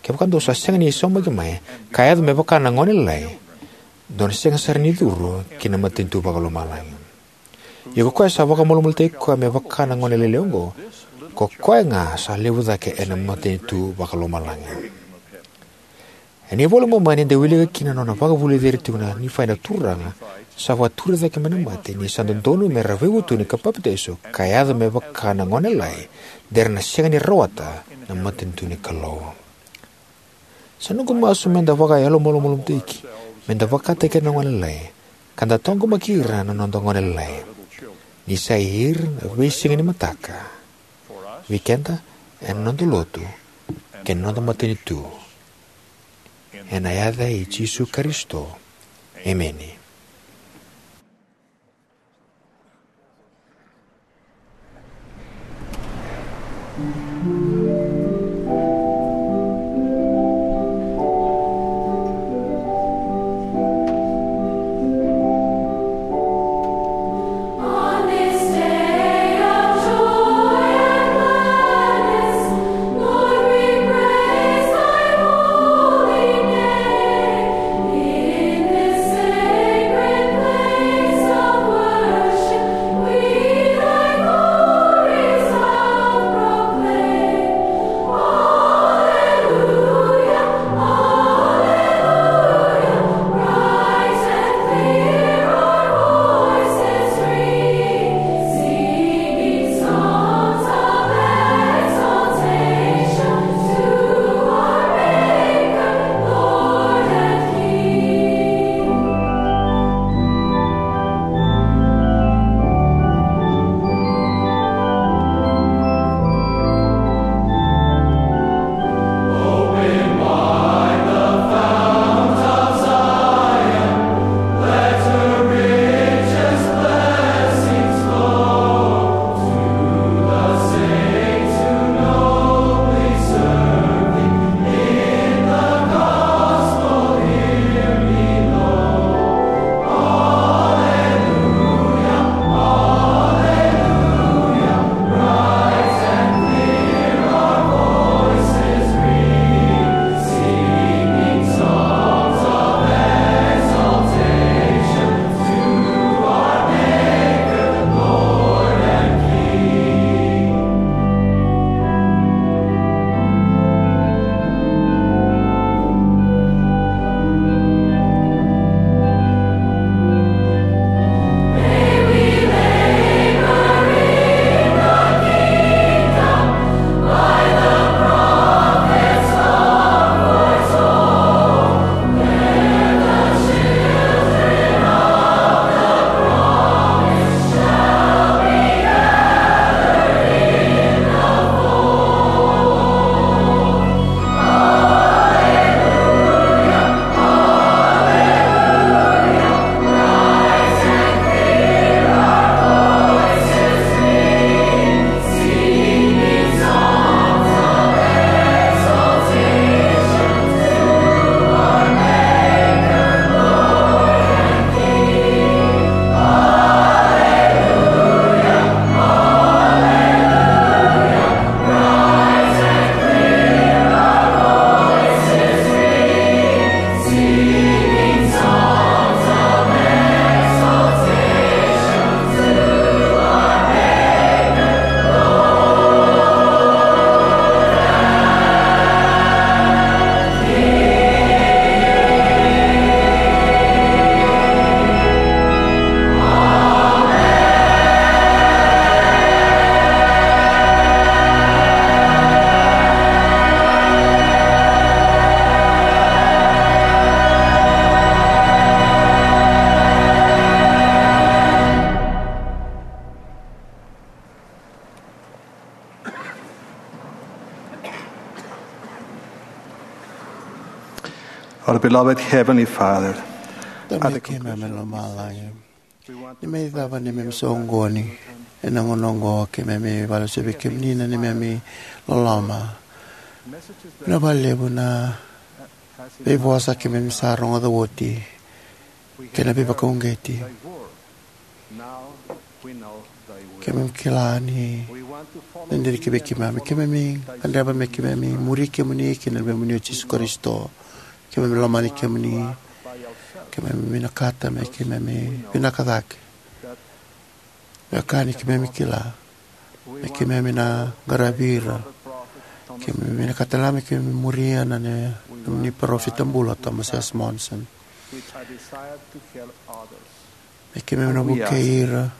kevaka dou sa sega ni saumaki mai ka yaco me vaka na gone lalai, dou na sega sara ni curu ki na matanitu vakalomalagi. Ia ko koya sa vakamalumalumutaki koya me vaka na gone lailai oqo, ko koya ga sa levu cake ena matanitu vakalomalagi. Ena iVola i Momani eda wilika kina na nona vakavulici ira tiko na Nifai na Turaga Sa vakatura cake mai na mate, ni sa dodonu me ra veivutuni ka papitaiso, ka yaco me vaka na gone lailai, de ra na sega ni rawata na matanitu ni Kalou. Sa noqu masu me da vakayalomalumalumutaki, me da vakataki ira na gone lailai, ka da taqomaki ira na noda gone lailai. Ni sa i ira na veisiga ni mataka. Vei keda, ena noda lotu, kei na noda matanitu. Ena yaca i Jisu Karisito. Emeni. Our beloved Heavenly Father, Tamai keimami mai lomalagi, ni mai cava ni memi soqoni ena gauna oqo, keimami vakalesuya vei kemuni na neimami loloma. Na vakalevu na veivosa keimami sa rogoca oti kei na veivakauqeti. Keimami kila ni na dina ki vei keimami. Keimami gadreva me keimami muri kemuni kei na luvemuni o Jisu Karisito. Keimami lomani kemuni. Keimami vinakata me keimami vinaka cake. Vaka ni keimami kila me keimami na qaravi ira. Keimami vinakata na me keimami muria na ne, nomuni parofita bula o Thomas S. Monson. E keimami na vukei ira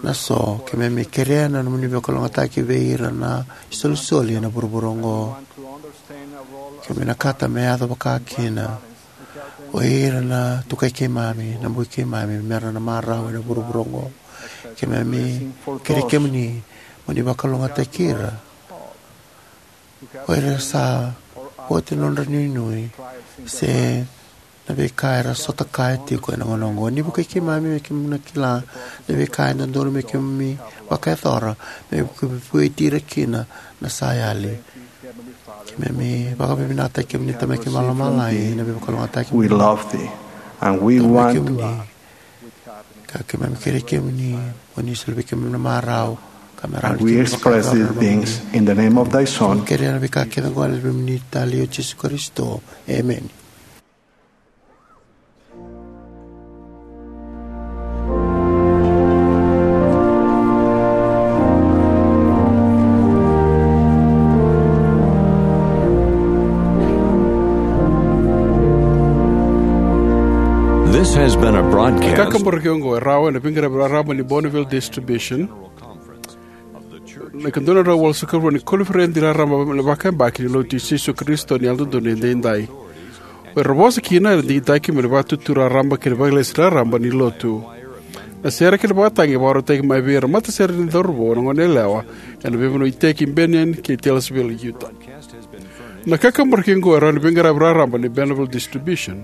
na so, keimami kerea na nomuni veivakalougatataki vei ira na isolisoli ena vuravura oqo. Keimami na kata me yaco vaka kina o ira na tukai keimami, na bui keimami, mera na marau ena vuravura oqo. Keimami kerei kemuni mo ni vakalougatataki ira o ira sa oti na nodra nuinui se na veika era sota kaya tiko ena gauna oqo. Ni vukei keimami me keimami na kila na veika e dodonu me keimami vakayacora me vueti ira kina na sa yali. Keimami vakavinavinakataki kemuni, Tamai keimami vakalomalagi, na veivakalougatataki. We love thee, and we want kemuni. Ka keimami kerei kemuni mo ni soli vei keimami na marau ka me rawa ni keimami express these things in the name of thy Son. Keimami kerea na veika kece oqo ena yaca ni Tama o Jisu Karisito. Emeni. This has been a broadcast. Kakaburaki oqo e rawa ena veiqaravi raraba ni Bonneville Distribution. Na ikadua na drau walusagavulu ni koniferedi raraba vakayabaki ni Lotu i Jisu Karisito ni Yalododonu Edaidai. O ira vosa kina era digitaki mai na Vatutu Raraba kei na Vakalesi Raraba ni Lotu. Na sere kei na vakatagi e vakarautaki mai vei ira na matasere ni cauravou, na goneyalewa ena veivanua iteki Bennion kei Taylorsville, Utah. Na kakaburaki oqo e rawa ni veiqaravi raraba ni Bonneville Distribution.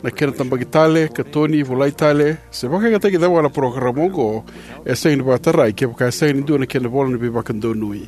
Na kena tabaki tale, katoni, volai tale, se vakayagataki cava ga na parokaramu oqo, e sega ni vakatarai kevaka e sega ni dua na kena ivola ni veivakadonui.